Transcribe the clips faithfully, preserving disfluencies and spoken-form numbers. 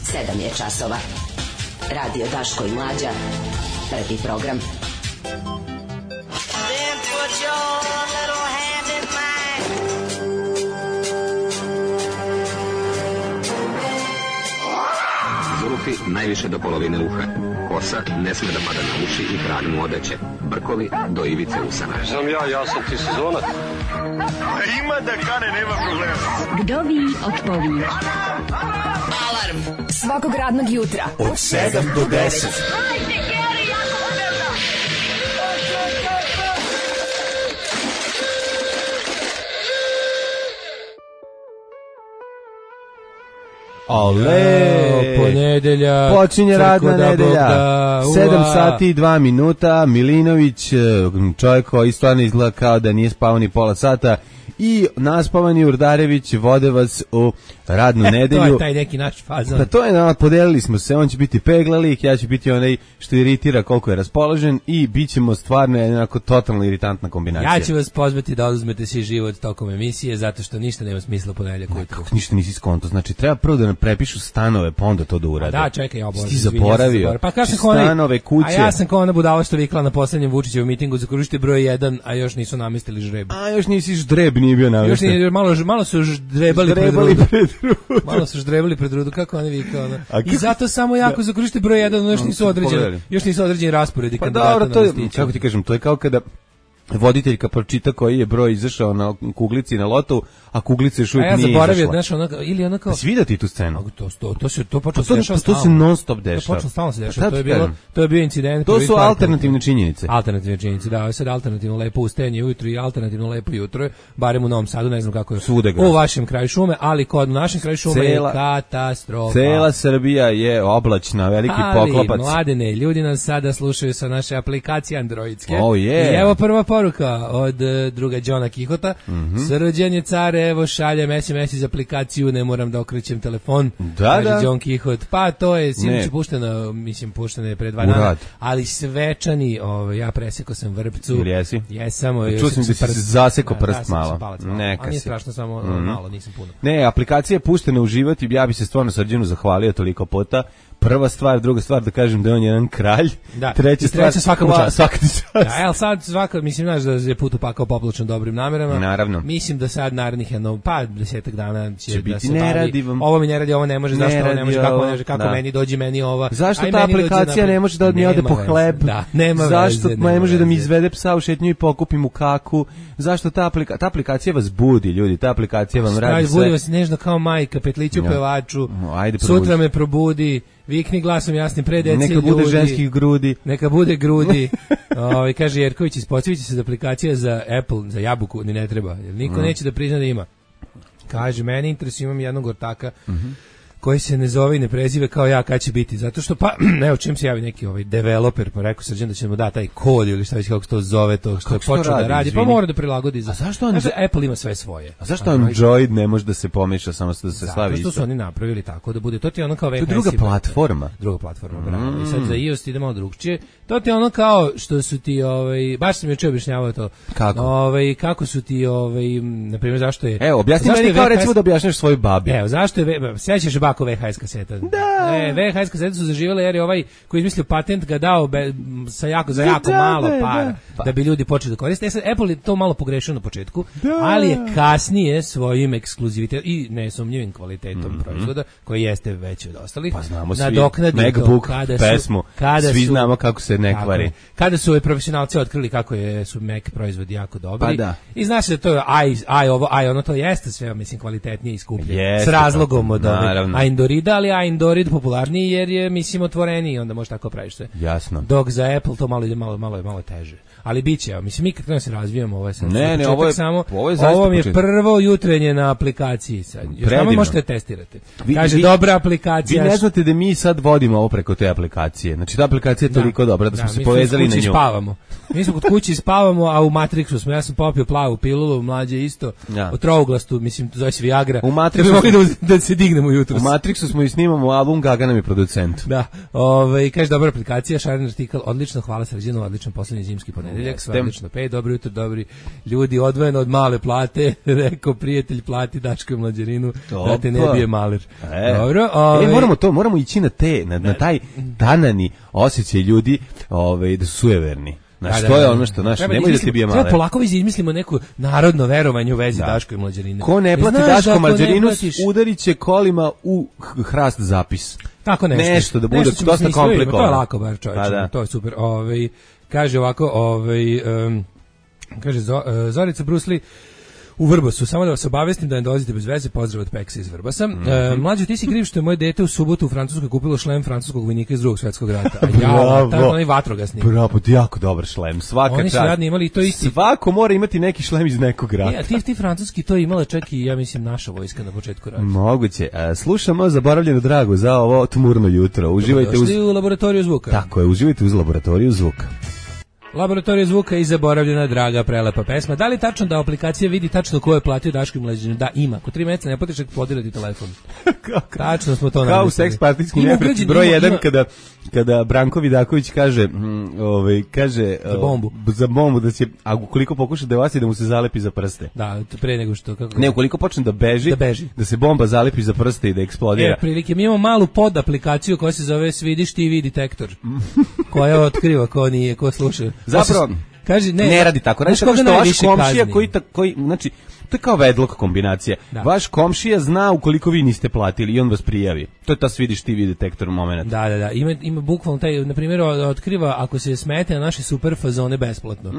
sedam je časova. Radio Daško i Mlađa. Prvi program. Then put your little hand in mine. Zulufi najviše do polovine uha. Kosa ne sme da pada na uši i trag mu odeće. Brkovi do ivice usana. Znam ja, ja sam ti sezonac. Ima da kane, nema problema. Kdovi otpovi. Alarm svakog radnog jutra od sedam do deset. Hajde, Geri, jako se velda. Ale, ponedelja, počinje radna nedelja, sedam sati i dva minuta, Milinović, čovjek koji stvarno izgleda kao da nije spavao ni pola sata, i naspavani Urdarević vode vas u radnu e, nedelju. To je taj neki naš fazon. Pa to je, no, podelili smo se, on će biti peglalik, ja ću biti onaj što iritira koliko je raspoložen i bit ćemo stvarno jednako totalno iritantna kombinacija. Ja ću vas pozvati da oduzmete si život tokom emisije, zato što ništa nema smisla ponedeljak ujutro. Kako ništa nisi skonto, znači treba prvo da nam prepišu stanove, pa onda to da urade. Da, čekaj, ja obožavam. Ti zaboravio. Pa kao sam stanove, kuće. A ja sam kao ona budala što vikla na poslednjem Vučićevom mitingu za korište broj jedan, a još nisu namestili žreb. A još nisi ždreb, nije bio namesten. Još nije, malo, malo su ždrebali, ždrebali pred rudu. Pred rudu. Malo su ždrebali pred rudu, kako oni vikao. I zato samo jako za korište broj jedan, još nisu određeni, još nisu određeni rasporedi pa kandidata dobro, na to je, listiću. kako ti kažem, to je kao kada voditeljka pročita koji je broj izašao na kuglici na lotu, a kuglica još uvijek nije izašla. A ja zaboravio, znaš, ono, ili ono kao... Svi da ti tu scenu? To, to, to, se, to počelo to, se dešava to, to se non stop dešava. To počelo stalno se dešava, to je, bilo, to je bio incident. To su alternativne činjenice. Alternativne činjenice, da, ovo je sad alternativno lepo ustajanje ujutru i alternativno lepo jutro, barem u Novom Sadu, ne znam kako je u vašem kraju šume, ali kod našem kraju šume cela, je katastrofa. Cela Srbija je oblačna, veliki ali, poklopac. Ali, mladene, ljudi nas sada slušaju sa naše aplikacije androidske. Oh, yeah. I evo prva poruka od druga Đona Kihota. Mm-hmm. Srđan je car, evo šaljem es em es iz aplikaciju, ne moram da okrećem telefon. Da, kaže da. Đon Kihot. Pa to je sinoć pušteno, mislim pušteno je pre dva dana, ali svečani, ovaj ja presekao sam vrpcu. Ili jesi? Jesam, čuo sam da si zasekao prst da, malo. malo. Neka a nije si. strašno, samo mm-hmm. malo, nisam puno. Ne, aplikacija je puštena uživati, ja bi se stvarno Srđanu zahvalio toliko puta. Prva stvar, druga stvar da kažem da je on jedan kralj. Da. Treća stvar svaka mu čast. Svaka ti čast. Da, el sad svaka, mislim znaš da je put upakao popločan dobrim namerama. Naravno. Mislim da sad narednih jedno pa desetak dana će, će da biti se ne bavi. Vam. Ovo mi ne radi, ovo ne može, ne zašto ovo ne može, kako ovo, ne može, kako da. meni dođi meni ova. Zašto aj, ta aplikacija ne može da mi ode po hleb? Da, nema zašto veze, ne može veze. da mi izvede psa u šetnju i pokupi mu kaku? Zašto ta aplikacija, ta aplikacija vas budi, ljudi, ta aplikacija vam radi sve. Budi vas nežno kao majka, petliću ja. pevaču. No, ajde, sutra me probudi. Vikni glasom jasnim pre deci neka ljudi. bude ženskih grudi. Neka bude grudi. Ovaj kaže Jerković, ispostaviće se da aplikacija za Apple, za jabuku ni ne treba. Jer niko mm. neće da prizna da ima. Kaže, meni interesuje, imam jednog ortaka mm-hmm. koji se ne zove i ne prezive kao ja, kad će biti. Zato što, pa, evo, čim se javi neki ovaj developer, pa rekao Srđan da će mu da taj kod ili šta već kako se to zove, to što je počeo da radi, izvini? Pa mora da prilagodi. Za... A zašto on... Znači, Apple ima sve svoje. A zašto Android ne može da se pomeša, samo da se da, slavi isto? Zato što su oni napravili tako da bude, to ti je ono kao V H S. To je druga platforma. Druga platforma, mm. bravo. I sad za iOS ide malo drugčije. To ti je ono kao što su ti, ovaj, baš sam juče objašnjavao to. Kako? Ovaj, kako su ti, ovaj, na primjer, zašto je... Evo, objasni meni kao recimo da objašnjaš svoj babi. Evo, zašto je, sjećaš bako V H S kaseta? Da. E, V H S kasete su zaživjele jer je ovaj koji izmislio patent ga dao be, sa jako, za jako da, malo da, para da. da bi ljudi počeli da koriste. E sad, Apple je to malo pogrešio na početku, da. ali je kasnije svojim ekskluzivitetom i nesumnjivim kvalitetom mm-hmm. proizvoda, koji jeste veći od ostalih, pa znamo svi, MacBook, kada su, pesmu, kada svi su, znamo kako se ne kvari. Kada su profesionalci otkrili kako je, su Mac proizvodi jako dobri, pa da. i znaš da to je aj, aj ovo, aj ono, to jeste sve, mislim, kvalitetnije i skuplje. Jeste, s razlogom od ove Androida, ali Android popularniji jer je, mislim, otvoreniji, onda možeš tako praviš sve. Jasno. Dok za Apple to malo ide malo, malo, malo teže. Ali biće, mislim, mi kad krenemo se razvijamo, ovo je sad. Ne, ne, ovo je, samo, ovo je, ovo mi je prvo jutrenje na aplikaciji sad. Još tamo možete testirati. Vi, Kaže, vi, dobra aplikacija. Vi ne znate da mi sad vodimo ovo preko te aplikacije. Znači, ta aplikacija je toliko da, dobra da smo da, se povezali na nju. Spavamo. Mi smo kod kući spavamo, a u Matrixu smo. Ja sam popio plavu pilulu, mlađe isto. Ja. O trouglastu, mislim, to zove se Viagra. U Matrixu da mogli da, da se dignemo jutro. U Matrixu smo i snimamo album, Gaga nam je producent. Da, ovaj kaže dobra aplikacija, šaren artikal, odlično, hvala Srđanu, odličan poslednji zimski ponedeljak, sve odlično, pej, dobro jutro, dobri ljudi, odvojeno od male plate, rekao prijatelj plati Daško i Mlađarinu, da te ne bije maler. E. Dobro, ovaj e, moramo to, moramo ići na te, na, na taj tanani osjećaj ljudi, ovaj da su sujeverni. Znaš, da, to je ono što naš, nemoj da ti bije maler. Treba polako izmislimo neko narodno verovanje u vezi da. Daško i Mlađarine. Ko ne plati Daško Mlađarinu, udarit će kolima u hrast zapis. Tako nešto. Nešto da bude nešto dosta komplikovano. To je lako bar čovječe, da. To je super. Ovaj, kaže ovako, ovaj, um, kaže Zo, uh, Zorica Brusli, u Vrbasu, samo da vas obavestim da ne dolazite bez veze, pozdrav od Peksa iz Vrbasa. Mm -hmm. e, mlađo, ti si kriv što je moje dete u subotu u Francuskoj kupilo šlem francuskog vojnika iz drugog svjetskog rata. A ja, tako onaj vatrogasni. Bravo, jako dobar šlem, svaka Oni su čast. radni imali to isti. Svako mora imati neki šlem iz nekog rata. Ja, ti, ti francuski to imala čak i, ja mislim, naša vojska na početku rata. Moguće. E, slušamo Zaboravljeno drago za ovo tmurno jutro. Uživajte uz... u laboratoriju zvuka. Tako je, uživajte uz laboratoriju zvuka. Laboratorija zvuka i Zaboravljena draga, prelepa pesma. Da li tačno da aplikacija vidi tačno ko je platio Daško i Mlađarinu? Da, ima. Ko tri meseca ne platiš, podeliti telefon. Tačno smo to namislili. Kao u seks partijski neprijatelj broj jedan kada kada Branko Vidaković kaže, mm, ovaj kaže za bombu. Uh, za bombu da će, a ukoliko pokuša da vas da mu se zalepi za prste. Da, pre nego što kako. Ne, ukoliko počne da beži, da beži, da se bomba zalepi za prste i da eksplodira. E, prilike mi imamo malu pod aplikaciju koja se zove Svidiš ti vidi detektor. Koja otkriva ko nije, ko sluša. Zapravo, kaže ne, ne radi tako. Radi tako što vaš komšija koji, ta, koji, znači, to je kao vedlok kombinacija. Da. Vaš komšija zna ukoliko vi niste platili i on vas prijavi. To je ta Svidiš ti vidi detektor moment. Da, da, da. Ima, ima bukvalno taj, na primjer, otkriva ako se smete na naše super fazone besplatno.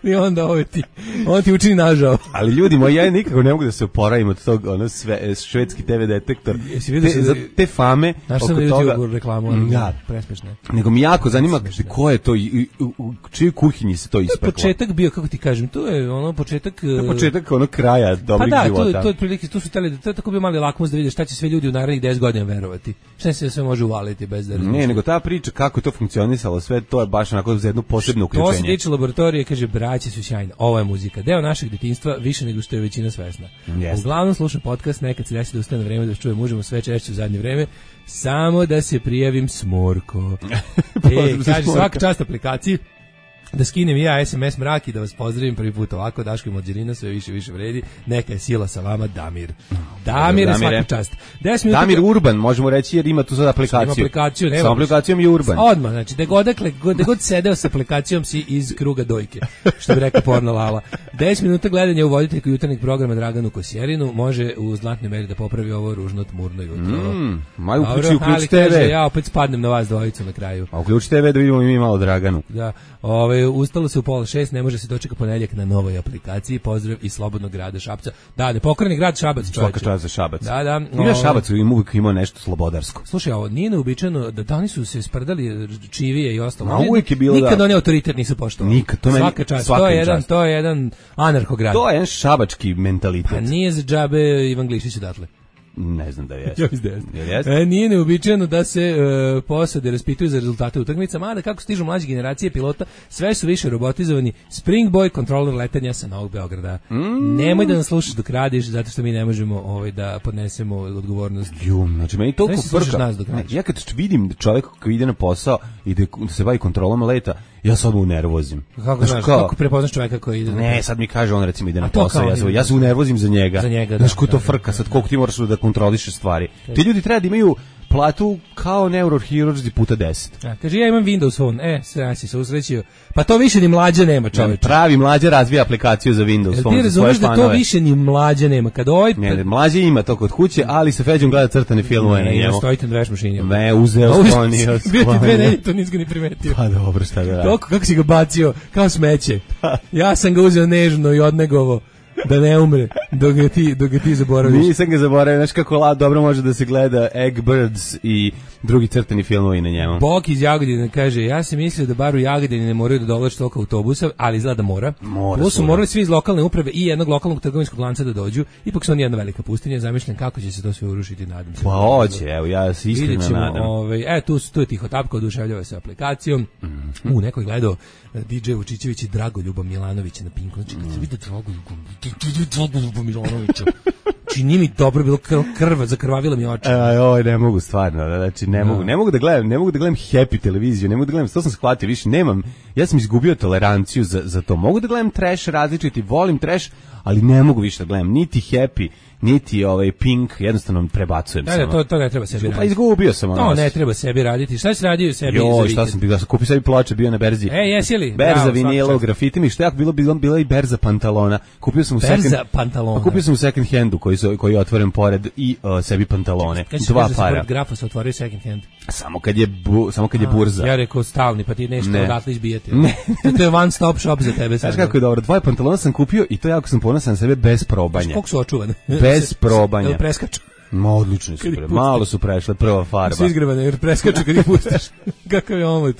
I onda ovo ti, on ti učini nažao. Ali ljudi moji, ja nikako ne mogu da se oporavim od tog ono, sve, švedski te ve detektor. Te, se, za te fame oko toga. Znaš sam reklamu, da. Presmešne. Nego mi jako zanima ko je to, i, u, u čijoj kuhinji se to ispeklo. To je početak bio, kako ti kažem, to je ono početak... To je početak ono kraja dobrih pa da, života. Pa da, to je prilike, tu su tele, to je tako bio mali lakmus da vidiš šta će sve ljudi u narednih deset godina verovati. Šta se sve može uvaliti bez da razmišljati. Ne, nego ta priča kako je to funkcionisalo, sve to je baš onako za jedno posebno uključenje. To se tiče laboratorije, kaže, braći su sjajni. Ovo je muzika, deo našeg detinjstva, više nego što je većina svesna. Yes. Uglavnom slušam podcast, nekad se desi da ustane na vreme da čujem mužemo sve češće u zadnje vreme, samo da se prijavim smorko. E, kaže, svaka čast aplikaciji, da skinem i ja es em es mrak i da vas pozdravim prvi put ovako, Daško i Mlađarina, sve više više vredi, neka je sila sa vama, Damir. Damir je svaka čast. Damir Urban, možemo reći, jer ima tu sad aplikaciju. Ima aplikaciju, nema. Sa aplikacijom je Urban. Odmah, znači, da god, da god sedeo sa aplikacijom si iz kruga dojke, što bi rekao porno Lala. deset minuta gledanja u voditeljku jutarnjeg programa Draganu Kosjerinu može u znatnoj meri da popravi ovo ružno tmurno jutro. Mm, maj uključi, uključi te ve. Ja opet spadnem na vas dvojicu na kraju. A uključi te ve da vidimo i mi malo Draganu. Da, ovaj ustalo se u pola šest, ne može se dočeka ponedjeljak na novoj aplikaciji. Pozdrav iz slobodnog grada Šapca. Da, nepokoreni grad Šabac, čoveče. Svaka čast za Šabac. Da, da. Ima Šabac, ima uvijek ima nešto slobodarsko. Slušaj, ovo nije neuobičajeno da da oni su se sprdali čivije i ostalo. Ma uvijek je bilo nikad da. Oni autoritet nisu poštovali. Nikad, to meni svaka čast. To je jedan, čast. to je jedan anarhograd. To je jedan šabački mentalitet. Pa nije za džabe Ivan Glišić odatle. Ne znam da jeste. Jeste. E, nije neuobičajeno da se e, posade raspituju za rezultate utakmica, mada kako stižu mlađe generacije pilota, sve su više robotizovani. Spring Boy, kontroler letanja sa Novog Beograda. Mm. Nemoj da nas slušaš dok radiš, zato što mi ne možemo ovaj, da podnesemo odgovornost. Ju, znači meni toliko frka. Ja kad vidim čovjeka koji ide na posao i da se bavi kontrolom leta, ja se odmah unervozim. Kako znaš, kao, kako prepoznaš čovjeka koji ide? Ne, sad mi kaže on recimo ide na posao, ja se, ja se unervozim za njega. Za njega, znaš, da. ko to frka, sad koliko ti moraš da kontroliše stvari. Ti ljudi treba da imaju platu kao neurohirurzi puta deset. A, kaže, ja imam Windows Phone. E, sve si se usrećio. Pa to više ni mlađa nema, čoveče. Pravi mlađa razvija aplikaciju za Windows Phone. Ti razumeš da to više ni mlađa nema. Kad ovaj... Ne, mlađa ima to kod kuće, ali sa Feđom gleda crtane filmove na njemu. Ne, stojite na veš mašini. Ne, uzeo sklonio. Bio ti dve nedelje, to nisi ga ni primetio. Pa dobro, šta da radi. Toliko, kako si ga bacio, kao smeće. Ja sam ga uzeo nežno i odnegovo. Da ne umre, dok ga ti, dok ga ti zaboraviš. Nisam ga zaboravio, znaš kako la, dobro može da se gleda Eggbirds i drugi crtani filmovi na njemu. Bok iz Jagodine kaže, ja sam mislio da bar u Jagodini ne moraju da dolaze toliko autobusa, ali izgleda da mora. Mora Ovo su morali svi iz lokalne uprave i jednog lokalnog trgovinskog lanca da dođu. Ipak su oni jedna velika pustinja, zamišljam kako će se to sve urušiti, nadam se. Pa hoće, evo, ja se iskreno nadam. Ovaj, e, tu, tu je tiho tapka, oduševljava se aplikacijom. Mm-hmm. U, neko je gledao D J Vučićević i Dragoljuba Milanovića na Pinku. Znači, kad se vidi Dragoljuba Milanovića, Znači, nije mi dobro bilo krv, zakrvavilo mi oči. Aj, oj, ne mogu stvarno, znači ne mogu, ne mogu da gledam, ne mogu da gledam Happy televiziju, ne mogu da gledam, to sam shvatio, više nemam, ja sam izgubio toleranciju za, za to. Mogu da gledam trash različiti, volim trash, ali ne mogu više da gledam niti Happy, niti ovaj Pink, jednostavno prebacujem samo. Da, to to ne treba sebi raditi. Pa izgubio sam ono. To ne treba sebi raditi. Šta si radio sebi? Jo, šta sam bio, kupio sebi ploče, bio na berzi. E, jesi li? Berza vinila u grafitima, šta jako bilo bila, bila i berza pantalona. Kupio sam u berza second pantalona. Pa kupio sam u second handu koji su, koji je otvoren pored i uh, sebi pantalone. Kad dva si para. Kad grafa se otvorio second hand. Samo kad je bu, samo kad je burza. Ja rekao stalni, pa ti nešto ne. odatle izbijeti. Ne. To je one stop shop za tebe. Znaš kako je dobro, dvoje pantalona sam kupio i to jako sam ponosan na sebe bez probanja. Koliko su očuvane? Bez probanja. Jel preskaču? Ma odlični su, malo su prešle, prva farba. Su izgrebane, jer preskaču kad ih pustiš. Kakav je omot?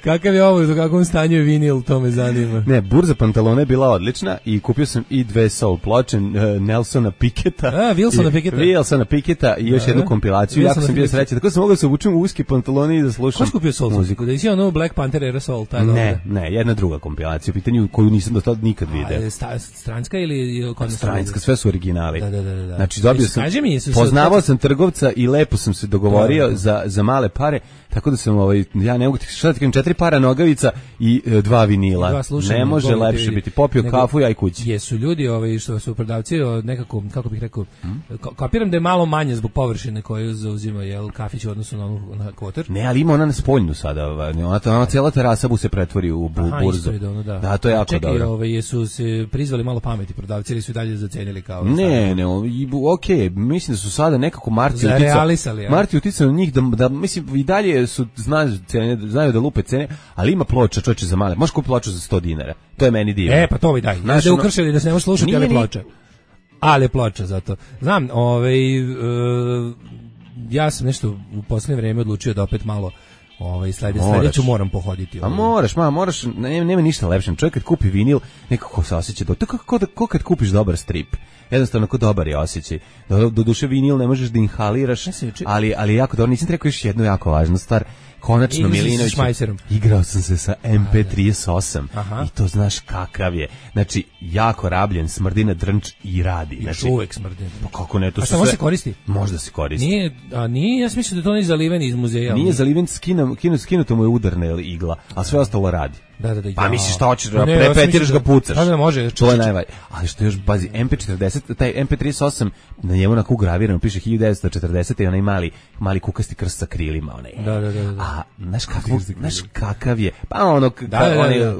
Kakav je omot, u kakvom stanju je vinil, to me zanima. Ne, burza pantalona je bila odlična i kupio sam i dve soul ploče, uh, Nelsona Piketa. A, Wilsona Piketa. Wilsona Piketa i još da, jednu kompilaciju. Wilsona jako sam bio srećan, tako sam mogao da se obučem u uske pantalone i da slušam kupio soul muziku. Da isi ono Black Panther era soul, taj Ne, dobro. ne, jedna druga kompilacija, u pitanju koju nisam do tada nikad vidio. A, stranska ili kod stranska, sve su originali. Da, da, da, da. Znači dobio sam, mi, poznavao sam trgovca i lepo sam se dogovorio da, za, za male pare, tako da sam ovaj, ja ne mogu ti šta da ti kažem, četiri para nogavica i e, dva vinila. Dva slušanja, ne može lepše biti. Popio nego, kafu i aj kući. Jesu ljudi ovaj, što su prodavci nekako, kako bih rekao, hmm? kapiram da je malo manje zbog površine koju zauzima jel, kafić u odnosu na, na kvoter. Ne, ali ima ona na spoljnu sada. Ona, ona cijela terasa bu se pretvori u bu, Aha, burzu. Da, ono, da. da, to je jako čekaj, dobro. Ovaj, jesu se prizvali malo pameti prodavci ili su i dalje zacenili kao... Ne, ne, ok, mislim da su sada nekako Marti uticao. Marti uticao na njih da, da, mislim, i dalje su, znaju, cene, znaju da lupe cene, ali ima ploča, čovječe, za male. Možeš kupiti ploču za sto dinara. To je meni divno. E, pa to mi daj. Znaš, da je ukršili da se ne može slušati, ali ploča. Ali ploča, zato. Znam, ovaj, uh, ja sam nešto u posljednje vrijeme odlučio da opet malo ovaj sledi sledeću moram pohoditi. A moraš, ma, moraš, nema, nema ništa lepše. Čovjek kad kupi vinil, nekako se osjeća do to kako kako kad kupiš dobar strip. Jednostavno ko dobar je osjećaj. Do, do duše vinil ne možeš da inhaliraš, ali ali jako dobro. Nisam rekao još jednu jako važnu stvar. Konačno Milinović, igrao sam se sa em pe trideset osam Aha. i to znaš kakav je. Znači, jako rabljen, smrdina drnč i radi. Znači, uvek smrdina. Pa kako ne, to a šta može se koristi? Možda se koristi. Nije, a nije, ja sam mislio da to nije zaliven iz muzeja. Nije zaliven, skinu, skinuto mu je udarna igla, a sve ostalo radi. Da, da, da. Pa misliš šta hoćeš, da prepetiraš ga, pucaš. Da, da, može. To je najvaj. Ali što još, bazi, em pe četrdeset, taj em pe trideset osam, na njemu onako ugravirano, piše hiljadu devetsto četrdeset i onaj mali, mali kukasti krst sa krilima. Onaj. Da, da, da, da. A, znaš, kako, znaš kakav je, pa ono, da, da, da, onaj da.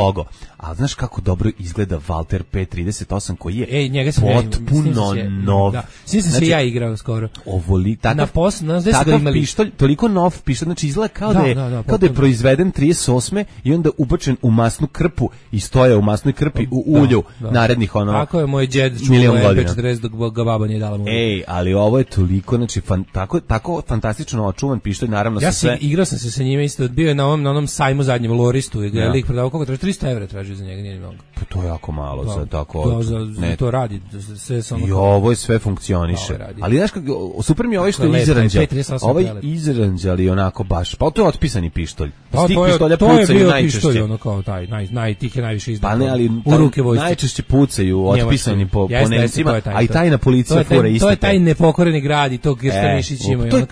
logo. A znaš kako dobro izgleda Walter pe trideset osam koji je Ej, njega sam potpuno ja, nov. Da, svi sam znači, se ja igrao skoro. Ovoli, takav, na pos, na takav pištolj, toliko nov pištolj, znači izgleda kao da, da, je, da, da, kao da je proizveden trideset osme i onda ubačen u masnu krpu i stoje u masnoj krpi u ulju da, da. narednih ono tako je moj džed čuo em pe četrdeset dok ga baba nije dala mu. Ej, ali ovo je toliko, znači fan, tako, tako fantastično očuvan pištolj, naravno ja sa sve. Ja igrao sam se sa njime isto, bio je na onom, na onom sajmu zadnjem Loristu i ga je lik prodavao koliko traži, tristo evra traži za njega, nije mnogo. Pa to je jako malo da, za tako. Da, za, ne, to radi, sve samo. I ovo je sve funkcioniše. Ali znaš kako, super mi je ovaj što je izranđa. Ovaj izranđali onako baš, pa to je otpisani pištolj. Da, to je, to je bio pištolj, ono kao taj, naj, naj, tih je najviše izdao. Pa ne, ali u ruke vojske. Najčešće pucaju otpisani po, po Nemcima, a i tajna policija fura iste. To je taj nepokoreni grad i to Grštanišić ima. To je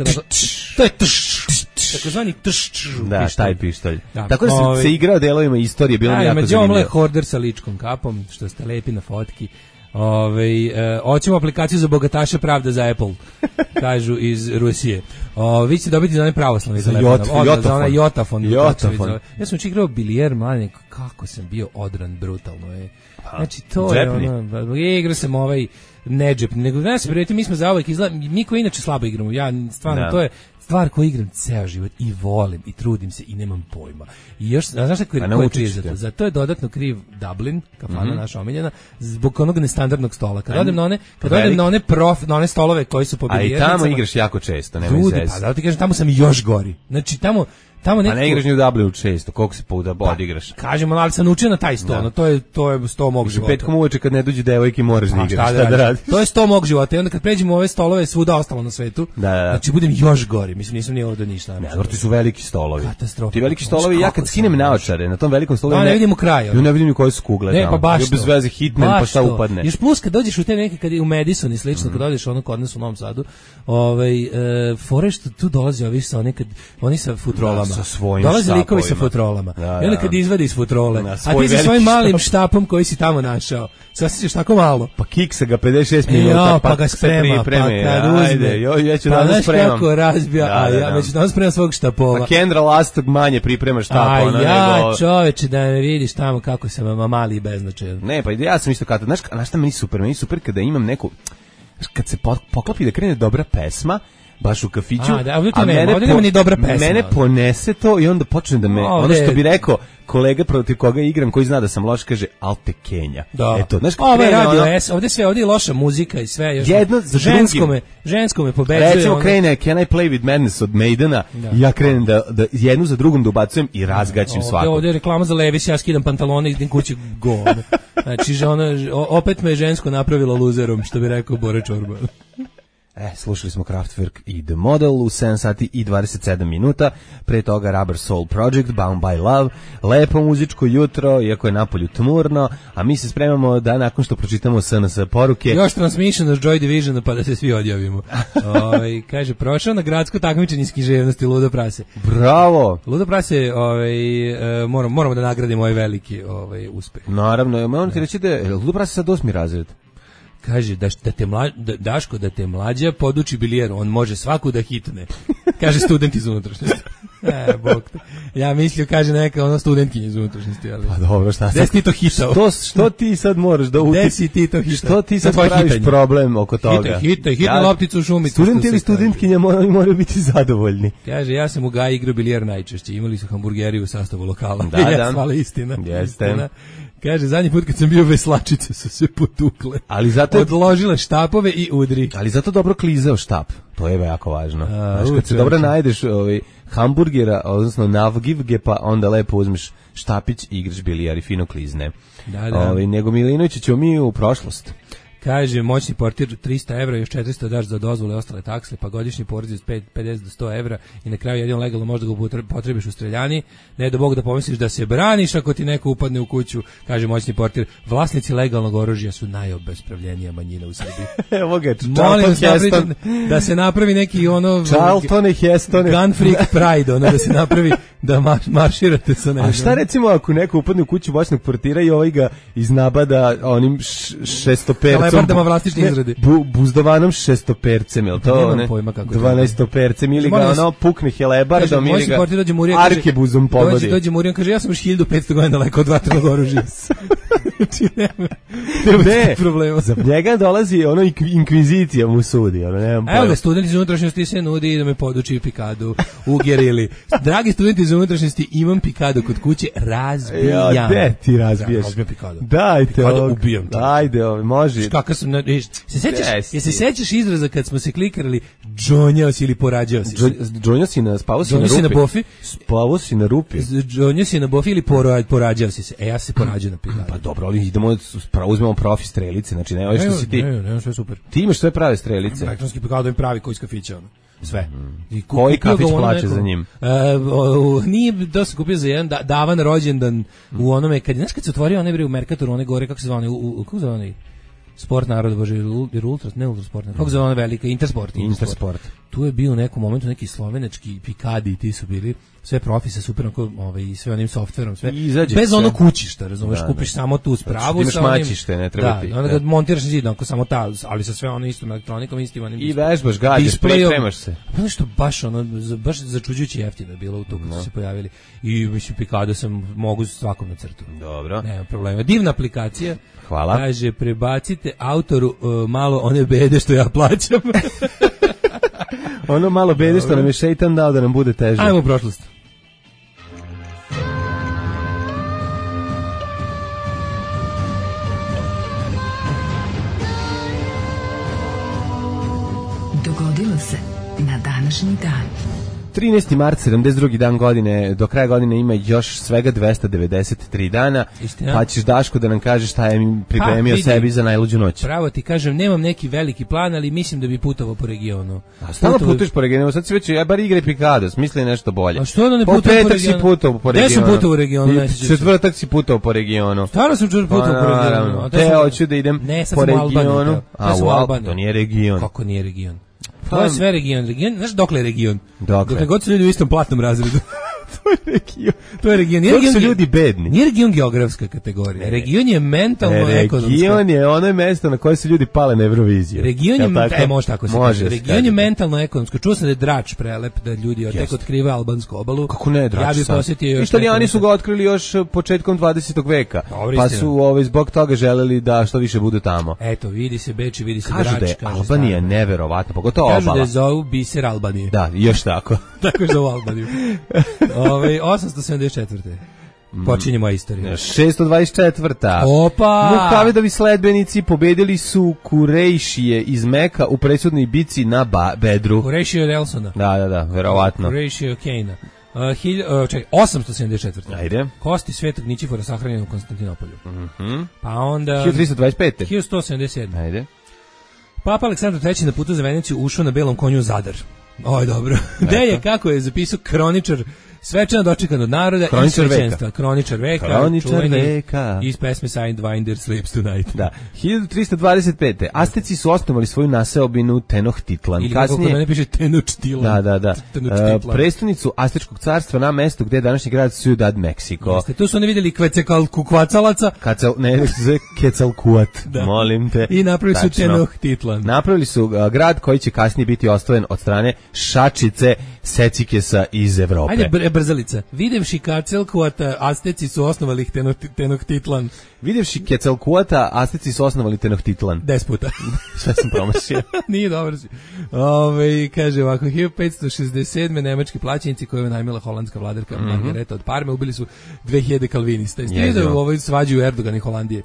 to je takozvani tš. Da, taj pištolj. Tako da se igrao delovima istorije, bilo mi jako zanimljivo. Među horder sa ličkom kapom, što ste lepi na fotki. Ove, e, hoćemo aplikaciju za bogataše, pravda za Apple, kažu iz Rusije. O, vi ćete dobiti za onaj pravoslavni telefon. Jot, Odla, za onaj Jotafon. Jotafon. Ja sam učin igrao bilijer, mladen, kako sam bio odran brutalno. Je. Znači, to džepni. Je ono, igra sam ovaj nedžepni, nego da se prijeti, mi smo za ovak izgleda, mi koji inače slabo igramo, ja stvarno, da. To je stvar koju igram ceo život i volim i trudim se i nemam pojma. I još, a znaš kako je kriv za to? Za to je dodatno kriv Dublin, kafana mm-hmm. naša omiljena, zbog onog nestandardnog stola. Kad odem na one, kad odem na one prof, na one stolove koji su po bilijarnicama. A i tamo igraš jako često, nema izveze. Pa da ti kažem, tamo sam još gori. Znači tamo tamo neko... A ne igraš ni u W šest, koliko se puta odigraš? Pa, kažemo, ali sam naučio na taj sto, da. No, to je, to je sto mog života. Petkom uveče kad ne dođe devojke moraš da igraš, šta da radi? To je sto mog života i onda kad pređemo ove stolove svuda ostalo na svetu, da, da. Znači budem još gori, mislim nisam ni ovdje ništa. Ne, ti su veliki stolovi. Katastrofa. Ti veliki stolovi, ja kad skinem naočare na tom velikom stolu, ne, ne vidim u kraju. Ja ne vidim ni koje su kugle ne, tamo. Pa baš bez veze hitman pa šta upadne. Još plus kad dođeš u te neke kad je u Madison i slično, mm. kad dođeš ono kod nas u Novom Sadu, ovaj e, fore što tu dolazi ovi sa oni kad oni sa futrolama. Da, sa dolaze likovi sa futrolama. Da, da. I onda kad izvadi iz futrole, da, a ti sa svojim malim štapom koji si tamo našao. Sad si tako malo. Pa kiksa ga pedeset šest minuta, jo, pa, pa ga sprema, pa kad uzme. Ajde, jo, ja ću pa danas spremam. Kako razbija, da, a ja da, već danas spremam svog štapova. A Kendra Lastog manje priprema štapa. A ona, ja, nego... čoveče, da me vidiš tamo kako sam mali i beznačajan. Ne, pa ja sam isto kada, znaš, znaš šta meni super, meni super kada imam neku, kad se poklopi da krene dobra pesma, baš u kafiću, a, da, ovdje to a nema, mene, ovdje nema ni dobra pesma. Mene ponese to i onda počne da me, ovdje, ono što bi rekao, kolega protiv koga igram, koji zna da sam loš, kaže Alte Kenja. Da. Eto, znaš, ovo je radio ono, S, ovdje sve, ovdje je loša muzika i sve. Još jedno za žensko me, žensko me pobeđuje. Recimo ono... krene Can I Play With Madness od Maidena da. I ja krenem da, da jednu za drugom da ubacujem i razgaćim svakog. Ovdje je reklama za Levis, ja skidam pantalone i idem kući go. Znači, že ona, opet me je žensko napravilo luzerom, što bi rekao Bore Čorba. E, slušali smo Kraftwerk i The Model u sedam sati i dvadeset sedam minuta, pre toga Rubber Soul Project, Bound by Love, lepo muzičko jutro, iako je napolju tmurno, a mi se spremamo da nakon što pročitamo S N S poruke... Još Transmission od Joy Division, pa da se svi odjavimo. Ove, kaže, prošao na gradsko takmičenje iz književnosti Ludo Prase. Bravo! Ludo Prase, ovaj, moramo, moramo da nagradimo ovaj veliki ovaj, uspeh. Naravno, moram ti reći da je Ludo Prase sad osmi razred. Kaže da, da te mla, da, Daško da te mlađa poduči bilijer, on može svaku da hitne. Kaže student iz unutrašnjosti. E, bog te. Ja mislio, kaže neka ono studentkinja iz unutrašnjosti. Ali... Pa dobro, šta sad? Gde si ti to hitao? Što, što ti sad moraš da uti... Gde si ti to hitao? Što ti sad praviš hitanje? Problem oko toga? Hitaj, hitaj, hitaj ja, lopticu u šumicu. Student ili studentkinja moraju, moraju biti zadovoljni. Kaže, ja sam u Gaji igrao bilijer najčešće. Imali su hamburgeri u sastavu lokala. Da, da. Ja, hvala, istina. Jeste. Istina. Kaže, zadnji put kad sam bio veslačice su se potukle. Ali zato... Odložile štapove i udri. Ali zato dobro klizao štap. To je jako važno. A, Znaš, kad se dobro najdeš ovaj, hamburgera, odnosno navgivge, pa onda lepo uzmeš štapić i igraš bilijar i fino klizne. Da, da. Ovaj, nego Milinović ćemo mi u prošlost. Kaže, moćni portir trista evra, još četiristo daš za dozvole i ostale takse, pa godišnji porez od pedeset do sto evra i na kraju jedino legalno možda ga potrebiš u streljani. Ne do Bog da pomisliš da se braniš ako ti neko upadne u kuću. Kaže moćni portir, vlasnici legalnog oružja su najobespravljenija manjina u Srbiji. Evo ga, Molim da, da se napravi neki ono... Charlton i Heston. Gun Freak Pride, ono da se napravi da mar, marširate sa nežem. A šta recimo ako neko upadne u kuću moćnog portira i ovaj ga iznabada onim šestopercom? Lebardama vlastični izradi. Bu, buzdovanom šestopercem, je li to? Nemam ne? pojma kako dvanaestopercem ili ga ono pukne helebardom ili ga arkebuzom pogodi. Dođe, dođe Murijan, kaže, ja sam još hiljadu petsto godina daleko od vatrenog oružja. Znači, nema, nema ne, problema. Za njega dolazi ono inkvizicija mu sudi. Ono, nemam Evo ga, studenti iz unutrašnjosti se nudi da me poduči pikadu u gerili. Dragi studenti iz unutrašnjosti, imam pikadu kod kuće, razbijam. Ja, gde ti razbijaš? Razbijam pikadu. Dajte pikadu ovog. Ubijam. To. Ajde, ovo, može. Kakav sam, se sećaš, je se sećaš izraza kad smo se klikarali džonjao si ili porađao si? Džonjao si na, spavao si na rupi? si na bofi? Spavao si na rupi? Džonjao si na bofi ili porađao si se? E, ja se porađao na pikadu. Pa dobro, ali idemo, uzmemo profi strelice, znači ne, ovo što si ti. Ne, ne, sve super. Ti imaš sve prave strelice. Elektronski pikado im pravi koji iz kafića, ono. Sve. I koji kafić plaće neko, za njim? Uh, o, o, nije da se kupio za jedan da, davan rođendan mm. u onome, kad, znaš kad se otvorio onaj bre u Merkatoru, one gore, kako se zvane, u, u, kako se zvane? Sport narod, bože, jer ultra, ne ultra sport, kako se zove ona velika, Intersport, Intersport. Intersport. Tu je bio u nekom momentu neki slovenački pikadi, ti su bili sve profi sa super, ovaj, sve onim softverom, sve. Bez ono kućišta, razumeš, da, kupiš da. Samo tu spravu. Imaš maćište, ne treba da, ti. Onda ga montiraš na zid, onako samo ta, ali sa sve ono istom elektronikom, istim onim. I vežbaš, gađaš, pripremaš se. Pa nešto baš ono, baš začuđujuće jeftino je bilo u to kad no. su se pojavili. I mislim, pikado sam mogu svakom na crtu. Dobro. Nema problema. Divna aplikacija. Hvala. Kaže, prebacite autoru uh, malo one bede što ja plaćam. Ono malo bede što nam je šeitan dao da nam bude teže. Ajmo u prošlost. Dogodilo se na današnji dan. trinaesti mart, sedamdeset drugi dan godine, do kraja godine ima još svega dvesta devedeset tri dana, Istina. Pa ćeš Daško da nam kažeš šta je pripremio pa, sebi za najluđu noć. Pravo ti kažem, nemam neki veliki plan, ali mislim da bi putovao po regionu. A stalno putuješ po regionu, sad si već, ja bar igraj Pikados, misli nešto bolje. A što onda ne po putujem po regionu? petak si putovao po regionu. Gde sam putovao u regionu? Četvrtak si putovao po regionu. Stvarno sam putovao po regionu. Te hoću da idem ne, po regionu. A u Albaniju. To nije region. Kako nije region? To je sve region. region. Znaš dokle je region? Dokle? Dokle god su ljudi u istom platnom razredu. To je region. To je region. Dok su ljudi bedni. Nije region geografska kategorija. Ne, region je mentalno-ekonomska. Region je ono mesto na koje se ljudi pale na Euroviziju. Region je, e, može tako se može kaže. Region je mentalno-ekonomsko. Čuo sam da je Drač prelep, da ljudi tek otkrive albansku obalu. Kako ne, Drač? Ja bih posjetio još. Italijani su ga otkrili još početkom dvadesetog veka. Dobre, pa istina. su ovaj, zbog toga želeli da što više budu tamo. Eto, vidi se Beč, vidi se kažu Drač. Da je kaže Albanija neverovatna, pogotovo kažu obala. Kažu da je zovu biser Albanije. Da, još tako. Tako je zovu Albaniju. Ove, osamsto sedamdeset četvrte Počinje moja istorija. šesto dvadeset četvrta Opa! Muhamedovi sledbenici pobedili su Kurejšije iz Meka u presudnoj bici na ba Bedru. Kurejšije od Elsona. Da, da, da, verovatno. Kurejšije od Kejna. Uh, hilj, uh, čekaj, osamsto sedamdeset četvrte Ajde. Kosti Svetog Ničifora sahranjeni u Konstantinopolju. Mhm. Pa onda hiljadu trista dvadeset pete hiljadu sto sedamdeset sedme Ajde. Papa Aleksandar treći na putu za Veneciju ušao na belom konju u Zadar. Oj, dobro. Gde je, kako je zapisao kroničar, svečano dočekan od naroda i svećenstva. Kroničar veka. Kroničar veka. Iz pesme Sidewinder Sleeps Tonight. Da. hiljadu trista dvadeset pete Asteci su osnovali svoju naseobinu Tenochtitlan. Ili kako kod mene piše Tenochtitlan. Da, da, da. Uh, prestonicu Astečkog carstva na mestu gde je današnji grad Ciudad Mexico. Jeste, tu su oni vidjeli Kvecalkukvacalaca. Kacal, ne, Quetzalcoatl, molim te. I napravili su Tenochtitlan. Napravili su uh, grad koji će kasnije biti osvojen od strane šačice Secikesa iz Evrope. Ajde, br brzalica. Videvši Quetzalcoatl, Asteci su osnovali Tenochtitlan. Videvši Quetzalcoatl, Asteci su osnovali Tenochtitlan. Des puta. Sve sam promašio. Nije dobro si. Ove, kaže ovako, hiljadu petsto šezdeset sedme nemački plaćenici koje je najmila holandska vladarka mm -hmm. Margareta od Parme ubili su dve hiljade kalvinista. Jeste vidio da u ovoj svađu Erdogan i Holandije?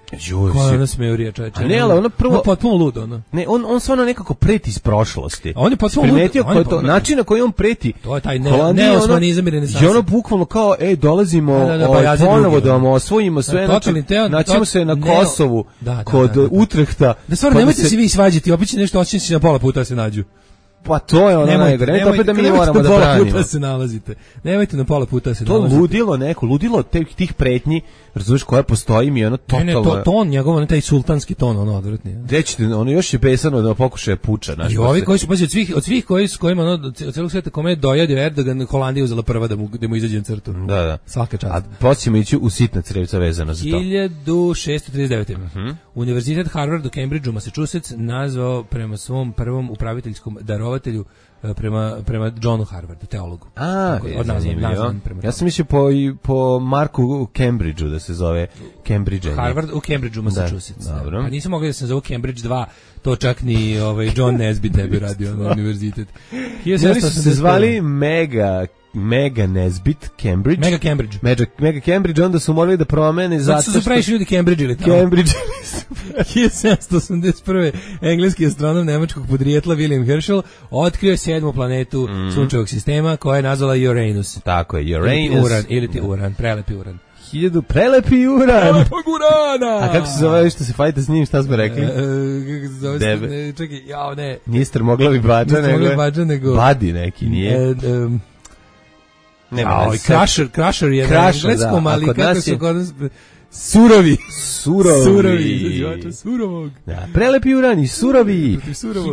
Koja je ona smejurija, čoveče. Ne, ali ono prvo... On potpuno lud, ono. Ne, on, on stvarno nekako preti iz prošlosti. On je potpuno lud. On je to, način na koji on preti. To je taj ne, neosmanizam i renesansa. I ono bukvalno kao, ej, dolazimo da, da, da, ovaj, ponovo da vam osvojimo sve. Naćemo se na Kosovu da, da, kod da, da, da. Utrehta. Da stvarno, nemojte se vi svađati, obično nešto očiniti na pola puta se nađu. Pa to je ono najgore, nemojte, opet da mi moramo da branimo. Nemojte na pola puta se nalazite. Nemojte na pola puta se to nalazite. To ludilo neko, ludilo tih, tih pretnji, razumiješ, koja postoji mi ono totalno. Ne, ne, to, ton, njegov, ne taj sultanski ton, ono odvratni. Rećete, ono još je besano da pokušaje puča. I ovi koji su, pazi, od svih, od svih koji, s kojima, ono, od celog sveta kome je dojadio Erdogan, Holandija uzela prva da mu, da mu izađe na crtu. Da, da. Svaka čast. A posljedno ići u sitna crevca vezano za to. hiljadu šessto trideset devete Uh -huh. Univerzitet Harvard u Cambridgeu, Massachusetts, nazvao prema svom prvom upraviteljskom darovatelju prema prema Johnu Harvardu, teologu. A, od nazvan prema ja sam mislio po po Marku u Cambridgeu da se zove Cambridge. Harvard u Cambridgeu, Massachusetts. Da, dobro. Pa nisam mogao da se zove Cambridge dva, to čak ni ovaj John Nesbitt ne bi radio na univerzitet. Oni su se zvali Mega Mega Nesbitt Cambridge. Mega Cambridge. Mega, Mega Cambridge, onda su morali da promene zato što... Zato su previše ljudi Cambridge ili tamo. Cambridge. hiljadu sedamsto osamdeset prve engleski astronom nemačkog podrijetla William Herschel otkrio sedmu planetu mm. sunčevog sistema koja je nazvala Uranus. Tako je, Uranus. Ili ti Uran, ili ti Uran, prelepi Uran. Hiljadu prelepi Uran. Prelepog Urana. A kako se zove što se fajte s njim, šta smo rekli? E, kako se zove? Debe. Ne, čekaj, jao ne. Nistar moglavi bađa, nego, bađa, nego Badi neki, nije? E, um, Nema, Oj, Crusher, Crusher je Crusher, na engleskom, da. ali kod kako nas su je... kod nas... Surovi. Surovi. Surovi. Surovog. Da, prelepi Urani, surovi.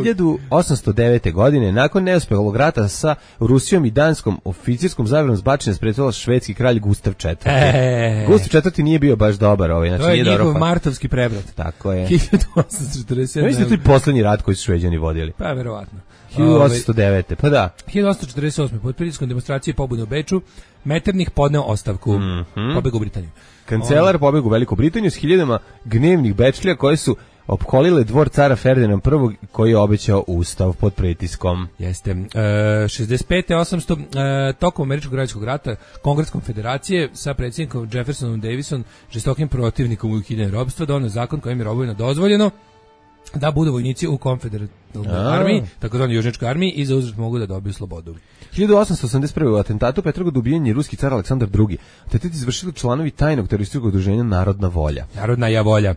hiljadu osamsto devete godine, nakon neuspelog rata sa Rusijom i Danskom, oficirskom zaverom zbačena sprečala švedski kralj Gustav četvrti. E. Gustav četvrti nije bio baš dobar, ovaj, znači to je nije njegov dobro, martovski prevrat. Tako je. hiljadu osamsto četrdeset sedme. Mislim da je to poslednji rat koji su Šveđani vodili. Pa, verovatno. hiljadu osamsto devete. Pa da. hiljadu osamsto četrdeset osme. pod pritiskom demonstracije pobune u Beču, Metternich podneo ostavku. Mm -hmm. Pobegao u Britaniju. Kancelar pobegao u Veliku Britaniju s hiljadama gnevnih bečlija koje su opkolile dvor cara Ferdinanda prvog koji je obećao ustav pod pritiskom. Jeste. E, šezdeset pete osamsto E, tokom američkog građanskog rata Kongres konfederacije sa predsjednikom Jeffersonom Davison, žestokim protivnikom ukidanja robstva, doneo zakon kojim je robovima dozvoljeno da budu vojnici u konfederat u armiji, takozvanoj južnjačkoj armiji i za uzvrat mogu da dobiju slobodu. hiljadu osamsto osamdeset prve. u atentatu u Petrogradu ubijen je ruski car Aleksandar drugi. Atentat izvršili članovi tajnog terorističkog udruženja Narodna volja. Narodna ja volja. E,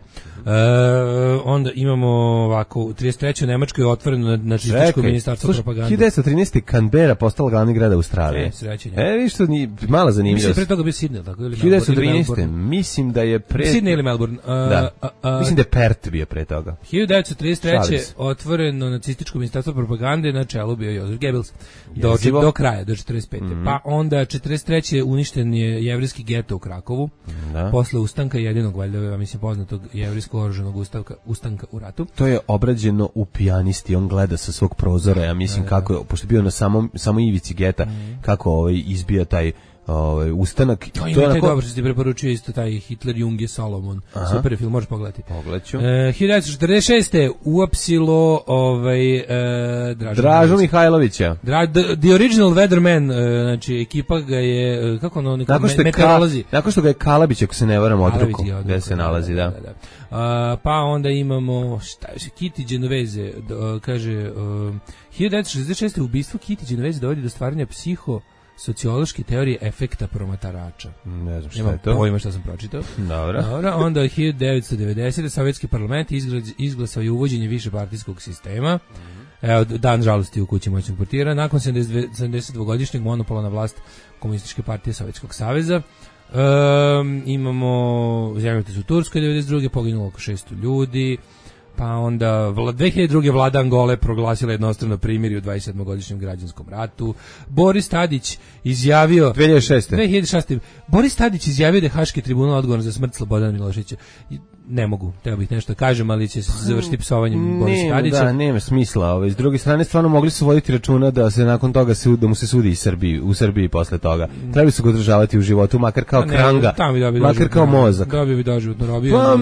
onda imamo ovako, u trideset trećoj. u Nemačkoj je otvoreno na nacističko ministarstvo propagande. hiljadu devetsto trinaeste. Canberra postala glavni grad Australije. E, srećenja. E, vidiš što ni mala zanimljivost. Mislim da pre toga bio Sydney, tako ili hiljadu devetsto trinaeste. Mislim da je pre... Sydney ili Melbourne. Uh, da. A, a, Mislim da je Perth bio pre toga. hiljadu devetsto trideset treće. otvoreno nacističko ministarstvo propagande, na čelu bio Josef Goebbels. Do, do kraja, do četrdeset pete. Mm-hmm. Pa onda četrdeset treće. uništen je jevrejski geto u Krakovu. Da. Posle ustanka jedinog, valjda, ja mislim, poznatog jevrejskog oružanog ustanka, ustanka u ratu. To je obrađeno u Pijanisti, on gleda sa svog prozora, ja mislim, da, kako je, pošto je bio na samom, samo ivici geta, mm. kako ovaj, izbija taj ovaj ustanak. To, to je onako... dobro što ti preporučio isto taj Hitler, Junge, Solomon. Aha. Super film, možeš pogledati. Pogledaću. E, hiljadu devetsto četrdeset šeste. uapsilo ovaj, e, Dražu, Dražu Mihajlovića. Dra, the, the Original Weatherman, e, znači ekipa ga je, kako ono, neko nakon što, me, ka, nakon što ga je Kalabić, ako se ne varam, odruko, gde se da, nalazi, da. da, da, da. A, pa onda imamo, šta je, Kitty Genovese, do, kaže, um, hiljadu devetsto šezdeset šeste. ubistvo Kitty Genovese dovodi do stvaranja psiho sociološke teorije efekta promatarača. Ne znam šta Nemam je to. pojma šta sam pročitao. Dobro. Dobro, onda hiljadu devetsto devedesete. Sovjetski parlament izglasao je uvođenje višepartijskog sistema. Mm-hmm. Evo, dan žalosti u kući moćnog portira. Nakon sedamdesetdvogodišnjeg monopola na vlast Komunističke partije Sovjetskog saveza. Um, imamo zemljotres u Turskoj devedeset druge. poginulo oko šesto ljudi. Pa onda dve hiljade druge. vlada Angole proglasila jednostrano primirje u dvadesetsedmogodišnjem građanskom ratu. Boris Tadić izjavio dve hiljade šeste. dve hiljade šeste. Boris Tadić izjavio da je Haški tribunal odgovoran za smrt Slobodana Miloševića. Ne mogu, treba bih nešto da kažem, ali će se završiti psovanjem Borisa Tadića. Da, nema smisla. Ovaj. S druge strane, stvarno mogli su voditi računa da se nakon toga se, da mu se sudi i Srbiji, u Srbiji posle toga. Trebali su ga održavati u životu, makar kao ne, kranga, makar kao mozak. Dobio bi doživotno robiju. Pa,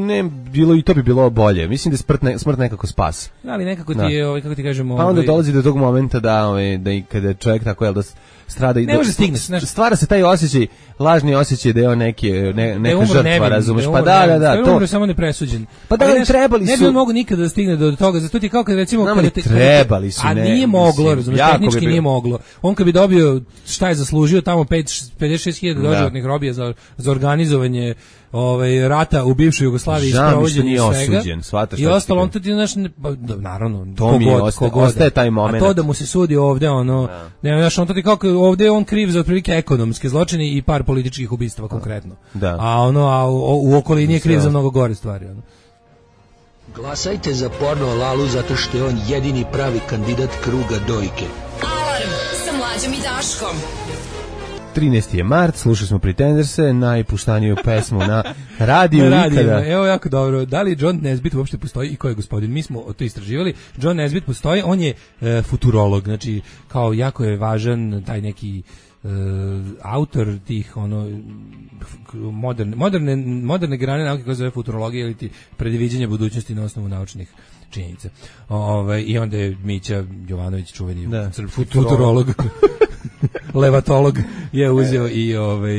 ne, bilo, i to bi bilo bolje. Mislim da je smrt, ne, smrt nekako spas. Ali nekako ti je, ovaj, kako ti kažemo... Pa onda ovaj... dolazi do tog momenta da, ovaj, da i kada čovjek tako, jel da strada i ne može stigneš, stvara se taj osjećaj, lažni osjećaj da je on neki ne, neka žrtva, razumeš? Pa da, da, da, to je samo nepresuđen. Pa da, ali trebali su. Ne bi on mogu nikada da stigne do toga, zato ti kao kad recimo kada te trebali su, a nije moglo, razumeš, tehnički nije moglo. On kad bi dobio šta je zaslužio tamo pedeset šest hiljada doživotnih robija za za organizovanje ovaj rata u bivšoj Jugoslaviji i sprovođenje svega. Osuđen, shvataš i ostalo on tad znaš, naravno, to mi ostaje, ostaje taj moment. A to da mu se sudi ovde, ono, ne, znaš, on tad kako ovde on kriv za otprilike ekonomske zločine i par političkih ubistava konkretno. Da. A ono, a u, u okolini je kriv za mnogo gore stvari, ono. Glasajte za porno Lalu zato što je on jedini pravi kandidat kruga dojke. Alarm sa Mlađom i Daškom. trinaesti je mart, slušali smo Pretenderse, najpuštaniju pesmu na radiju na ikada. Evo jako dobro, da li John Nesbitt uopšte postoji i ko je gospodin? Mi smo to istraživali. John Nesbitt postoji, on je e, futurolog, znači kao jako je važan taj neki e, autor tih ono moderne, moderne, moderne grane nauke koja se zove futurologija ili ti predviđanje budućnosti na osnovu naučnih činjenica. Ove, I onda je Mića Jovanović čuveni da, futurolog. futurolog. Levatolog je uzeo i ovaj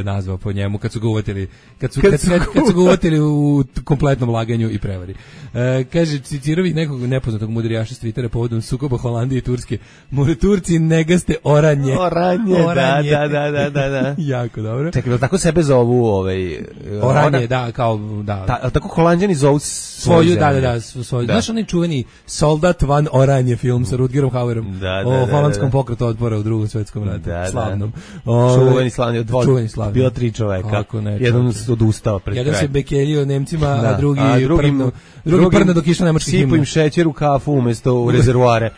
nazvao po njemu kad su ga uvatili kad su kad, kad, kad, kad su ga uvatili u kompletnom laganju i prevari. E, kaže citirovi nekog nepoznatog mudrijaša s Twittera povodom sukoba Holandije i Turske. More Turci negaste oranje. Oranje, oranje. Da, da, da, da, da. Jako dobro. Čekaj, tako sebe zovu ovaj oranje, ona, da, kao da. Ta, tako Holanđani zovu svoju, da, da, da, svoju. Da. Znaš onaj čuveni Soldat van Oranje film sa Rutgerom Hauerom da, da, o da, holandskom da, da. pokretu otpora u Drugom svetskom ratu. Da, slavnom. Da. Čuveni slavni od dvoje. Čuveni slavni. Bilo tri čoveka. Ne, jedan se odustao pred kraj. Jedan se bekeljio Nemcima, da. a drugi a drugi, prno, drugi prno dok išao nemački himn. Sipu im šećer u kafu umesto u rezervoare.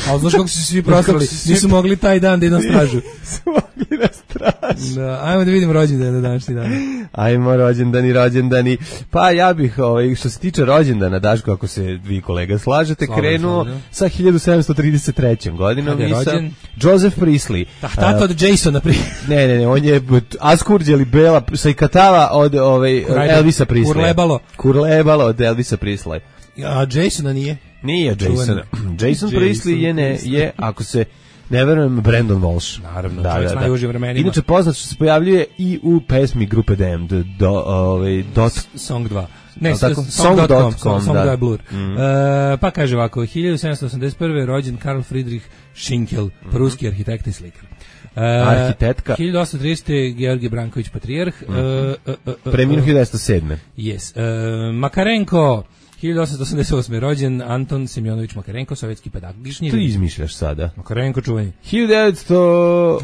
A znaš kako su svi prosrali? Nisu mogli taj dan da idu na stražu. Nisu mogli na stražu. Da, ajmo da vidim rođendane na današnji dan. Ajmo rođendani, rođendani. Pa ja bih, ovaj, što se tiče rođendana, Daško, ako se vi kolega slažete, Slavom, krenuo slavom. Sa hiljadu sedamsto trideset trećom godinom i sa Joseph Priestley. Tahtata od Jasona Priestley. Ne, ne, ne, on je Askurđeli Bela, sa ikatava od ovaj, Elvisa Priesleya. Kurlebalo. Kurlebalo od Elvisa Priesleya. A Jasona nije? Nije Jason. Jason Priestley je, ne, je, ako se ne verujem, Brandon Walsh. Naravno, da, čovjek da, s najužim vremenima. Inače poznat što se pojavljuje i u pesmi grupe Damned, do, ovaj, dot, Song dva. Ne, tako? song dot com, Song, song da. da je blur. Mm. E, pa kaže ovako, hiljadu sedamsto osamdeset prve rođen Karl Friedrich Schinkel, Mm. pruski arhitekt i slikar. E, Arhitektka. hiljadu osamsto tridesete Georgij Branković patrijarh. Mm -hmm. e, e, e, Preminuo hiljadu devetsto sedme. Yes. E, Makarenko, hiljadu osamsto osamdeset osme rođen Anton Semjonović Makarenko, sovjetski pedagog. To izmišljaš sada. Makarenko čuveni. hiljadu devetsto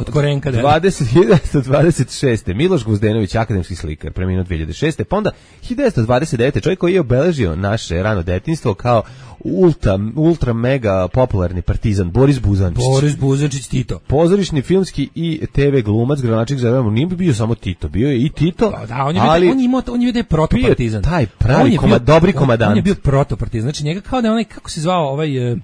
Od Korenka, da. dvadeset, hiljadu devetsto dvadeset šeste. Miloš Gvozdenović, akademski slikar, preminuo dve hiljade šeste. Pa onda hiljadu devetsto dvadeset devete. čovjek koji je obeležio naše rano detinjstvo kao ultra, ultra mega popularni partizan Boris Buzančić. Boris Buzančić Tito. Pozorišni, filmski i te ve glumac, gradonačelnik Zagreba. Nije bio samo Tito, bio je i Tito. Da, da on je ali bio, on je imao, on je bio protopartizan. Taj pravi koma, dobri komadant. On, on je bio protopartizan. Znači njega kao da je onaj, kako se zvao ovaj... Uh,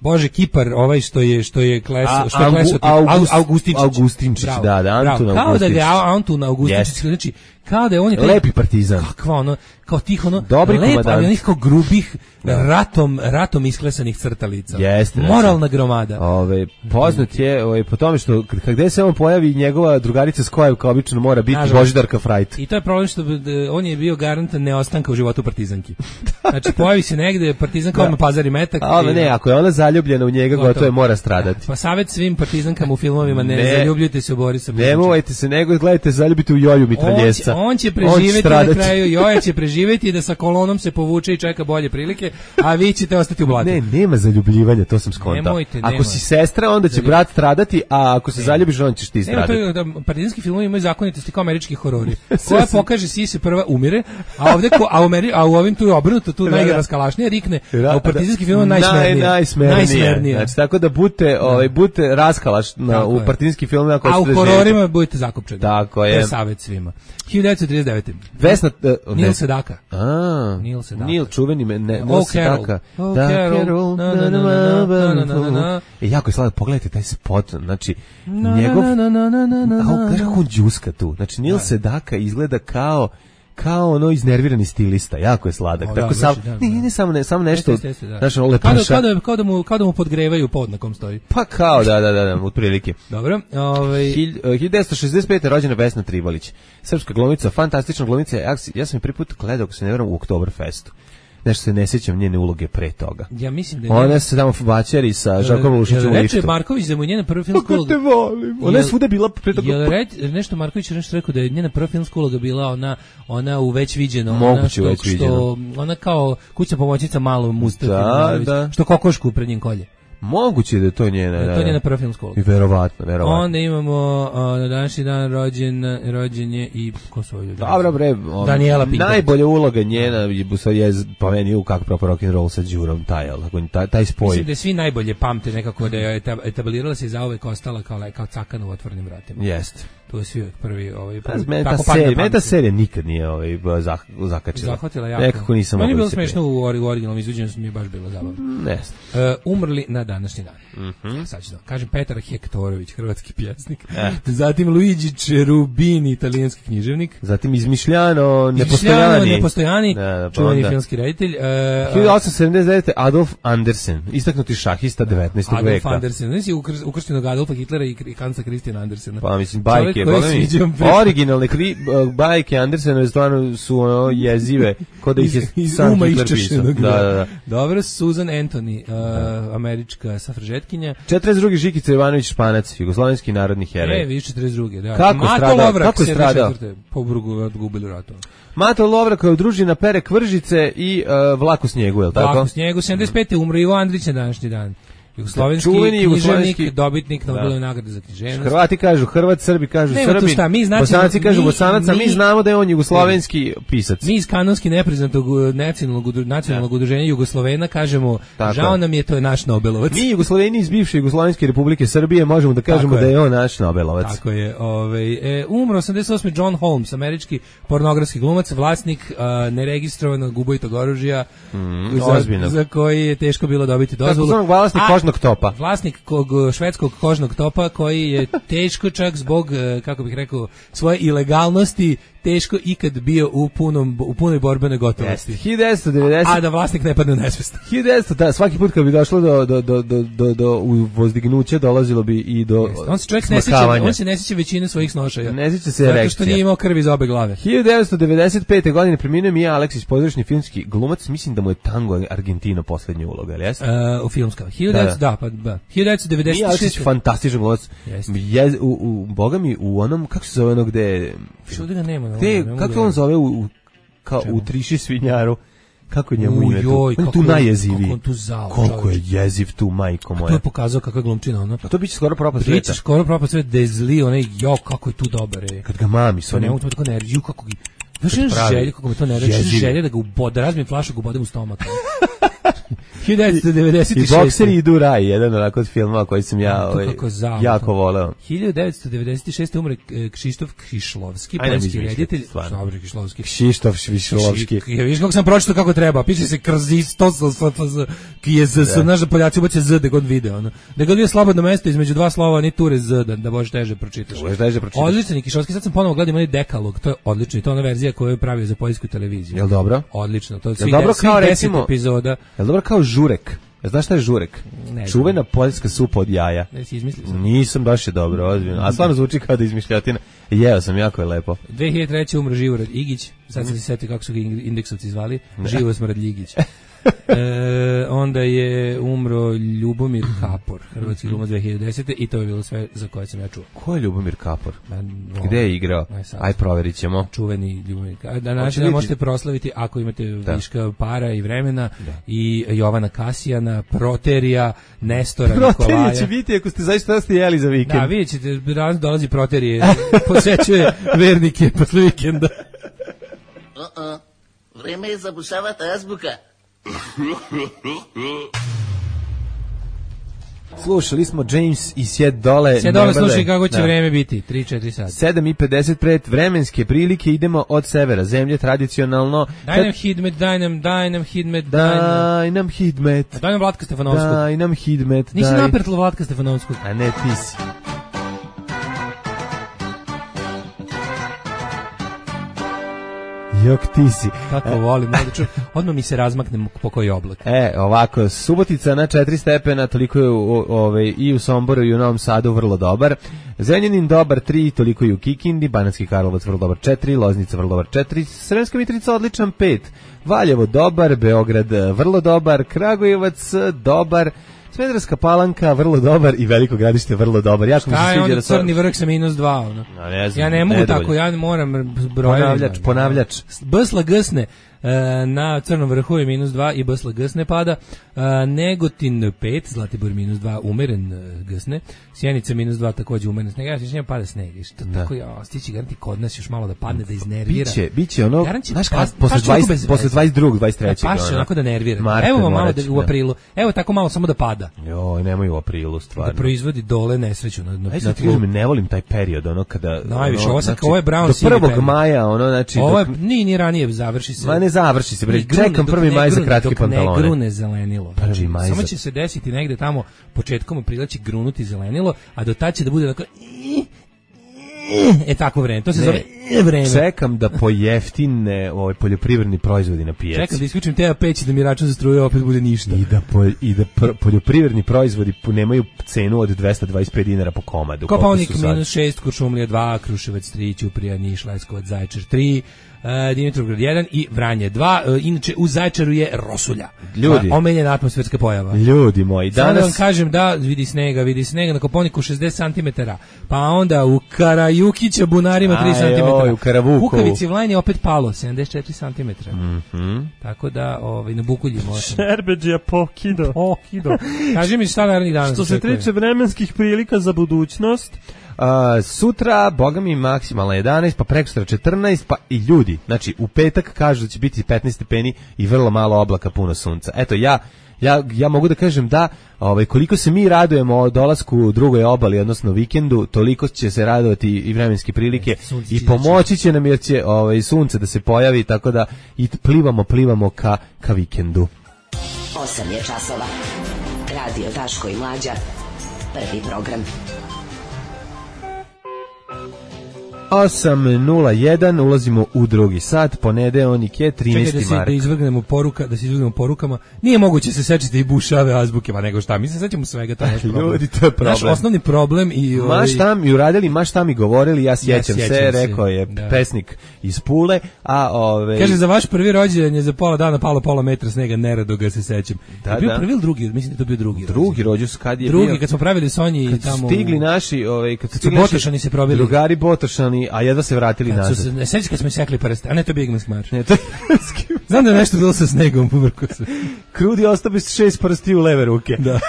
Bože Kipar, ovaj što je što je kles, A, što je Augu, klesao August, Augustinčić. Augustinčić, bravo, da, da, Antun bravo. Kao da ga je Antun Augustinčić, yes. znači kao da je on je taj lepi partizan. Kakva ono, kao tih ono, dobri lep, komadant. ali onih kao grubih, da. ratom, ratom isklesanih crtalica. Jeste. Moralna gromada. Ove, poznat je ove, po tome što kad gde se on pojavi, njegova drugarica Skojevka obično mora biti Nažalost. Božidarka Frajt. I to je problem što d- on je bio garant neostanka u životu partizanki. Znači pojavi se negde partizanka, odmah pazari metak. Ali ne, ako je ona zaljubljena u njega, gotovo je mora stradati. Pa savjet svim partizankama u filmovima, ne, ne zaljubljujte se u Borisa Buzančića. Nemojte se, nego gledajte, zaljubite u Joju mitraljezca. On, on će preživeti na kraju, Joja će preživeti da sa kolonom se povuče i čeka bolje prilike, a vi ćete ostati u blatu. Ne, nema zaljubljivanja, to sam skontao. Nemojte, ako nema. si sestra, onda će Zaljub... brat stradati, a ako se ne. zaljubiš, on ćeš ti stradati. Nema, to je, da, partizanski filmovi imaju zakonitosti kao američki horori. Koja pokaže si se prva umire, a ovde ko, a, u Ameri, a u ovim tu je obrnuto, tu najraskalašnije rikne, a u partizanski film najsmernije. Naj, najsmernije. najsmernije. Znači, tako da budete, ovaj, budete raskalaš na, u partizanski film. Ako a u hororima budete zakopčani. Tako je. To je savjet svima. hiljadu devetsto trideset devete. Vesna... Uh, Neil Sedaka. A, Neil Sedaka. Neil čuveni me, ne, Neil oh, Sedaka. Oh, da, Carol. Carol. Na, na, na, na, na, na, na, na. E, jako je slavno, pogledajte taj spot, znači, na, njegov... Na, na, na, na, na, na, a kako on džuska tu, znači, Neil Sedaka izgleda kao kao ono iznervirani stilista, jako je sladak. O, tako da, sam, da, da. ne, ne samo ne, samo nešto. Jeste, jeste, da. Znaš, ono lepaša. Kao da, kao da mu kao da mu podgrevaju pod na kom stoji. Pa kao da da da, da otprilike. Dobro, ovaj hiljadu devetsto šezdeset pete rođena Vesna Tribalić. Srpska glumica, fantastična glumica. Ja, ja sam je prvi put gledao, ako se ne varam, u Oktoberfestu. Nešto se ne sjećam njene uloge pre toga. Ja mislim da je ona se tamo bačeri sa Žarkom Lušićem u liftu. Reče Marković da mu njena prva filmska uloga. Kako te volim. Ona je svuda bila pre toga. Jel reč, nešto Marković je nešto rekao da je njena prva filmska uloga bila ona ona u već viđeno, ona što, već viđeno. što ona kao kućna pomoćnica malo Mustafa, da, da. što kokošku pred njim kolje. Moguće da je to njena, da, da. To je njena prva filmska uloga. I verovatno, verovatno. Onda imamo a, na današnji dan rođen, rođen je i ko su ovdje? Dobro bre, on, Daniela Pinković. Najbolja uloga njena je, je po meni u Kako propao rock and roll sa Đurom, taj, taj, taj spoj. Mislim da svi najbolje pamte nekako da je etablirala se i zauvek ostala kao, kao cakana u otvorenim vratima. Jeste. To je svi prvi ovaj prvi, ta serija, meni ta serija nikad nije ovaj zah, zakačila. Zahvatila jako. Nekako nisam. Meni je bilo smešno u originalnom izvođenju, mi je baš bilo zabavno. Ne. Uh, umrli na današnji dan. Mhm. Mm Sad ću da kažem Petar Hektorović, hrvatski pjesnik. Eh. Zatim Luigi Cherubini, italijanski književnik. Zatim Izmišljano, nepostojani. Nepostojani, da, da, čuveni filmski reditelj. Uh, hiljadu osamsto sedamdeset devete. Adolf Andersen, istaknuti šahista devetnaestog Adolf veka. Adolf Andersen, znači ukrštenog Adolfa Hitlera i Hansa Christiana Andersena. Pa mislim bajke, boga originalne kri, bajke Andersenove stvarno su ono jezive, kod da ih je iz, sam iz Hitler pisao. Da, da, da. Dobro, Susan Anthony, uh, američka safražetkinja. četrdeset drugi. Žikica Jovanović Španac, jugoslovenski narodni heroj. E, vidiš četrdeset drugi. Da. Kako Mato stradao? Lovrak, Kako je stradao? Po brugu odgubili ratu. Mato Lovrak je udružena pere Kvržice i uh, Vlak u snijegu, je li tako? Vlak u snijegu, sedamdeset pete. umro Ivo Andrić na današnji dan. Jugoslovenski književnik, dobitnik Nobelove nagrade za književnost. Hrvati kažu Hrvat, Srbi kažu Srbin, šta, mi znači, Bosanci kažu mi, Bosanac, a mi, mi znamo da je on jugoslovenski pisac. Mi iz kanonski nepriznatog nacionalnog, nacionalnog udruženja Jugoslovena kažemo, tako, žao nam je, to je naš Nobelovac. Mi Jugosloveni iz bivše Jugoslovenske Republike Srbije možemo da kažemo da je on naš Nobelovac. Tako je. Ovaj, e, umro osamdeset osme. John Holmes, američki pornografski glumac, vlasnik uh, neregistrovanog ubojitog oružja, mm, za, za koji je teško bilo dobiti dozvolu. Tako vlasnik kožnog topa. Vlasnik kog švedskog kožnog topa koji je teško čak zbog, kako bih rekao, svoje ilegalnosti teško ikad bio u punom u punoj borbenoj gotovosti. hiljadu devetsto devedeset A da vlasnik ne padne u nesvest. hiljadu devetsto da, svaki put kad bi došlo do do do do do, do uvozdignuća dolazilo bi i do Jeste. On se čovjek ne sjeća, on se ne sjeća većine svojih snošaja. Ne sjeća se erekcija. Zato što nije imao krvi iz obe glave. hiljadu devetsto devedeset pete godine preminuo Mija Aleksić, pozorišni filmski glumac, mislim da mu je Tango Argentino poslednja uloga, ali jeste? Uh, u filmska. hiljadu devetsto da, da, pa da. hiljadu devetsto devedeset šeste. Mija Aleksić fantastičan glumac. Je u, u boga mi u onom kako se zove ono gde što da ga nema, gde ne kako on zove u, u kao Čemu? u Triši svinjaru. Kako je njemu ime tu? Joj, on je tu najjeziviji. Kako on tu zao. Koliko je jeziv tu, majko moja. To je pokazao kakva glumčina ona. A to biće skoro propast sveta. Biće skoro propast sveta, da je zli, onaj, jo, kako je tu dobar. Je. Kad ga mami s onim... Ne mogu to tako nerviju, kako ga... Znaš jedan želje, kako me to nerviju, želje da ga ubode, razmijem flašu, ga ubodem u stomak. hiljadu devetsto devedeset šeste. I Bokseri idu u raj, jedan onako od filmova koji sam ja ovaj, jako voleo. hiljadu devetsto devedeset šeste umre Kšištof Kšišlovski, poljski reditelj. Dobro, Kšišlovski. Kšištof Kšišlovski. Ja vidiš kako sam pročitao kako treba, piše se Krzistos, ki je z, s naša Poljaci ubace z, da god vide. Ono. Da god vide slobodno mesto između dva slova, ni ture z, da, da možeš teže pročitaš. teže pročitaš. Odličan Kšišlovski, sad sam ponovo gledao onaj dekalog, to je odlično, i to je ona verzija koju je pravio za poljsku televiziju. Jel dobro? Odlično, to je svih deset epizoda. Jel dobro kao žurek? Znaš šta je žurek? Ne, čuvena poljska supa od jaja. Ne si izmislio sam. Nisam, baš je dobro, ozbiljno. A stvarno zvuči kao da izmišljotina. Jeo sam, jako je lepo. dve hiljade treće umro Živorad Igić, sad sam se setio kako su ga indeksovci zvali, Živo Smrad Ljigić. e, onda je umro Ljubomir Kapor, hrvatski glumac dve hiljade desete. i to je bilo sve za koje sam ja čuo. Ko je Ljubomir Kapor? Man, Gde je igrao? Aj, proverit ćemo. Čuveni Ljubomir Kapor. Da, znači da možete proslaviti ako imate da. viška para i vremena da. i Jovana Kasijana, Proterija, Nestora, Nikolaja. Proterija će biti ako ste zaista ste jeli za vikend. Da, vidjet ćete, raz dolazi Proterije, posvećuje vernike posle vikenda. Uh-uh. Vreme je zabušavati azbuka. Slušali smo James i Sjed dole. Sjed dole, slušaj kako će da. vreme biti, tri četiri sata. sedam i pedeset pet vremenske prilike, idemo od severa zemlje, tradicionalno. Daj nam hidmet, daj nam, daj nam hidmet, daj nam. Daj nam hidmet. Daj nam Vlatka Stefanovskog. Daj nam hidmet. Nisi naprtla Vlatka Stefanovskog. A ne, ti si. Jok ti si. Kako e. volim, odmah mi se razmakne po koji oblak. E, ovako, Subotica na četiri stepena, toliko je u, ove, i u Somboru i u Novom Sadu vrlo dobar. Zrenjanin dobar tri, toliko i u Kikindi, Banatski Karlovac vrlo dobar četiri, Loznica vrlo dobar četiri, Sremska Mitrovica odličan pet, Valjevo dobar, Beograd vrlo dobar, Kragujevac dobar, Smederevska Palanka vrlo dobar i Veliko Gradište vrlo dobar. Ja Šta je onda Crni vrh sa minus dva? Ono? No, ne znam, ja ne mogu tako, ja moram brojati. Ponavljač, ponavljač. Bsla Gsne na Crnom vrhu je minus dva i Bsla Gsne pada. Negotin pet, Zlatibor minus dva, umeren Gsne. Sjenica minus dva, takođe umeren sneg. Ja se pada sneg. Što da. Tako ja, stići garanti kod nas još malo da padne, da iznervira. Biće, biće ono, znaš kad, posle dvadeset, posle dvadeset drugog, dvadeset trećeg. Paš onako da nervira. Evo malo da, u aprilu, evo tako malo samo da pada. Joj, nemoj u aprilu, stvarno. Da proizvodi dole nesreću. Na, na, Ajde, na ti kažem, ne volim taj period, ono kada... Najviše, ono, ovo, znači, ovo je brown do prvog maja, ono, znači... Ovo je, dok, ni, ni ranije završi se. Ma ne završi se, bre, čekam prvi maj za kratke pantalone. Dok ne grune zelenilo. Prvi maj samo za... će se desiti negde tamo, početkom aprila će grunuti zelenilo, a do tad će da bude dakle... E tako vreme, to se ne, zove vreme. Čekam da pojeftine ovaj poljoprivredni proizvodi na pijaci. Čekam da isključim T A pet da mi račun za struju opet bude ništa. I da po, i da pr, poljoprivredni proizvodi nemaju cenu od dvesta dvadeset pet dinara po komadu. Kopaonik minus šest, Kuršumlija dva, Kruševac tri, Ćuprija, Niš, Leskovac, Zaječar tri, Uh, Dimitrovgrad jedan i Vranje dva. Uh, inače u Zaječaru je rosulja. Ljudi, omiljena atmosferska pojava. Ljudi moji, danas da vam kažem da vidi snega, vidi snega na Kopaoniku šezdeset centimetara. Pa onda u Karajukića bunarima tri centimetra. U Karavukovu. Kukavici Vlajni opet palo sedamdeset četiri centimetra. Mhm. Tako da ovaj na Bukulji možemo. Šerbedžija pokido. Pokido. Kaži mi šta narednih dana. Što se tiče vremenskih prilika za budućnost, Uh, sutra, boga mi, maksimalna jedanaest, pa prekosutra četrnaest, pa i ljudi, znači u petak kažu da će biti petnaest stepeni i vrlo malo oblaka, puno sunca. Eto, ja ja ja mogu da kažem da ovaj koliko se mi radujemo dolasku drugoj obali, odnosno vikendu, toliko će se radovati i vremenske prilike sunce i pomoći će nam jer će ovaj sunce da se pojavi, tako da i plivamo, plivamo ka ka vikendu. osam je časova. Radio Daško i Mlađa. Prvi program. osam nula jedan, ulazimo u drugi sat, ponedeljak je trinaesti Čekaj da se, mart. da izvrgnemo poruka, da se izvrgnemo porukama. Nije moguće se sečiti i bušave azbuke, pa nego šta, mi se sećamo svega, to je naš problem. Ljudi, to je problem. Naš osnovni problem i ovaj... Maš tam i uradili, maš tam i govorili, ja sjećam, Ja sjećam se, se, rekao je da. pesnik iz Pule, a ove... Kaže, za vaš prvi rođendan je za pola dana palo pola metra snega, nerado ga se sećam. Da, je bio da. prvi ili drugi, mislim da to bio drugi. Drugi rođus, kad je drugi, bio... kad smo pravili Sonji i kad su tamo... stigli naši, ovaj, kad su su stigli naši Botošani se probili. drugari Botošani, a jedva se vratili Kad nazad. su se, ne sećaš kad smo sekli prste, a ne to je Bigman's March. Ne, to je... Znam da je nešto bilo sa snegom, povrko se. Krudi ostao bez šest prsti u leve ruke. Da.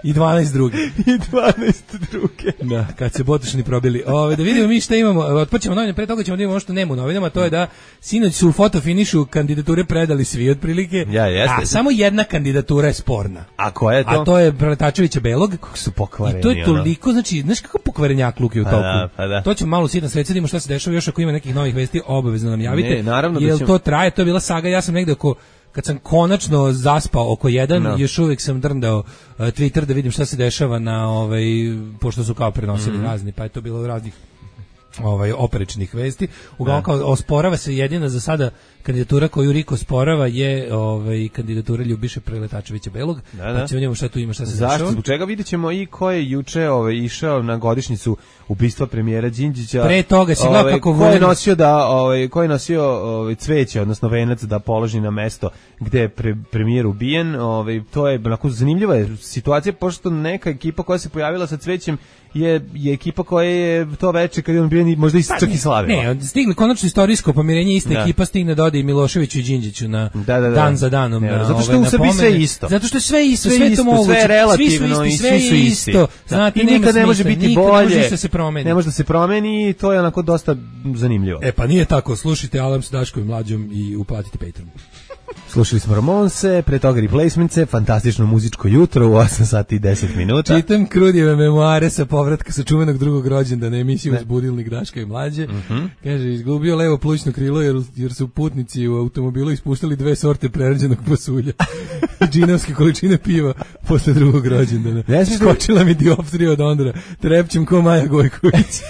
I dvanaest drugi. I dvanaest druge. Da, kad se Botošani probili. Ove, da vidimo mi šta imamo. Otpočemo novine, pre toga ćemo da imamo ono što nema u novinama, to je da sinoć su u fotofinišu kandidature predali svi otprilike. Ja, jeste. A samo jedna kandidatura je sporna. A koja je to? A to je Preletačevića Belog. Kako su pokvareni. I to je toliko, znači, znaš kako pokvarenjak luk je u toku. Da, pa da. To ćemo malo sitno sreći, da vidimo šta se dešava, još ako ima nekih novih vesti, obavezno nam javite. Ne, naravno da Jel ćemo... to traje, to je bila saga, ja sam negde oko kad sam konačno zaspao oko jedan, no. još uvijek sam drndao uh, Twitter da vidim šta se dešava na ovaj, pošto su kao prenosili mm. razni, pa je to bilo raznih ovaj operečnih vesti. Uglavnom kao osporava se jedina za sada kandidatura koju Riko sporava je ovaj kandidatura Ljubiše Preletačevića Belog. Da, da. Pa ćemo vidjeti šta tu ima, šta se Zašto? dešava. Zbog čega videćemo i ko je juče ovaj išao na godišnjicu ubistva premijera Đinđića. Pre toga si gledao ovaj, kako ko je volim... nosio da ovaj ko je nosio ovaj cveće, odnosno venac da položi na mesto gde je pre, premijer ubijen, ovaj to je onako zanimljiva je situacija pošto neka ekipa koja se pojavila sa cvećem je je ekipa koja je to veče kad je on bio možda i čak i slavila. Ne, stigli konačno istorijsko pomirenje, ista da. ekipa stigne da ode i Miloševiću i Đinđiću na da, da, da. dan za danom. Ne, na, zato što ove, u Srbiji sve isto. Zato što je sve isto, sve, sve sve to moguće. Sve je relativno svi su isti, i sve svi su je isti. Isto. Da. Znate, I nikad ne može biti nikad bolje. Ne može da se promeni. Ne može da se promeni i to je onako dosta zanimljivo. E pa nije tako, slušajte Alarm sa Daškom i Mlađom i uplatite Patreon. Slušali smo Ramonse, pre toga Replacements, fantastično muzičko jutro u osam sati i deset minuta. Čitam Krudijeve memoare sa povratka sa čuvenog drugog rođendana emisiju uz budilnik Daška i Mlađe. Mm -hmm. Kaže, izgubio levo plućno krilo jer, jer su putnici u automobilu ispuštali dve sorte prerađenog pasulja. Džinovske količine piva posle drugog rođendana. Skočila mi dioptrija od Ondra. Trepćem ko Maja Gojković.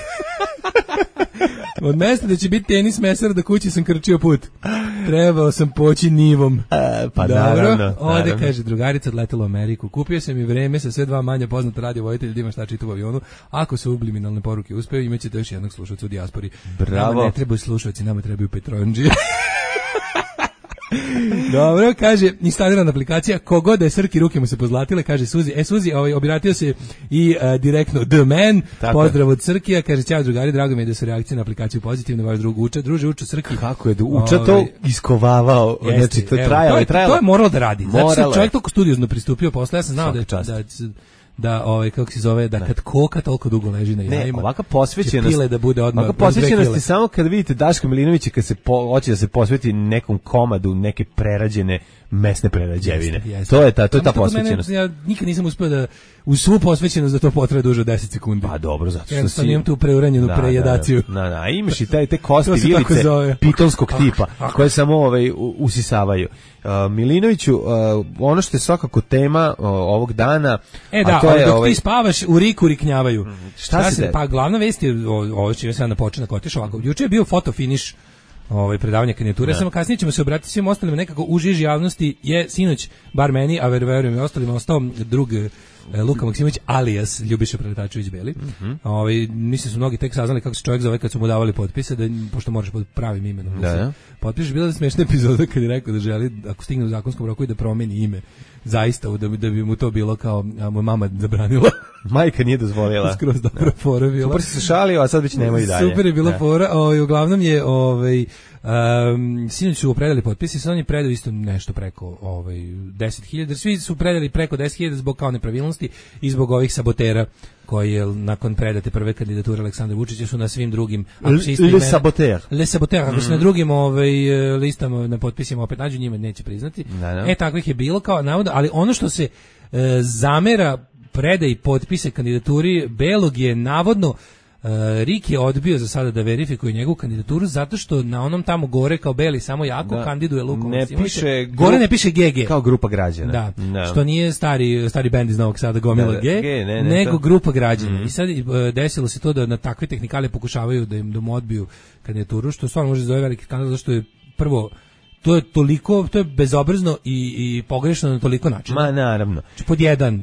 Od mesta da će biti tenis mesar do kuće sam krčio put. Trebao sam poći nivom. A, pa dobro, naravno. Ode, naravno. kaže, drugarica odletela u Ameriku. Kupio sam i vreme sa sve dva manja poznata radio vojitelja da ima šta čita u avionu. Ako su subliminalne poruke uspeo, imat ćete još jednog slušalca u dijaspori. Bravo. Nama ne trebaju slušalci, nama trebaju Petronđije. Dobro, kaže, instalirana aplikacija, kogod da je Srki, ruke mu se pozlatile, kaže Suzi, e Suzi, ovaj, obratio se i uh, direktno The Man, tako. Pozdrav od Srkija, kaže, ćao drugari, drago mi je da su reakcije na aplikaciju pozitivne, vaš drug Uča, druže Uča Srki. Kako je da Uča to ovaj, iskovavao, jeste, znači to je trajalo, je trajalo. To je moralo da radi, moralo znači čovjek toliko studiozno pristupio posle, ja sam znao da, da, da ovaj kako se zove da ne. Kad koka toliko dugo leži na jajima. Ne, ovaka posvećenost da bude odmah. Ovaka posvećenost je samo kad vidite Daška Milinovića kad se po, hoće da se posveti nekom komadu neke prerađene mesne prerađevine. Jeste, jeste. To je ta to je ta posvećenost. Mene, ja nikad nisam uspeo da u svu posvećenost da to potraje duže od deset sekundi. Pa dobro, zato što si imam tu preuranjenu da, prejedaciju. Da, da, da, imaš i taj te kosti vilice pitonskog tipa koje samo ovaj usisavaju. Uh, Milinoviću, uh, ono što je svakako tema uh, ovog dana, e da, a to je dok ovaj... ti spavaš u riku riknjavaju. Mm, šta, šta se de? Pa glavna vest je ovo što je sad na početak otišao ovako. Juče je bio fotofiniš ovaj predavanje kandidature, samo kasnije ćemo se obratiti svim ostalim, nekako u žiži javnosti je sinoć bar meni, a verujem i ostalima ostao drug Luka Maksimović alias Ljubiša Preletačević Beli. Mm -hmm. Ovaj mislim su mnogi tek saznali kako se čovjek zove kad su mu davali potpise, da pošto možeš pod pravim imenom. Da, da. Potpišeš, bila je smešna epizoda kad je rekao da želi ako stigne u zakonskom roku i da promeni ime. Zaista da bi, da bi mu to bilo kao a mu mama zabranila. Majka nije dozvolila. Skroz dobro fora bila. Super se šalio, a sad već nema i dalje. Super je bila fora. Ovaj uglavnom je ovaj um, sinoć su predali potpise, sad oni predaju isto nešto preko ovaj deset hiljada. Svi su predali preko deset hiljada zbog kao nepravilnosti i zbog ovih sabotera koji je nakon predate prve kandidature Aleksandra Vučića su na svim drugim Le saboteur. Le saboteur, ako su na drugim ovaj listama na potpisima opet nađu, njima neće priznati. Da, da. E takvih je bilo kao navodno, ali ono što se e, zamera predaji potpise kandidaturi Belog je navodno Rik je odbio za sada da verifikuje njegovu kandidaturu zato što na onom tamo gore kao beli samo jako da. Kandiduje Luku ne piše gore ne piše G G kao grupa građana. Da. Da. Što nije stari stari bend iz Novog Sada gomila da, G, G ne, ne, nego to. Grupa građana. Mm. I sad desilo se to da na takve tehnikale pokušavaju da im da mu odbiju kandidaturu, što stvarno može zove veliki skandal, zato što je prvo to je toliko, to je bezobrazno i, i pogrešno na toliko načina. Ma naravno. Znači, pod jedan,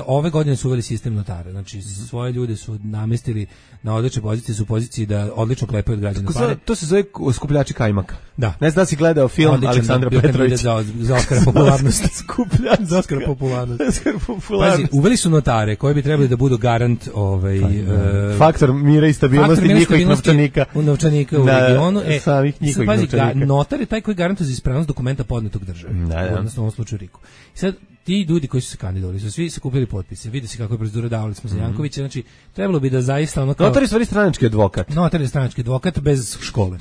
ove godine su uveli sistem notara, znači svoje ljude su namestili na odlične pozicije, su u poziciji da odlično klepaju od građana pare. To se zove skupljači kajmaka. Da. Ne znam da si gledao film odličan, Aleksandra da, Petrovića. Za, za Oskara popularnosti. Skupljač za Oskara popularnosti. Pazi, uveli su notare koji bi trebali da budu garant ovaj, uh, faktor mira i stabilnosti njihovih novčanika. U novčanika u da, regionu. E, samih njihovih pazi, novčanika. Ga, notar je taj koji garantuje za ispravnost dokumenta podnetog države. Da, da. Odnosno u ovom slučaju Riku. I sad, ti ljudi koji su se kandidovali su svi sakupili potpise. Vidi se kako je procedura, davali smo za Jankovića, znači trebalo bi da zaista ono kao notar je stvari stranački advokat. Notar je stranački advokat bez škole.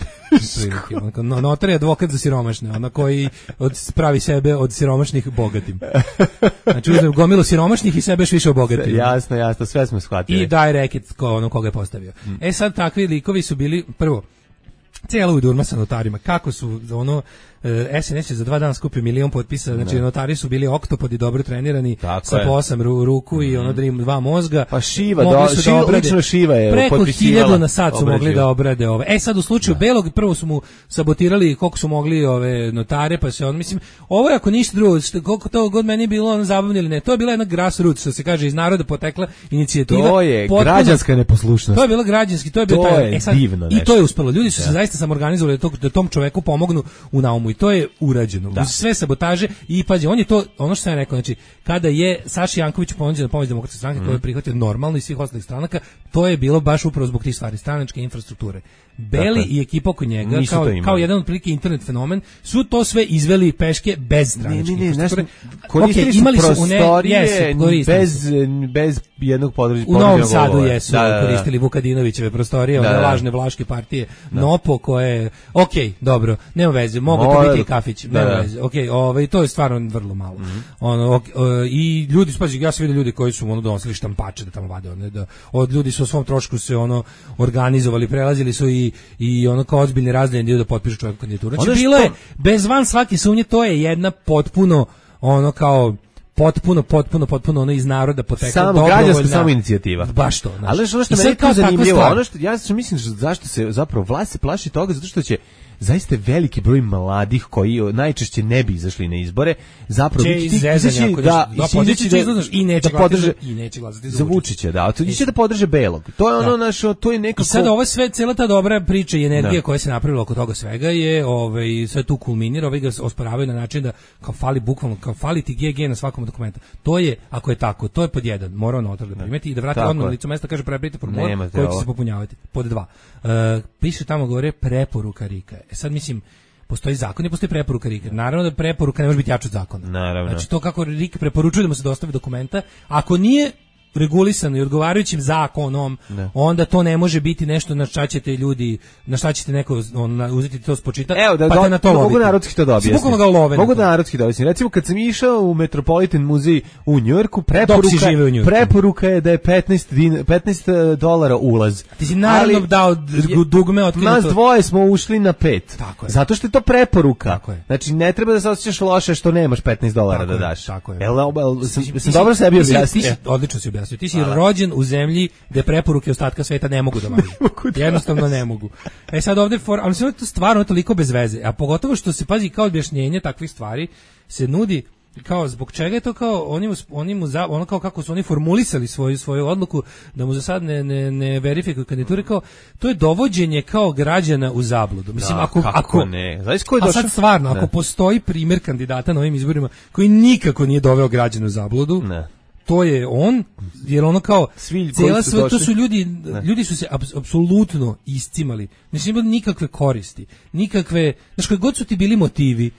no, notar je advokat za siromašne, ona koji od, pravi sebe od siromašnih bogatim. Znači uzme gomilu siromašnih i sebe još više obogatim. Jasno, jasno, sve smo shvatili. I daje reket ko ono koga je postavio. Mm. E sad takvi likovi su bili prvo cijela udurma sa notarima. Kako su ono S N S je za dva dana skupio milion potpisa, znači ne. Notari su bili oktopodi dobro trenirani, tako sa po osam ru, ruku i ono mm. dva mozga. Pa Šiva, do, šiva da obrade, lično Šiva je preko hiljadu na sat su obrađiva. Mogli da obrade ove. E sad u slučaju da. Belog prvo su mu sabotirali koliko su mogli ove notare, pa se on, mislim, ovo je ako ništa drugo, koliko to god meni bilo ono zabavno ili ne, to je bila jedna grassroots, što se kaže, iz naroda potekla inicijativa. To je potpuno, građanska neposlušnost. To je bilo građanski, to je bilo taj, e sad, divno i to je uspelo. Ljudi su da. Se zaista samorganizovali da, da tom čoveku pomognu u naumu. I to je urađeno. Da. Uz sve sabotaže i pađe, on je to, ono što sam ja rekao, znači, kada je Saši Janković ponuđen pomoć Demokratske stranke, mm. koja je prihvatio normalno i svih ostalih stranaka, to je bilo baš upravo zbog tih stvari, stranačke infrastrukture. Beli dakle, i ekipa oko njega, kao, kao jedan otprilike internet fenomen, su to sve izveli peške bez stranačke ne, ne, ne, infrastrukture. Koristili okay, imali su prostorije ne, bez, bez jednog područja. U Novom Sadu jesu da, da, koristili Vukadinovićeve prostorije, da, one lažne vlaške partije, da. Nopo koje, ok, dobro, nema veze, mogu to biti i kafić, nema da, veze, ok, ovaj, to je stvarno vrlo malo. Mm-hmm. Ono, ok, i ljudi, spazi, ja sam vidio ljudi koji su ono donosili štampače da tamo vade, one, da, od ljudi su o svom trošku se ono organizovali, prelazili su i i ono kao ozbiljni razdeljeni dio da potpišu čovjeku kandidaturu. Znači bilo je, bez van svake sumnje, to je jedna potpuno, ono kao, potpuno, potpuno, potpuno ono iz naroda potekla samo građanska samo inicijativa. Baš to. Znači. Ali ono što meni kao zanimljivo, ono što, ja što mislim što, zašto se zapravo vlast se plaši toga, zato što će zaista veliki broj mladih koji najčešće ne bi izašli na izbore, zapravo biti ti izaći da, da, da i neće da podrže i neće glasati za Vučića, da, to će da podrže Belog. To je ono da. Naše, to je nekako. I sad ovo sve, cela ta dobra priča i energija da. Koja se napravila oko toga svega je, ovaj, sve tu kulminira, ovaj ga osporavaju na način da kao fali bukvalno, kao fali ti G G na svakom dokumentu. To je, ako je tako, to je pod jedan, mora notar da primeti i da vrati odmah na licu mesta, kaže prebrite formular koji će se popunjavati. Pod dva, uh, piše tamo gore preporuka Rika. E sad mislim, postoji zakon i postoji preporuka Rika. Naravno da preporuka ne može biti jača od zakona. Naravno. Znači to kako Rik preporučuje da mu se dostavi dokumenta, ako nije regulisano i odgovarajućim zakonom, ne. Onda to ne može biti nešto na šta ćete ljudi, na šta ćete neko on, uzeti to spočita, evo, da, pa do, te na to mogu narodski to da objasnim. Mogu da to. Narodski da objasnim. Recimo kad sam išao u Metropolitan muzej u Njujorku, preporuka, preporuka je da je petnaest, petnaest dolara ulaz. Ti si naravno ali, dao dugme od nas dvoje smo ušli na pet. Tako je. Zato što je to preporuka. Tako je. Znači ne treba da se osjećaš loše što nemaš petnaest dolara tako da daš. Tako je. Jel, sam, sam dobro sebi objasnio. Odlično si objasnio. Ti si rođen u zemlji gde preporuke ostatka sveta ne mogu da važe. Jednostavno ne mogu. E sad ovde, for, ali sve to stvarno je toliko bez veze, a pogotovo što se pazi kao objašnjenje takvih stvari se nudi kao zbog čega je to kao oni mu, oni mu za, ono kao kako su oni formulisali svoju svoju odluku da mu za sad ne ne ne verifikuju kandidature, kao to je dovođenje kao građana u zabludu. Mislim da, ako ako ne. Znaš ko je došao? A sad stvarno ne. Ako postoji primjer kandidata na ovim izborima koji nikako nije doveo građana u zabludu. Ne. To je on, jer ono kao svi cijela sve, to su ljudi, ne. Ljudi su se apsolutno iscimali, znači imali nikakve koristi, nikakve, znaš koji god su ti bili motivi,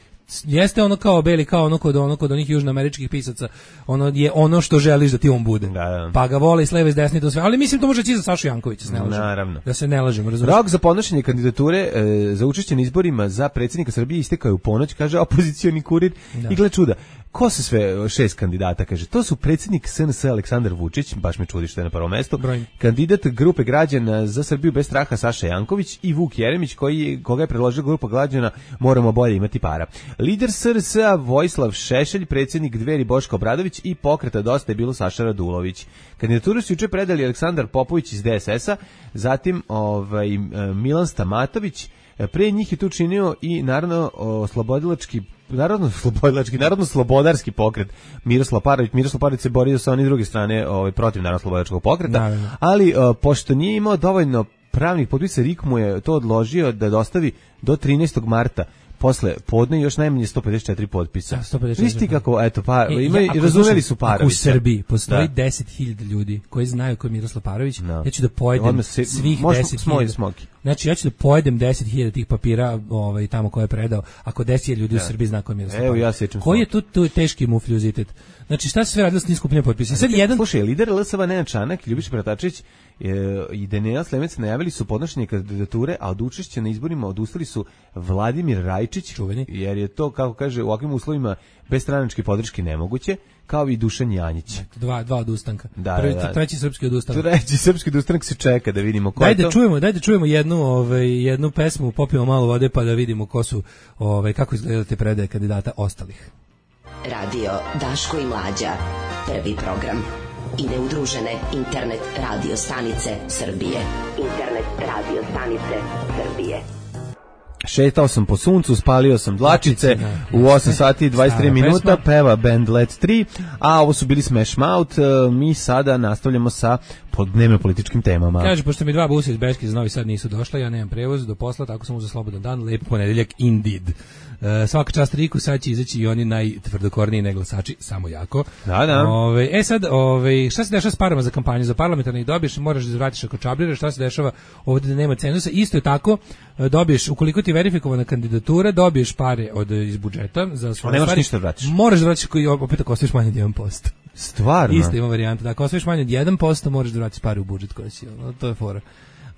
jeste ono kao Beli, kao ono kod ono kod onih južnoameričkih pisaca, ono je ono što želiš da ti on bude. Da, da. Pa ga vole i s leve i s desne to sve, ali mislim to možeći za Sašu Jankovića, se ne lažem. Naravno. Da se ne lažemo, razumiješ. Rok za podnošenje kandidature e, za učešće na izborima za predsjednika Srbije istekao je u ponoć, kaže opozicioni kurir. Da. I gle čuda. Ko su sve šest kandidata, kaže, to su predsjednik S N S Aleksandar Vučić, baš me čudi što je na prvom mestu, Brojni. kandidat grupe građana za Srbiju bez straha Saša Janković i Vuk Jeremić, koji, koga je predložio grupa građana Moramo bolje imati para. Lider S R S-a Vojislav Šešelj, predsjednik Dveri Boško Obradović i Pokreta Dosta je bilo Saša Radulović. Kandidaturu su juče predali Aleksandar Popović iz D S S-a, zatim ovaj, Milan Stamatović, pre njih je tu činio i naravno oslobodilački Narodno slobodilački, narodno slobodarski pokret Miroslav Parović. Miroslav Parović se borio sa one druge strane, ovaj, protiv narodno slobodačkog pokreta, naravno. Ali uh, pošto nije imao dovoljno pravnih potpisa, R I K mu je to odložio da dostavi do trinaestog marta. Posle podne još najmanje sto pedeset četiri potpisa. Visti kako, eto, pa, e, ima, ja, razumeli su Parovića. Ako u Srbiji postoji deset hiljada ljudi koji znaju ko je Miroslav Parović, no. ja ću da pojedem se, svih deset hiljada. Znači, ja ću da pojedem deset hiljada tih papira ovaj, tamo koje je predao, ako deset hiljada ljudi ja. u Srbiji zna ko je Miroslav Evo, Parović. Ja koji je tu, tu teški mufljuzitet? Znači, šta se sve radilo s niskupljenjem potpisa? Sad jedan... Slušaj, lider L S V Nenad Čanak, Ljubiša Pratačević i Daniela Slemec najavili su podnošenje kandidature, a od učešća na izborima odustali su Vladimir Rajčić, čuveni, jer je to, kako kaže, u ovakvim uslovima bez stranačke podrške nemoguće, kao i Dušan Janjić. Dva, dva odustanka. Da, Prvi, da. Treći srpski odustanak. Treći srpski odustanak se čeka da vidimo ko daj je to. Da čujemo, daj da čujemo jednu, ovaj, jednu pesmu, popijemo malo vode pa da vidimo ko su, ovaj, kako izgledaju te predaje kandidata ostalih. Radio Daško i Mlađa, prvi program. I neudružene internet radio stanice Srbije. Internet radio stanice Srbije. Šetao sam po suncu, spalio sam dlačice, u osam sati i dvadeset tri minuta, peva band Let tri, a ovo su bili Smash Mouth, mi sada nastavljamo sa dnevno političkim temama. Kaže, pošto mi dva busa iz Beške iz Novi Sad nisu došla, ja nemam prevoz do posla, tako sam uzeo slobodan dan, lep ponedeljak indeed. Uh, svaka čast Riku, sad će izaći i oni najtvrdokorniji neglasači, samo jako. Da, da. Ove, e sad, ove, šta se dešava s parama za kampanju? Za parlamentarni dobiješ, moraš da vratiš ako čabliraš, šta se dešava ovdje da nema cenzusa? Isto je tako, dobiješ, ukoliko ti je verifikovana kandidatura, dobiješ pare od, iz budžeta. Za svoje nemaš stvari. Ništa da vratiš. Moraš da vratiš, koji, opet ako ostaviš manje od jedan posto. Stvarno? Isto ima varijanta, da ako ostaviš manje od jedan posto, moraš da vratiš pare u budžet koji si, ono, to je fora.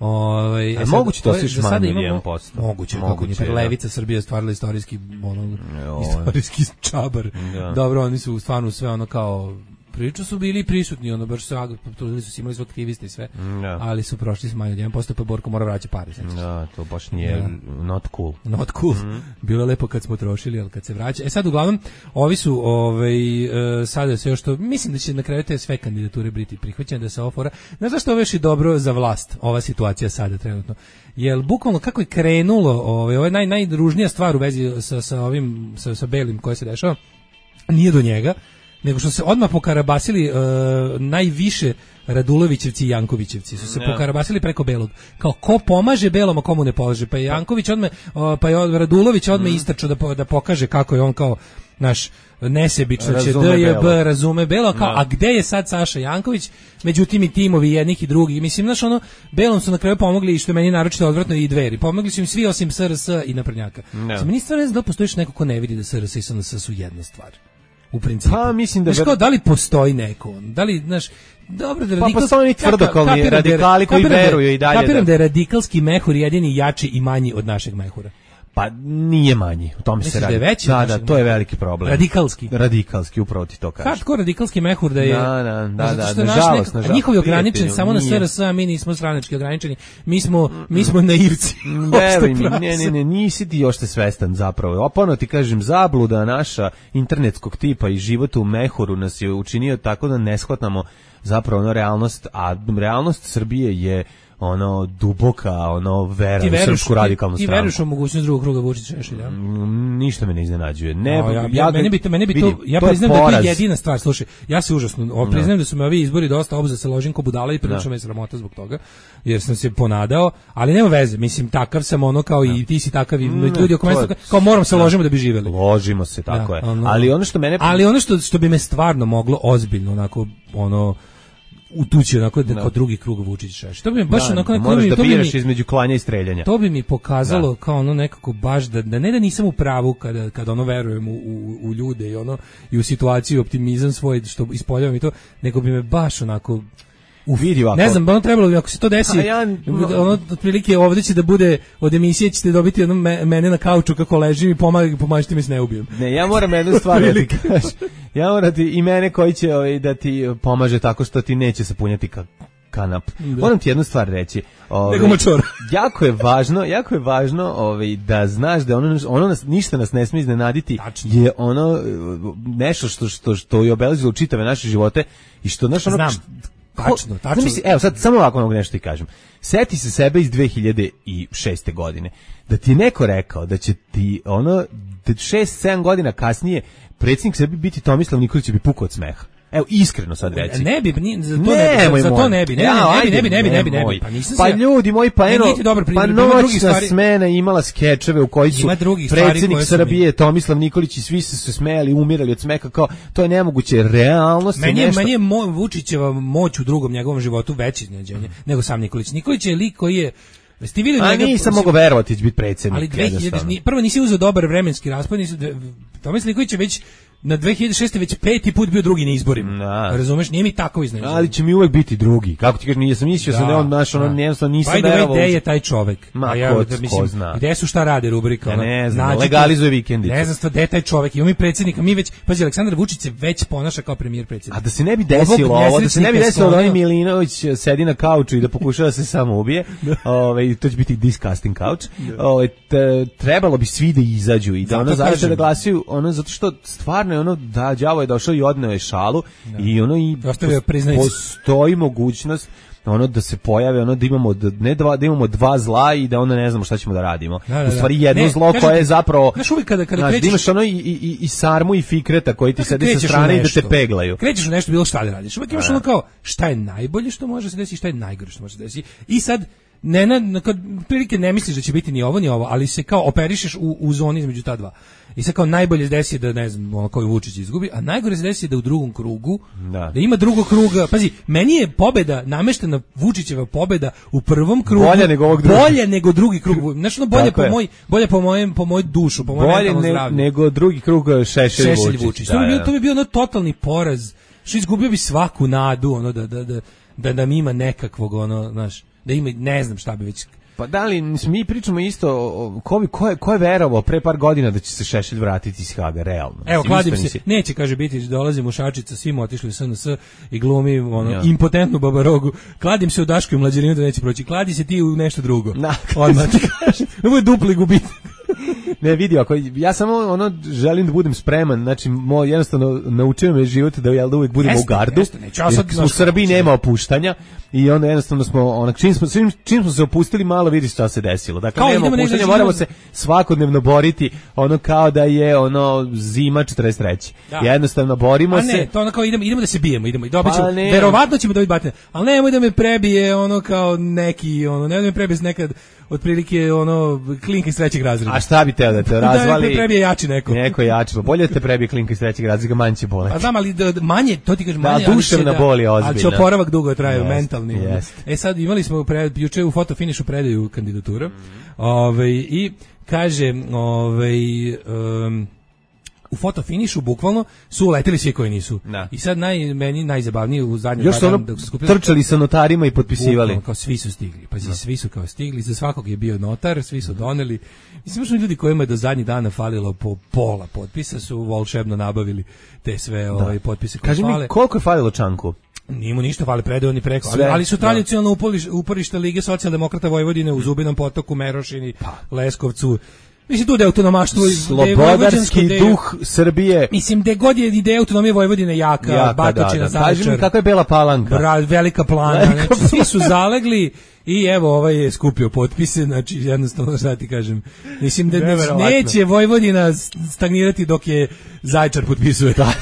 Ovaj e moguće to sviš manje od jedan posto. Moguće, moguće. Da. Levica Srbije je stvarila istorijski ono jo, istorijski čabar. Da. Dobro, oni su stvarno sve ono kao priču su bili prisutni, ono baš su trudili su imali su aktivisti i sve. Da. Ali su prošli s manje od jedan posto pa Borko mora vraćati pare znači. Da, to baš nije da. Not cool. Not cool. Mm. Bilo je lepo kad smo trošili, al kad se vraća. E sad uglavnom ovi su ovaj uh, sada sve što mislim da će na kraju te sve kandidature biti prihvaćene da se ofora. Znaš zašto ovo je dobro za vlast ova situacija sada trenutno? Jel bukvalno kako je krenulo, ovaj ovo je naj najružnija stvar u vezi sa sa ovim sa sa belim koje se dešava. Nije do njega, nego što se odmah pokarabasili uh, najviše Radulovićevci i Jankovićevci su se yeah. pokarabasili preko Belog. Kao ko pomaže Belom, a komu ne polaže. Pa je Janković odmah, uh, pa je Radulović odmah mm. istračao da, da pokaže kako je on kao naš nesebično će D J B razume Belo, kao, no. a gde je sad Saša Janković? Međutim i timovi jednih i drugih. Mislim, znaš, ono, Belom su na kraju pomogli i što je meni naročito odvratno i Dveri. Pomogli su im svi osim S R S i naprednjaka. No. Meni stvarno ne znam da postojiš neko ko ne vidi da S R S i S N S su jedna stvar. U principu. Pa mislim da znaš, kao, da li postoji neko? Da li, znaš, dobro da radikal... Pa postoji oni tvrdokolni radikali koji veruju i dalje. Kapiram da je radikalski mehur jedini jači i manji od našeg mehura. Pa nije manji, u tome se radi. Da, je veći da, da, to je veliki problem. Radikalski. Radikalski, upravo ti to kažeš. Hardcore radikalski mehur da je... Da, da, da, da, da nažalost, nažalost. Njihovi ograničeni, samo na S R S, a mi nismo stranački ograničeni. Mi smo, mi smo naivci. Veruj mi, ne, ne, ne, nisi ti još te svestan zapravo. Opano ti kažem, zabluda naša internetskog tipa i život u mehuru nas je učinio tako da ne shvatamo zapravo ono realnost, a realnost Srbije je ono duboka, ono vera u srpsku radikalnu ti, stranku. Ti veruješ u mogućnost drugog kruga Vučića-Šešelja? Mm, ništa me ne iznenađuje. Ne, no, ja, ja, meni bi to, meni bi vidi, to, ja to priznam da je to jedina stvar. Slušaj, ja se užasno, priznam no. da su me ovi izbori dosta obza se ložim ko budala i prilično no. me sramota zbog toga, jer sam se ponadao, ali nema veze, mislim, takav sam ono kao no. i ti si takav i mm, ljudi oko mene, kao moram se no. ložimo da bi živeli. Ložimo se, tako da, je. Ono, ali ono što mene... Ali ono što, što bi me stvarno moglo ozbiljno, onako, ono, utući onako da kod drugi krug Vučić-Šešelj. To bi mi baš da, onako moraš da biraš između klanja i streljanja. To bi mi pokazalo da. kao ono nekako baš da, da ne da nisam u pravu kada kada ono verujem u, u, u ljude i ono i u situaciju optimizam svoj što ispoljavam i to, nego bi me baš onako Uf, vidi ovako. Ne znam, ono trebalo bi, ako se to desi, ja, no, ono, otprilike ovdje će da bude, od emisije ćete dobiti ono me, mene na kauču kako ležim i pomag, pomažite mi se ne ubijem. Ne, ja moram jednu stvar da ti kažem. Ja moram ti, i mene koji će ovaj, da ti pomaže tako što ti neće sapunjati ka, kanap. Da. Moram ti jednu stvar reći. Ovaj, jako je važno, jako je važno ovaj, da znaš da ono, ono nas, ništa nas ne smije iznenaditi. Tačno. Je ono nešto što, što, što je obeležilo čitave naše živote i što, znaš, ono... Znam. Tačno, tačno. Misli, evo sad samo ovako mogu nešto ti kažem. Seti se sebe iz dve hiljade šeste. godine. Da ti je neko rekao da će ti ono šest sedam godina kasnije predsjednik Srbije biti Tomislav Nikolić, će bi pukao od smeha. Evo, iskreno sad reci. Ne bi, ni, za to ne, ne bi, za to ne bi, ne, ja, ne, ne bi, ne bi, ne bi, ne bi, pa nisam pa se... ljudi moji, pa eno, pa noćna smena imala skečeve u koji su predsjednik Srbije, Tomislav Nikolić i svi su se smejali, umirali od smeha, kao, to je nemoguće, realnost je meni, nešto... Meni je mo, Vučićeva moć u drugom njegovom životu veće iznenađenje mm. nego sam Nikolić. Nikolić je lik koji je Ste videli njega? A nisam mogao verovati da će biti predsjednik. Ali dve hiljade prvo nisi uzeo dobar vremenski raspad, nisi Tomislav Nikolić je već na dve hiljade šeste. već peti put bio drugi na izborima. Da. Razumeš, nije mi tako iznenađenje. Ali će mi uvek biti drugi. Kako ti kažeš, nisam mislio da, sam da on naš, ono jednostavno nisam verovao. Gde je taj čovek? Ma, ja, ko, mislim, ko zna. Gde su šta rade rubrika? Ja ne znam, legalizuje vikendicu. Ne znam stva, gde je taj čovek? Imamo mi predsjednika, mi već, pazi, Aleksandar Vučić se već ponaša kao premijer predsjednik. A da se ne bi desilo ovo, da se ne bi desilo da oni Milinović sedi na kauču i da pokušava da se samo ubije, ovaj, to će biti disgusting couch, ovaj, trebalo bi svi da izađu i da ono zaista da glasaju, ono, zato što stvarno je ono, da, đavo je došao i odneo je šalu da. I ono i postoji mogućnost ono da se pojave, ono da imamo ne dva, da imamo dva zla i da onda ne znamo šta ćemo da radimo. Da, da, u stvari jedno ne, zlo koje je zapravo znaš uvijek kada, kada znaš, krećeš, da imaš ono i, i, i sarmu i fikreta koji ti sedi sa strane i da te peglaju. Krećeš u nešto bilo šta da radiš. Uvijek imaš ono kao šta je najbolje što može se desiti, šta je najgore što može se desiti. I sad ne, na, kad prilike ne misliš da će biti ni ovo ni ovo, ali se kao operišeš u, u zoni između ta dva. I sad kao najbolje se desi da, ne znam, ono koji Vučić izgubi, a najgore se desi da u drugom krugu, da, da ima drugog kruga. Pazi, meni je pobeda, nameštena Vučićeva pobeda u prvom krugu bolje nego ovog drugog. Bolje nego drugi krug. Znači, ono bolje po moj, bolje po mojem, po moj dušu, po mojem mentalnom zdravlju. Bolje nego drugi krug Šešelj, Šešelj Vučić. Vučić. Da, to, bi bio, to bi bio ono totalni poraz. Što izgubio bi svaku nadu, ono da da da da da mi ima nekakvog, ono, znaš, da ima, ne znam šta bi već. Pa da li mi pričamo isto, ko, ko, je, ko je verovao pre par godina da će se Šešelj vratiti iz Haga, realno? Evo, kladim se, nisi... neće, kaže, biti, dolazim u Šačica, svi mu otišli u S N S i glumi ono, ja. impotentnu babarogu, kladim se u Dašku i Mlađarinu da neće proći, kladi se ti u nešto drugo. Na, odmah ti kažem, ovo je dupli gubitak. Ne, vidi, ako ja samo ono želim da budem spreman, znači mo jednostavno naučio me život da ja da uvek budemo jeste, u gardu. Jeste, neću, ja sad, u Srbiji nema opuštanja i onda jednostavno smo onak čim smo čim, čim smo se opustili malo vidiš šta se desilo. Dakle, kao nema opuštanja, moramo se svakodnevno boriti ono kao da je ono zima četrdeset treće. Da. Jednostavno borimo a ne, se. To ono kao idemo idemo da se bijemo, idemo i dobićemo. Pa verovatno ćemo dobiti batine, al nemoj da me prebije ono kao neki ono, ne da me prebije nekad otprilike ono klinka iz trećeg razreda. A šta bi teo da te razvali? Da me prebije jači neko. Neko jači, pa bolje da te prebije klinka iz trećeg razreda, manje će boleti. Pa znam, ali da, manje, to ti kažem manje, da, duševna bol je ozbiljna. Ali će oporavak dugo traje, yes, mentalni. Yes. E sad imali smo pred, juče u fotofinišu predaju kandidatura. Mm -hmm. Ove, i kaže, ovaj um, u fotofinišu bukvalno su uleteli svi koji nisu. Da. I sad naj, meni najzabavnije u zadnjem još ono da su skupili, trčali sa notarima i potpisivali. Bukvalno, kao svi su stigli. Pa da. Svi su kao stigli, za svakog je bio notar, svi su doneli. Mislim što ljudi kojima je do zadnjih dana falilo po pola potpisa su volšebno nabavili te sve da. Ovaj potpise koje kaži fale. Mi koliko je falilo Čanku? Nije mu ništa fali, predao ni preko, ali, ali su tradicionalno da. uporište Lige socijaldemokrata Vojvodine u Zubinom Potoku, Merošini, pa. Leskovcu. Mislim, tu da je autonomaštvo... Slobodarski de, duh Srbije. Mislim, da god je ideja autonomije Vojvodine jaka, jaka Batočina, da, da. Kaži mi kakva je Bela Palanka. Bra, velika plana, velika znači, svi su zalegli i evo, ovaj je skupio potpise, znači, jednostavno, šta ti kažem, mislim da neće Vojvodina stagnirati dok je Zaječar potpisuje. Da.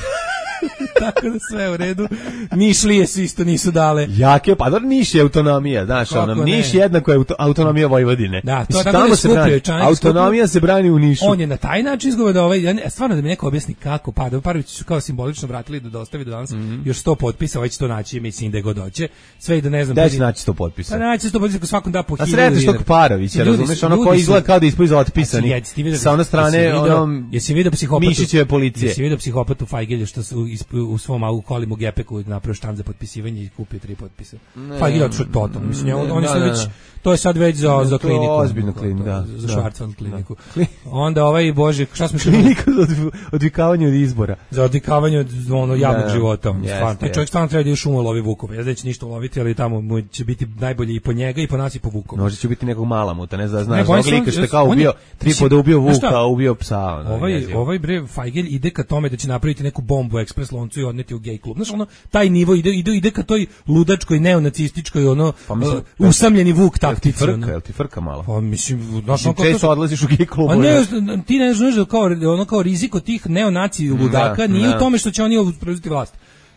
Tako da sve u redu. Nišlije svi isto nisu dale. Jake, pa dobro, Niš je autonomija, znaš, ono, Niš jednako je autonomija Vojvodine. Da, to tako da je skupio. Autonomija se brani u Nišu. On je na taj način izgovor da ovaj, stvarno da mi neko objasni kako, pa da Parović su kao simbolično vratili da dostavi do danas, mm -hmm. još sto potpisa, ovaj će to naći, mislim da god dođe. Sve i da ne znam. Da će naći sto potpisa. Pa naći sto potpisa, svakom da po hiljadu. A sretneš tog Parovića, razumeš, ono koji izgleda kao da je ispod otpisani. Sa one strane, onom jesi video psihopatu? Mišićeve policije. Jesi video psihopatu Fajgelja što su u svom autu kolimu gepeku napravio štand za potpisivanje i kupio tri potpisa. Feigl je otišao totalno. Mislim, on, on je sad već, to je sad već za, za kliniku. Ozbiljnu kliniku, da. Za Schwarzwald kliniku. Da. Onda ovaj, bože, šta smo što... Klinika za odvikavanje od izbora. Za odvikavanje od ono, javnog da. života. Yes, Stvarno, taj čovjek stvarno treba da je šumo lovi vukove. Ja neće ništa uloviti, ali tamo mu će biti najbolje i po njega i po nas i po vukove. Možda će biti nekog malamuta, ne znam, znaš, ovog lika što je kao ubio, tri puta ubio vuka, ubio psa. Ono, ovaj, ovaj bre, Feigl ide ka tome da će napraviti neku bombu u ekspres loncu i odneti u gej klub. Znaš, ono, taj nivo ide, ide, ide ka toj ludačkoj, neonacističkoj, ono, pa mislim, uh, usamljeni vuk taktici. Jel ti frka, jel ti frka malo? Pa mislim, znaš, ono, često odlaziš u gej klubu. A ne, ti ne znaš da kao, ono, kao riziko tih neonaci ludaka da, nije da. u tome što će oni preuzeti vlast.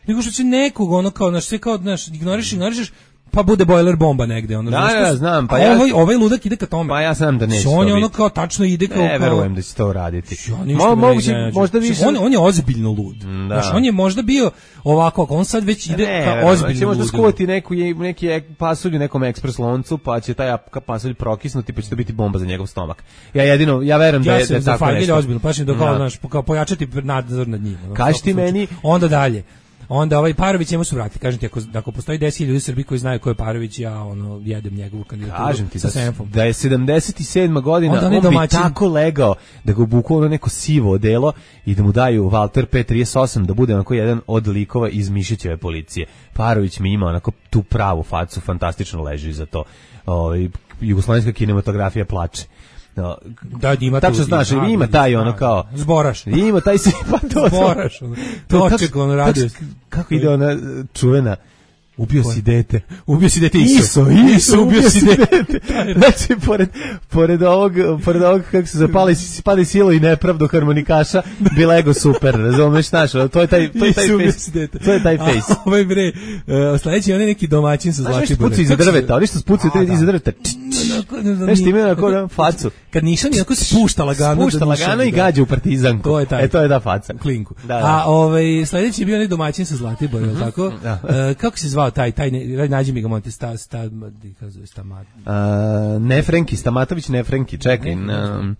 Nego što će nekog, ono, kao, znaš, sve kao, znaš, ignoriš, ignorišeš, pa bude bojler bomba negde, ono. Da, ja znam, pa a ja ovaj ovaj ludak ide ka tome. Pa ja znam da neće. On je ono kao tačno ide kao ne, verujem da će to uraditi. Mo, moguće, možda više. On on je ozbiljno lud. Da. Znaš, on je možda bio ovako, on sad već ide ne, ka ozbiljno. Će možda skuvati neku neki pasulj u nekom ekspres loncu, pa će taj pasulj prokisnuti, pa će to biti bomba za njegov stomak. Ja jedino, ja verujem da je da tako nešto. Ja se ozbiljno, pa će da kao, znaš, kao pojačati nadzor nad njim. Kaži ti meni, onda dalje. Onda ovaj Parović njemu su vratili. Kažem ti, ako, ako postoji deset hiljada ljudi u Srbiji koji znaju ko je Parović, ja ono, jedem njegovu kandidaturu. Kažem ti sa da, Senfom. da je sedamdeset sedma godina, on, on bi tako legao da ga obuku ono neko sivo odelo i da mu daju Walter P trideset osam da bude onako jedan od likova iz Mišićeve policije. Parović mi ima onako tu pravu facu, fantastično leži za to. O, jugoslovenska kinematografija plače. No, da, ima tačno znaš, ima, ima taj ono kao zboraš. Ima taj si pa to. Zboraš. Ono. To očekao on radio. Kako ide ona čuvena ubio si dete. Ubio si dete Iso. Iso, Iso ubio si dete. Znači, pored, pored ovog, pored ovog, kako se zapali, pali silo i nepravdu harmonikaša, bi Lego super, razumeš, znaš, to je taj, to je taj face. To je taj face. A, ovaj bre, uh, sledeći on je neki domaćin sa Zlatiborom. Znaš, spuci iza drveta, oni što spuci iza drveta. Znaš, ti imaju onako facu. Kad Nišan onako spušta lagano. Spušta lagano i gađa u partizanku. To je taj. E, to je da faca. Klinku. Da, da. A ovaj, sledeći je bio onaj domaćin sa Zlatiborom, mm-hmm. tako? Da. Uh, kako se zvao taj, taj, ne, nađi mi ga, monte, sta, sta, sta, sta, uh, Nefrenki, Stamatović Nefrenki, čekaj, um,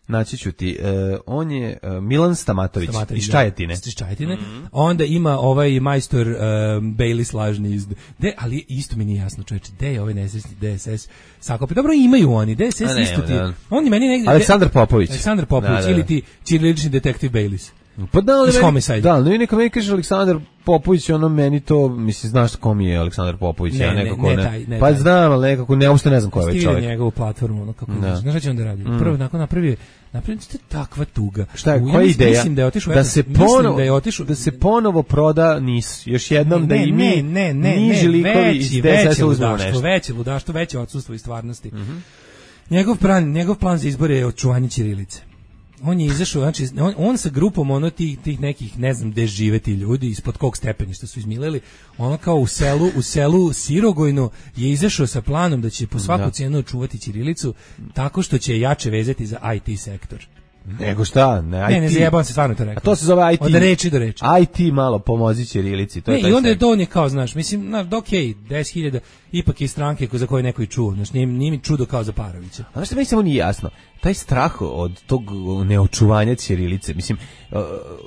naći ću ti, uh, on je uh, Milan Stamatović, Stamatović iz Čajetine. Iz Čajetine. Mm-hmm. Onda ima ovaj majstor uh, Bailey slažni iz... De, ali isto mi nije jasno, čoveče, gde je ovaj nesrećni D S S sakopi? Dobro, imaju oni, D S S isto ti. Da. On meni negdje... Aleksandar Popović. Aleksandar Popović, da, da. Ili ti ćirilični detektiv Baileys. Pa da, ali meni, da, ali neka meni kaže Aleksandar Popović, ono meni to, mislim, znaš ko mi je Aleksandar Popović, ne, ja nekako ne, ne, ne, taj, ne pa taj. znam, ali nekako ne, uopšte ne znam ko je ovaj čovjek. Stigli njegovu platformu, ono kako, da. Znaš šta će onda radi? Mm. Prvo, nakon napravi, napravi to takva tuga. Šta je, koja je ideja? Mislim da je otišao, da se ponovo, da je otišao, da se ponovo proda Nis, još jednom ne, da i mi, ne, ne, ne, niži likovi iz D S S uzmemo nešto. Veće ludaštvo, veće odsustvo iz stvarnosti. Mm-hmm. Njegov plan, njegov plan za izbor je očuvanje ćirilice. On je izašao, znači, on, on sa grupom ono tih, tih nekih, ne znam gde žive ti ljudi, ispod kog stepeništa su izmileli, ono kao u selu, u selu Sirogojno je izašao sa planom da će po svaku da. cijenu očuvati ćirilicu tako što će jače vezati za I T sektor. Nego šta? Ne, I T. Ne, ne zajebam se, stvarno to rekao. A to se zove I T. Od reči do reči. I T malo pomozi ćirilici. To ne, je taj i onda je sektor. to on je kao, znaš, mislim, znaš, da okej, okay, deset hiljada, ipak je stranke za koje neko i čuo, znaš, nije, nije mi čudo kao za Parovića. A znaš što mi samo nije jasno? Taj strah od tog neočuvanja ćirilice, mislim,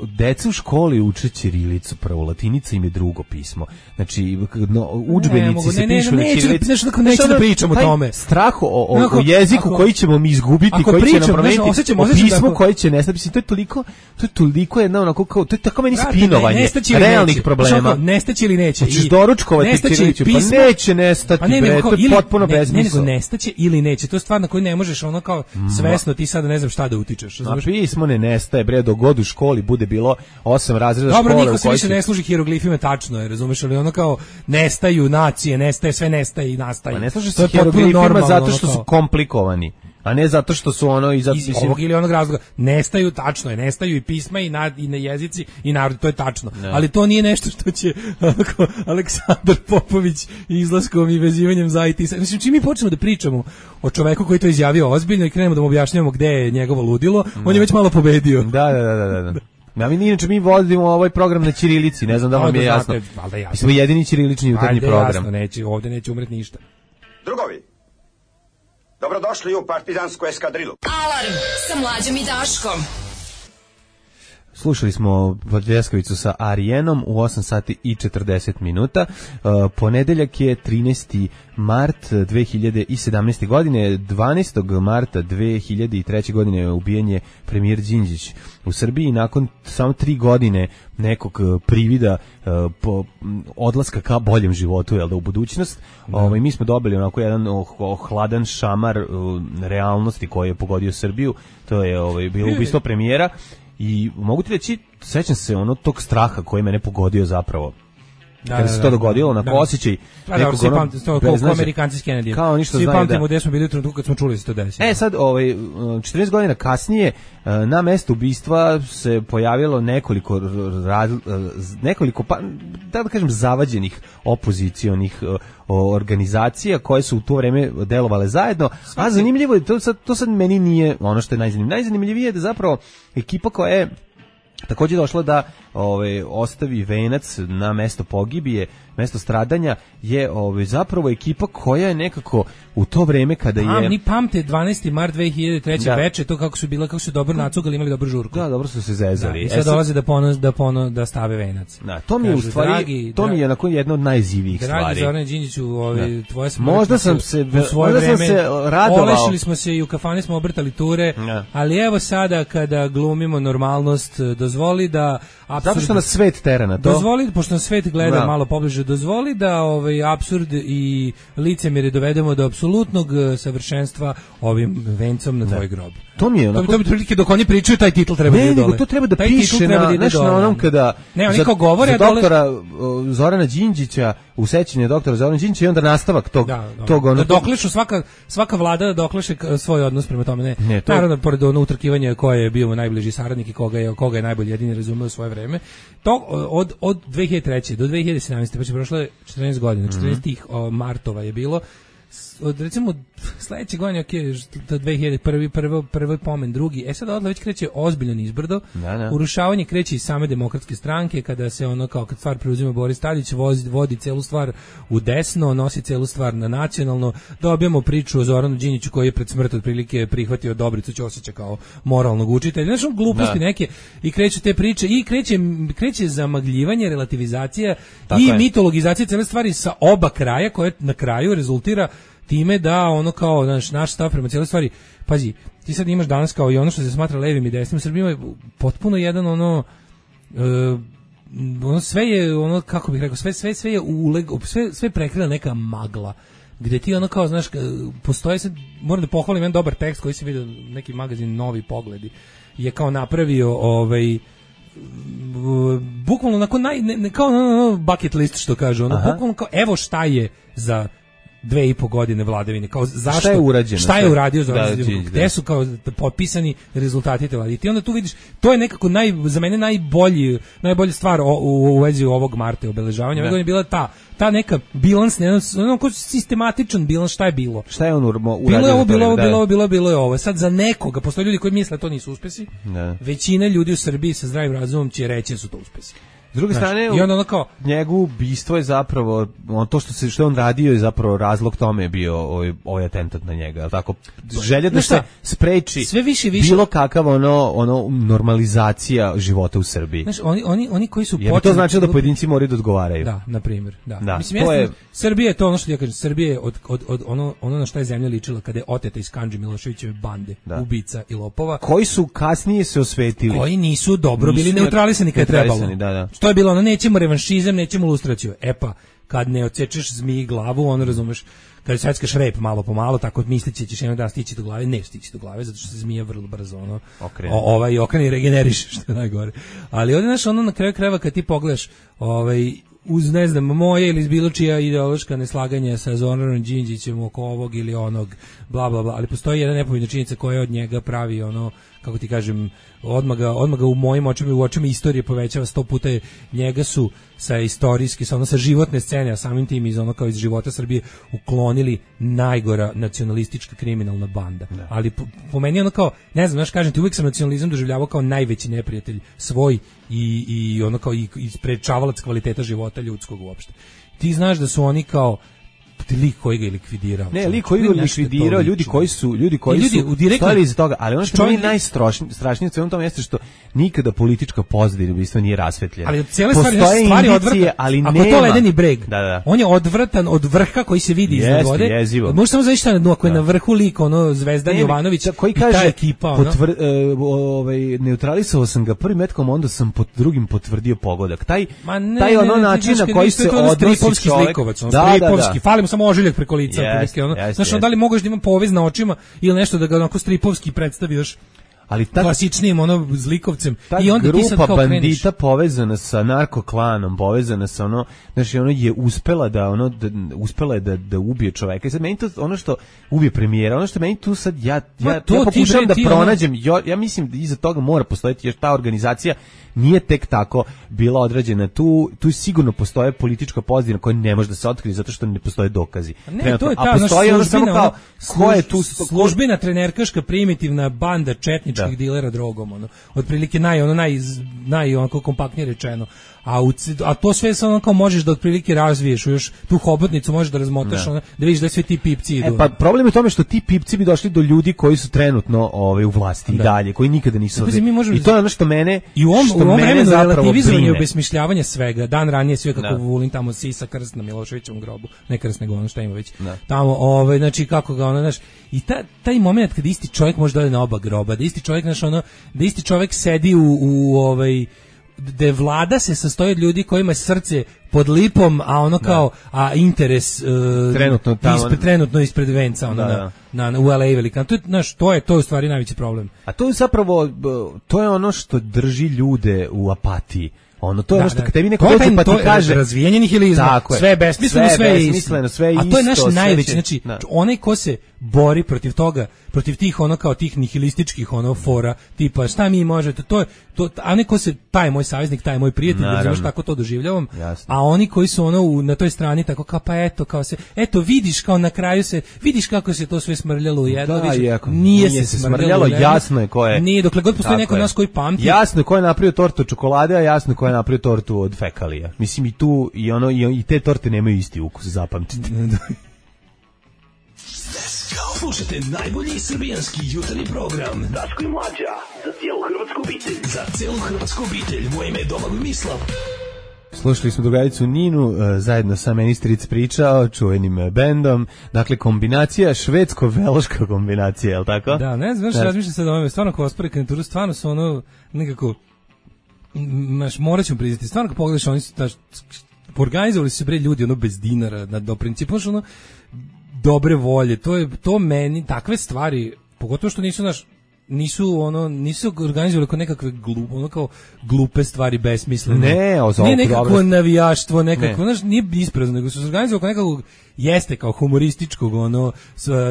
deca u školi uče ćirilicu, prvo latinica im je drugo pismo. Znači, no, udžbenici ne, se ne, pišu ne, na neću ćirilici. Da, neću, da, neću da pričam o tome. Strah o, o, ako, o jeziku ako, koji ćemo mi izgubiti, koji pričam, će nam promeniti, znaš, osjećam, o pismu da, koji će nestati. Mislim, to je toliko, to je toliko jedna onako kao, to je tako meni Brate, spinovanje ne, realnih problema. Nestaće ili neće. Hoćeš doručkovati ćirilicu, pa neće nestati, pa ne, bre, to je potpuno Ne, besmisleno. nego nestaće ili neće. To je stvar na koju ne možeš ono kao svesno ti sada ne znam šta da utičeš. A pismo ne nestaje, bre, dok god u školi bude bilo osam razreda Dobro, škole. Dobro, niko se više ne služi hieroglifima, tačno je, razumeš, ali ono kao nestaju nacije, nestaje, sve nestaje i nastaje. Pa ne služi se hieroglifima zato što su komplikovani, a ne zato što su ono i zato, iz mislim, ovog ili onog razloga. Nestaju, tačno je, nestaju i pisma i, na, i na jezici i narod, to je tačno. Ne. Ali to nije nešto što će ako, Aleksandar Popović izlaskom i vezivanjem za I T. Mislim, čim mi počnemo da pričamo o čoveku koji to izjavio ozbiljno i krenemo da mu objašnjavamo gde je njegovo ludilo, ne. On je već malo pobedio. Da, da, da, da, da. Ja, mi inače mi vodimo ovaj program na ćirilici, ne znam da vam je jasno. Mi smo jedini ćirilični jutarnji program. Jasno, neće, ovde neće umreti ništa. Drugovi, dobrodošli u partizansku eskadrilu. Alarm sa Mlađom i Daškom. Slušali smo Pljeskavicu sa Arijenom u osam sati i četrdeset minuta. Uh, ponedeljak je trinaesti mart dve hiljade sedamnaeste. godine. dvanaestog marta dve hiljade treće. godine ubijen je premijer Đinđić u Srbiji nakon samo tri godine nekog privida uh, po odlaska ka boljem životu, jel da, u budućnost. Da. Ovaj, mi smo dobili onako jedan ohladan šamar uh, realnosti koji je pogodio Srbiju. To je ovaj, bilo ubistvo premijera. I mogu ti reći, sećam se ono tog straha koji mene pogodio zapravo. Da, kada se to dogodilo, onako da. Osjećaj da, nekog da, ono... Kao, kao Amerikanci s Kennedy. Kao ništa svi znaju, pamtimo da. Gde smo bili u trenutku kad smo čuli da se to desi. E sad, ovaj, četrnaest godina kasnije, na mestu ubistva se pojavilo nekoliko, raz, nekoliko pa, da da kažem, zavađenih opozicionih organizacija koje su u to vreme delovale zajedno, a zanimljivo je, to sad, to sad meni nije ono što je najzanimljivije. Najzanimljivije je da zapravo ekipa koja je takođe došla da ove, ostavi venac na mesto pogibije, mesto stradanja, je ove, zapravo ekipa koja je nekako u to vreme kada je... A, ni pamte dvanaesti mart dve hiljade treće. Da. Veče, to kako su bila, kako su dobro nacugali, imali dobru žurku. Da, dobro su se zezali. Da, i sad dolaze da ponos, da pono, da stave venac. Da, to mi je u stvari, dragi, to mi je onako jedna od najzivijih stvari. Dragi Zorane Đinđiću, ovi, tvoje smrti... Možda sam se, možda vreme, sam se radovao. Olešili smo se i u kafani smo obrtali ture, da. Ali evo sada kada glumimo normalnost, dozvoli da... Apsurd, zato što nas svet tera na to. Dozvoli, pošto nas svet gleda da. Malo pobliže, dozvoli da ovaj apsurd i licemjerje dovedemo do apsolutnog savršenstva ovim vencom na tvoj grob. To mi je onako... To bi prilike dok oni pričaju, taj titl treba ne, da ide dole. Ne, to treba da taj piše na, da nešto na onom kada... Ne, oni kao govore... Za doktora dole... Zorana Đinđića, u sećanju doktora Zorana Đinđića i onda nastavak tog... Da, da. Tog ono... da doklešu, svaka, svaka vlada da dokleše svoj odnos prema tome. Ne, ne to... Naravno, pored ono utrkivanja koje je bio najbliži saradnik i koga je, koga je najbolje jedini razumeo svoje vreme. To od, od dve hiljade treće. do dve hiljade sedamnaeste. pa će prošlo je četrnaest godina, četrnaest mm-hmm. martova je bilo. Od recimo sledeće godine, ok, dve hiljade prvi, prvo, prvi pomen, drugi, e sad odle već kreće ozbiljno nizbrdo, da, da. Urušavanje kreće iz same demokratske stranke, kada se ono kao kad stvar preuzima Boris Tadić, vozi, vodi celu stvar u desno, nosi celu stvar na nacionalno, dobijamo priču o Zoranu Đinđiću koji je pred smrt otprilike prihvatio Dobricu Ćosića kao moralnog učitelja, znači gluposti da. Neke, i kreću te priče, i kreće, kreće zamagljivanje, relativizacija tako i je. Mitologizacija cele stvari sa oba kraja, koje na kraju rezultira time da ono kao naš, naš stav prema cijeloj stvari, pazi, ti sad imaš danas kao i ono što se smatra levim i desnim, Srbima je potpuno jedan ono, uh, ono sve je ono, kako bih rekao, sve, sve, sve je uleg, sve, sve prekrila neka magla, gde ti ono kao, znaš, postoje sad, moram da pohvalim jedan dobar tekst koji se vidio neki magazin Novi Pogledi, je kao napravio ovaj, bukvalno onako naj, ne, ne, kao ono bucket list što kaže, ono, bukvalno kao, evo šta je za dve i po godine vladavine, kao zašto, šta je urađeno, šta je uradio Zoran Đinđić, gde su kao potpisani rezultati te vlade. I ti onda tu vidiš, to je nekako naj, za mene najbolji, najbolja stvar o, u, u vezi ovog Marta obeležavanja. Ove godine je bila ta, ta neka bilans, ne, ono kao sistematičan bilans, šta je bilo. Šta je on uradio? Bilo je ovo, bilo ovo, bilo ovo, bilo, bilo je ovo. Sad za nekoga, postoje ljudi koji misle to nisu uspesi, ne. Većina ljudi u Srbiji sa zdravim razumom će reći da su to uspesi. S druge strane, i onda ono kao njegovo ubistvo je zapravo, on, to što se što on radio je zapravo razlog tome je bio ovaj, ovaj atentat na njega, tako želja da se spreči sve više više bilo kakav ono ono normalizacija života u Srbiji. Znaš, oni oni oni koji su počeli, to znači da pojedinci moraju da odgovaraju. Da, na primjer, da. da. Mislim to je Srbija je to ono što ja kažem, Srbija je od, od, od ono ono na šta je zemlja ličila kada je oteta iz Kandži Miloševićeve bande, da. Ubica i lopova, koji su kasnije se osvetili, koji nisu dobro nisu bili neutralisani kad je trebalo. Da, da. To je bilo ono, nećemo revanšizam, nećemo lustraciju. E pa, kad ne odsečeš zmiji glavu, ono razumeš, kad seckaš rep malo po malo, tako mislići ćeš jednog dana stići do glave, ne stići do glave, zato što se zmija vrlo brzo, ono, o, ovaj okrene i regeneriše, što je najgore. Ali ovdje, znaš, ono na kraju krajeva kad ti pogledaš, ovaj, uz, ne znam, moje ili bilo čija ideološka neslaganja sa Zoranom Đinđićem oko ovog ili onog, bla, bla, bla, ali postoji jedna nepobitna činjenica koja od njega pravi, ono, kako ti kažem, odmah ga, odmah ga u mojim očima i u očima istorije povećava sto puta. Njega su sa istorijski, sa, ono, sa životne scene, a samim tim iz ono kao iz života Srbije uklonili najgora nacionalistička kriminalna banda. Da. Ali po, po meni ono kao, ne znam, znaš, kažem ti, uvijek sam nacionalizam doživljavao kao najveći neprijatelj svoj i, i ono kao i, i sprečavalac kvaliteta života ljudskog uopšte. Ti znaš da su oni kao lik koji ga je likvidirao. Ne, lik koji ga je likvidirao, ljudi koji su, ljudi koji ljudi su direktno, stojali iza toga, ali ono što čovjek, mi je najstrašnije u svemu tome jeste što nikada politička pozadina ubistva nije rasvetljena. Ali cijele stvari, stvari odvratan, ali ako nema. je to ledeni breg, da, da. on je odvratan od vrha koji se vidi iznad vode. Jezivo. Može samo zaista na dnu, ako je na vrhu lik, ono, Zvezdan Jovanović koji i kaže, ta ekipa, ono. Potvr, uh, ovaj, neutralisao sam ga prvim metkom, onda sam pod drugim potvrdio pogodak. Taj, ne, taj ono ne, ne, način na koji se odnosi čovjek. Slikovac, on, da, stripovski, da, da. Fali mu samo ožiljak preko lica. Yes, ono. yes, Znaš, yes. da li možeš da ima povez na očima ili nešto da ga onako stripovski predstavi još ali ta klasičnim ono zlikovcem ta i onda ti sad kao bandita kreneš. Povezana sa narkoklanom, povezana sa ono, znači ono je uspela da ono da, uspela je da da ubije čoveka. I sad meni to ono što ubije premijera, ono što meni tu sad ja ja, ja pokušavam da pronađem, ono... ja mislim da iza toga mora postojati jer ta organizacija nije tek tako bila određena. Tu tu sigurno postoje politička pozadina koja ne može da se otkrije zato što ne postoje dokazi. Ne, Trenutno, to je ta, a postoji ono samo kao ko je tu službena trenerkaška primitivna banda četničkih da. dilera drogom, ono. Otprilike naj ono naj naj onako kompaktnije rečeno. A, u, a to sve samo kao možeš da otprilike razviješ, još tu hobotnicu možeš da razmotaš, da, ono, da vidiš da sve ti pipci idu. E, pa problem je u tome što ti pipci bi došli do ljudi koji su trenutno ovaj, u vlasti da. i dalje, koji nikada nisu ovdje. I to je ono što mene i u ovom, što u ovom mene vremenu zapravo relativizovanje i brine. obesmišljavanje svega. Dan ranije sve kako da. Vulin tamo sisa krst na Miloševićevom grobu. Ne krst nego ono šta ima već. Da. Tamo, ovaj, znači kako ga ono, znaš, i ta, taj moment kad isti čovjek može da ode na oba groba, da isti čovjek, znaš, ono, da isti čovjek sedi u, u ovaj da vlada se sastoji od ljudi kojima je srce pod lipom, a ono kao da. a interes uh, trenutno tamo ispred, trenutno ispred venca ono da, na, na u L A velika. To je znaš, to je to je u stvari najveći problem. A to je zapravo to je ono što drži ljude u apatiji. Ono to je da, ono što da. kad tebi neko dođe pa ti kaže razvijenje nihilizma, sve je besmisleno, sve, sve je besmisleno, sve je isto. A to je naš najveći, će, znači da. onaj ko se bori protiv toga, protiv tih ono kao tih nihilističkih ono fora, tipa šta mi možete, to je to, a onaj ko se taj moj saveznik, taj moj prijatelj, znaš tako to doživljavam. Jasno. A oni koji su ono u, na toj strani tako kao pa eto kao se eto vidiš kao na kraju se vidiš kako se to sve smrljalo u jedno, da, nije, nije se se smrljalo, jasno je ko je. Nije, dokle god postoji neko nas koji pamti. Jasno je ko je napravio tortu od čokolade, a jasno je ko je napravio tortu od fekalija. Mislim i tu i ono i, i te torte nemaju isti ukus, zapamtite. Slušajte najbolji srbijanski jutarnji program Daško i Mlađa za cijelu hrvatsku obitelj. Za cijelu hrvatsku obitelj. Moje ime je Domagoj Mislav. Slušali smo drugaricu Ninu, uh, zajedno sa Ministric pričao, čuvenim uh, bendom, dakle kombinacija, švedsko-veloška kombinacija, je li tako? Da, ne znam, razmišljam sad o ovome, stvarno kao ospore kandidaturu, stvarno su ono nekako, maš, morat ćemo priznati, stvarno kao pogledaš, oni su, taš, organizovali su se bre ljudi ono bez dinara, na, do principu, ono, dobre volje, to je, to meni, takve stvari, pogotovo što nisu naš, nisu ono nisu organizovali kao nekakve glupe ono kao glupe stvari besmislene. Ne, o ne nekako navijaštvo, nekako, ne. znaš, nije isprazno, nego su organizovali kao nekakvog jeste kao humorističkog, ono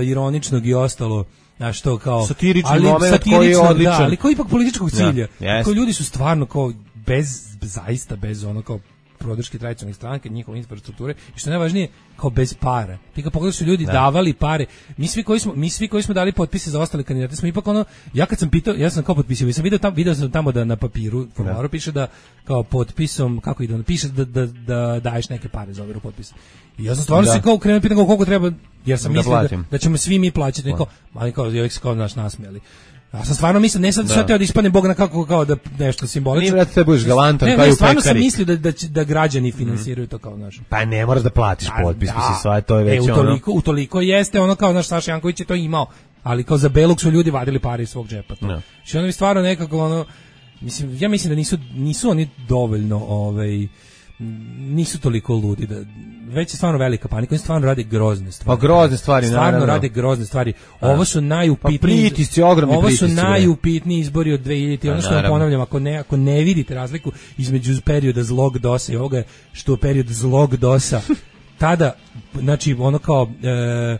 ironičnog i ostalo. A što kao satirični ali, moment koji je odličan, da, ali koji ipak političkog cilja. Ja, yes. Koji ljudi su stvarno kao bez zaista bez ono kao podrške tradicionalnih stranaka, njihove infrastrukture i što najvažnije kao bez para. Ti kad pogledaš su ljudi da. davali pare. Mi svi koji smo mi svi koji smo dali potpise za ostale kandidate smo ipak ono ja kad sam pitao, ja sam kao potpisao, sam video tamo video sam tamo da na papiru formularu piše da kao potpisom kako ide, piše da da da daješ neke pare za overu potpisa. I ja sam stvarno se kao krenuo pitam koliko treba, jer sam da mislio da, da ćemo svi mi plaćati, neko, ali kao uvijek se kao naš nasmijali. Ja sam stvarno mislio, ne sad sve teo da ispadne Bog na kako kao da nešto simbolično. Nije vrat, te budeš galantan kao i u pekari. Stvarno sam mislio da, da, da građani finansiraju mm. to kao naš. Pa ne moraš da platiš potpis, da, mislim, sva to je već e, utoliko, ono. Utoliko jeste ono kao naš Saša Janković je to imao, ali kao za Belog su ljudi vadili pare iz svog džepa. To. No. Što ono mi stvarno nekako ono, mislim, ja mislim da nisu, nisu oni dovoljno, ovaj, nisu toliko ludi da već je stvarno velika panika, oni stvarno rade grozne stvari. Pa grozne stvari, stvarno naravno. rade grozne stvari. Ovo su najupitniji, pa pritisci, ogromni ovo pritisci. su najupitniji izbori od dve hiljadite. Ono što vam ponavljam, ako ne, ako ne vidite razliku između perioda zlog dosa i ovoga što je period zlog dosa, tada, znači, ono kao, e,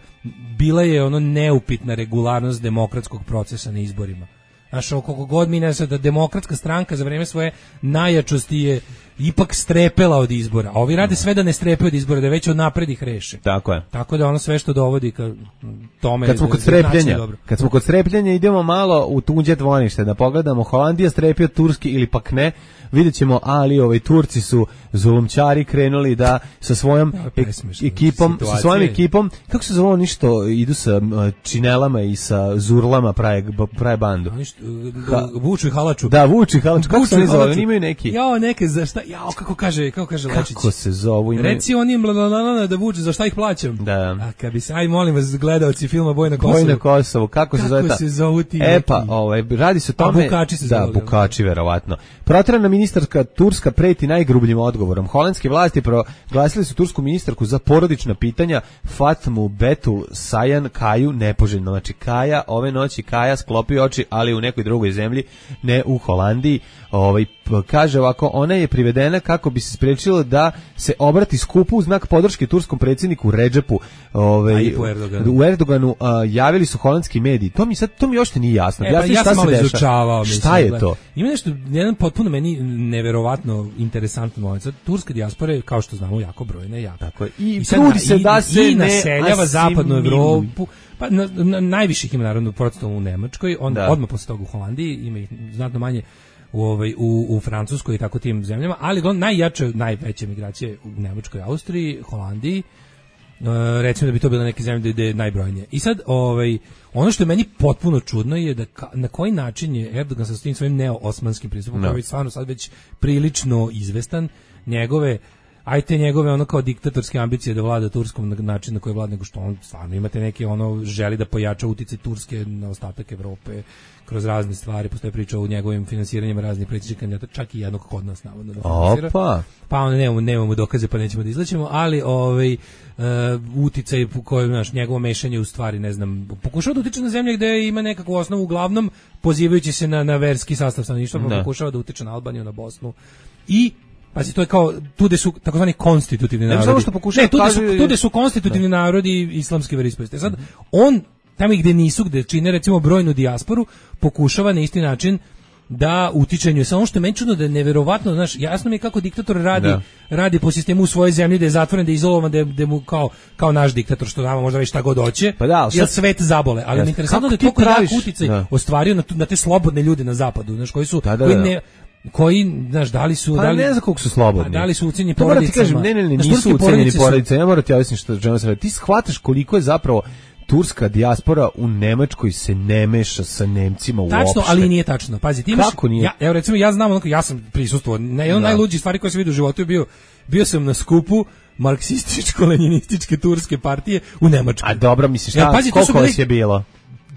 bila je ono neupitna regularnost demokratskog procesa na izborima. Znaš, koliko god mi ne znam da demokratska stranka za vreme svoje najjačosti je ipak strepela od izbora. A ovi rade sve da ne strepe od izbora, da već od napred ih reše. Tako je. Tako da ono sve što dovodi ka tome... Kad smo kod strepljenja, kad smo kod strepljenja idemo malo u tuđe dvorište da pogledamo Holandija strepi od Turski ili pak ne, vidjet ćemo, ali ovaj Turci su zulumčari krenuli da sa svojom ek, ekipom, situacije. sa svojom ekipom, kako se zove oni što idu sa činelama i sa zurlama prave, prave bandu? Ha, vuču i halaču. Da, vuču i halaču. Kako se oni zove? Oni imaju neki... Jao, neke, za šta? Jao, kako kaže, kako kaže Lečić? Kako se zovu? Imaju... Reci onim blalalala da vuču, za šta ih plaćam? Da. A kad bi se, aj molim vas, gledaoci filma Boj na Kosovu. Boj na Kosovu, kako, kako se zove ta? se zovu ti? E pa, ovaj, radi se o tome... A bukači se da, zove. Da, bukači, verovatno. Proterana ministarka Turska preti najgrubljim odgovorom. Holandske vlasti proglasili su tursku ministarku za porodična pitanja Fatmu Betul Sajan Kaju nepoželjno. Znači Kaja, ove noći Kaja sklopi oči, ali u nekoj drugoj zemlji, ne u Holandiji. Ovaj, kaže ovako, ona je privedena kako bi se sprečilo da se obrati skupu u znak podrške turskom predsjedniku Redžepu. Ovaj, Erdoganu. U Erdoganu a, javili su holandski mediji. To mi sad to mi uopšte nije jasno. E, pa ja sam malo izučavao. Šta je to? Ima nešto, jedan potpuno meni neverovatno interesantan moment. Turska dijaspora je, kao što znamo, jako brojna, jako. Tako je. I, I trudi se i, da se i ne naseljava zapadnu Evropu. Pa na, na, najviših ima naravno procentom u Nemačkoj, onda odmah posle toga u Holandiji, ima ih znatno manje u ovaj u u Francuskoj i tako tim zemljama, ali on najjače, najveće migracije u Nemačkoj, Austriji, Holandiji. Uh, recimo da bi to bilo neke zemlje gde je najbrojnije. I sad ovaj ono što je meni potpuno čudno je da ka, na koji način je Erdogan sa tim svojim neo-osmanskim pristupom, no. koji je stvarno sad već prilično izvestan, njegove ajte njegove ono kao diktatorske ambicije da vlada Turskom na način na koji vlada, nego što on stvarno imate neke ono želi da pojača uticaj Turske na ostatak Evrope kroz razne stvari, postoje priča o njegovim finansiranjima raznih političkih kandidata, čak i jednog kod nas navodno da finansira. Opa. Pa onda nemamo, nemamo dokaze pa nećemo da izlećemo, ali ovaj uh, uticaj u kojem naš njegovo mešanje u stvari, ne znam, pokušava da utiče na zemlje gde ima nekakvu osnovu, uglavnom pozivajući se na, na verski sastav stanovništva, pa pokušava da utiče na Albaniju, na Bosnu i pazi, to je kao, tu gde su takozvani konstitutivni narodi. Ne, što pokušava, ne, tu gde su, kaže... tu gde su konstitutivni ne. narodi islamske veroispovesti. Sad, on, tamo gde nisu, gde čine recimo brojnu dijasporu, pokušava na isti način da utičenju. Samo što je meni čudno da je neverovatno, znaš, jasno mi je kako diktator radi, da. radi po sistemu u svojoj zemlji, da je zatvoren, da je izolovan, da je, da je mu kao, kao naš diktator, što nama možda već šta god hoće, pa da, jer svet zabole. Ali mi je interesantno da je toliko jak uticaj da. ostvario na, na te slobodne ljude na zapadu, znaš, koji su, da, da, koji ne... koji, znaš, da li su... Pa da li, ne znam koliko su slobodni. Da li su ucenjeni porodicama. Kažem, ne, ne, ne, nisu ucenjeni porodicama. Ja moram ti objasniti što želim se. Ti shvataš koliko je zapravo turska dijaspora u Nemačkoj se ne meša sa Nemcima uopšte. Tačno, ali nije tačno. Pazi, ti imaš... Kako nije? Ja, evo, recimo, ja znam, onako, ja sam prisustvovao. Jedna od najluđih stvari koje sam vidio u životu je bio, bio sam na skupu marksističko-leninističke turske partije u Nemačkoj. A dobro, misliš, šta, ja, pazi, koliko bili... vas je bilo?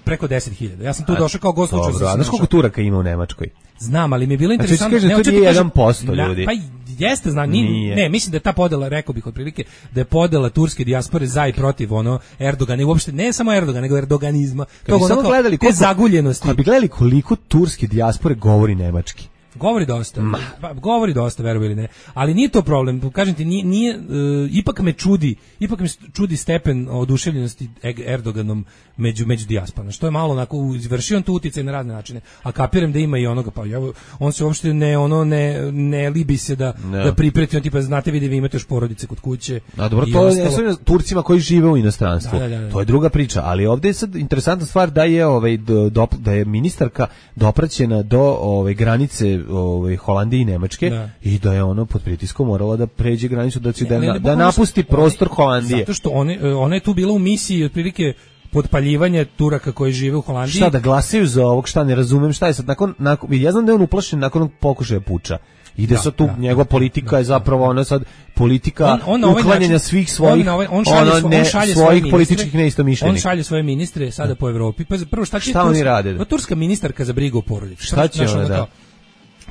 Preko deset hiljada. Ja sam tu došao kao gost slučaj. Dobro, a znaš koliko Turaka ima u Nemačkoj? Znam, ali mi je bilo interesantno. Znači, to nije jedan posto ljudi. Pa jeste, znam, ni, ne, mislim da je ta podela, rekao bih otprilike, da je podela turske dijaspore za i protiv ono Erdogana i uopšte ne samo Erdogana, nego erdoganizma. Kad bi samo gledali te zaguljenosti. Kad bi gledali koliko turske dijaspore govori nemački. Govori dosta, pa, govori dosta, veruj ili ne, ali nije to problem, kažem ti, nije, nije uh, ipak me čudi, ipak me čudi stepen oduševljenosti Erdoganom među, među dijasporom, što je malo onako, izvršio on tu uticaj na razne načine, a kapiram da ima i onoga, pa ja, on se uopšte ne, ono, ne, ne libi se da, ne. da pripreti, on tipa, znate vidi, vi imate još porodice kod kuće. A dobro, to je Turcima koji žive u inostranstvu, da, da, da, da. To je druga priča, ali ovdje je sad interesantna stvar da je, ovaj, do, da je ministarka dopraćena do ovaj, granice ovaj Holandije i Nemačke da. I da je ono pod pritiskom morala da pređe granicu da će da, da, da napusti prostor Holandije. Zato što one, ona je tu bila u misiji otprilike potpaljivanja Turaka koji žive u Holandiji. Šta da glasaju za ovog, šta ne razumem, šta je sad nakon, nakon ja znam da je on uplašen nakon pokušaja puča. Ide da, sad tu, da, njegova politika da, je zapravo ona sad politika on, on uklanjanja način, svih svojih on, ovaj, on šalje, ono ne, on šalje svojih političkih neistomišljenika. On šalje svoje ministre sada po Evropi. Pa prvo šta će šta oni rade? Pa turska ministarka za brigu o porodici. Šta će ona da?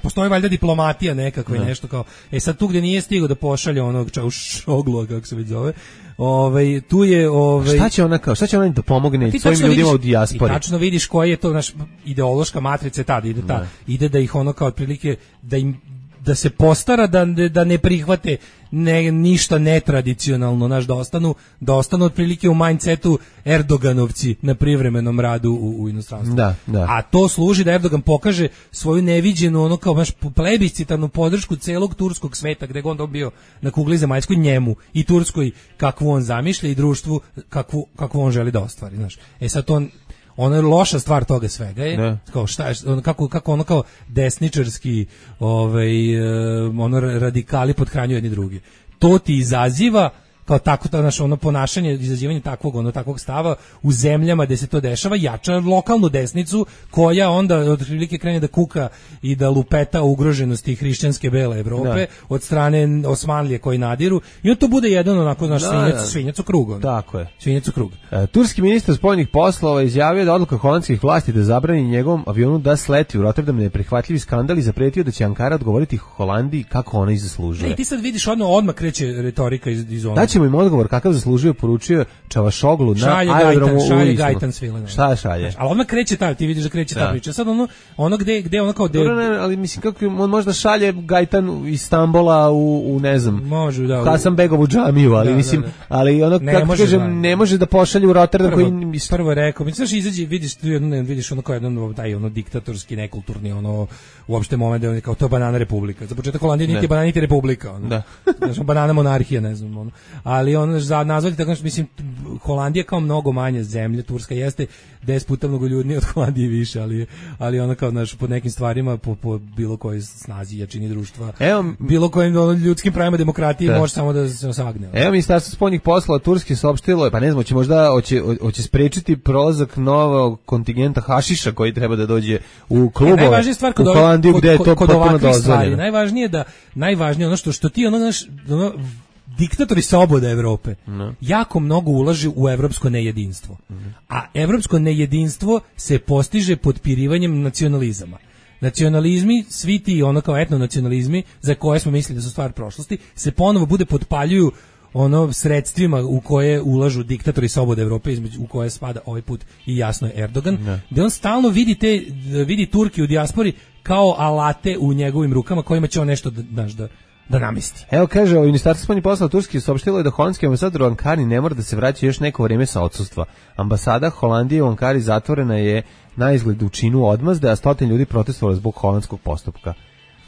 Postoji valjda diplomatija nekakva i nešto kao, e sad tu gdje nije stigao da pošalje onog Čaušoglu, kako se već zove, ovaj, tu je... Ovaj, šta će ona kao, šta će ona da pomogne svojim ljudima vidiš, u dijaspori? Ti tačno vidiš koja je to naš ideološka matrica tada, ide, ta, ide da ih ono kao otprilike, da im da se postara da, da ne prihvate ne, ništa netradicionalno, naš, da ostanu, da ostanu otprilike u mindsetu Erdoganovci na privremenom radu u, u inostranstvu. Da, da. A to služi da Erdogan pokaže svoju neviđenu, ono kao baš plebiscitarnu podršku celog turskog sveta, gde god on bio na kugli zemaljskoj, njemu i Turskoj kakvu on zamišlja i društvu kakvu, kakvu on želi da ostvari. Znaš. E sad to ono je loša stvar toga svega je ne. Kao šta je, kako kako ono kao desničarski ovaj ono radikali pothranjuju jedni drugi. To ti izaziva kao tako to naše ono ponašanje, izazivanje takvog ono takvog stava u zemljama gde se to dešava jača lokalnu desnicu koja onda otprilike krene da kuka i da lupeta ugroženosti hrišćanske bele Evrope da. Od strane Osmanlije koji nadiru i on to bude jedan onako naš da, svinjac, da. Svinjac u krug. On. Tako je. Svinjac u krug. E, turski ministar spoljnih poslova izjavio da odluka holandskih vlasti da zabrani njegovom avionu da sleti u Rotterdam neprihvatljivi skandal i zapretio da će Ankara odgovoriti Holandiji kako ona i zaslužuje. Ne, ti sad vidiš odmah odmah kreće retorika iz iz onog. Ćemo im odgovor kakav zaslužio, poručio Čavašoglu na šalje aerodromu Gajtan, šalje u Gajtan svile. Šta šalje? Ali odmah kreće ta, ti vidiš da kreće ta da. priča. Sad ono, ono gde, gde ono kao... De... Dobro, ne, ali mislim kako on možda šalje Gajtan iz Stambola u, u ne znam, može, da, Hasanbegovu džamiju, ali da, mislim, da, da. ali ono, ne, kako može, kažem, da. ne može da pošalje u Rotterdam prvo, koji... Prvo je rekao, mislim, znaš, izađe, vidiš, vidiš ono kao jedan taj ono diktatorski, nekulturni, ono, uopšte moment da je kao to banana republika. Za početak Holandija niti banana niti republika. Ono. Da. Znaš, banana monarhija, ne znam, ono. Ali ono, za nazvati tako, mislim, Holandija kao mnogo manja zemlja, Turska jeste deset puta mnogo ljudnije od Holandije više, ali, ali ona kao, znaš, pod nekim stvarima, po, po bilo kojoj snazi, jačini društva, evo, bilo kojim ono, ljudskim pravima demokratije da. Može samo da se osagne. Evo, Ministarstvo spoljnih poslova Turske saopštilo, pa ne znam, će možda, hoće, hoće sprečiti prolazak novog kontingenta hašiša koji treba da dođe u klubove, e, stvar kod u Holandiju gde je to potpuno dozvoljeno. Najvažnije je da, najvažnije ono što, što ti ono, naš, ono, diktatori sloboda Evrope no. jako mnogo ulaže u evropsko nejedinstvo. Mm. A evropsko nejedinstvo se postiže potpirivanjem nacionalizama. Nacionalizmi, svi ti ono kao etnonacionalizmi za koje smo mislili da su stvar prošlosti, se ponovo bude potpaljuju ono sredstvima u koje ulažu diktatori slobode Evrope, između u koje spada ovaj put i jasno je Erdogan, ne. Da on stalno vidi te vidi Turki u dijaspori kao alate u njegovim rukama kojima će on nešto da, znaš, da da namesti. Evo kaže, Ministarstvo spoljnih poslova Turske saopštilo je da holandski ambasador u Ankari ne mora da se vraća još neko vrijeme sa odsustva. Ambasada Holandije u Ankari zatvorena je na izgled u činu odmazde, a stotine ljudi protestovalo zbog holandskog postupka.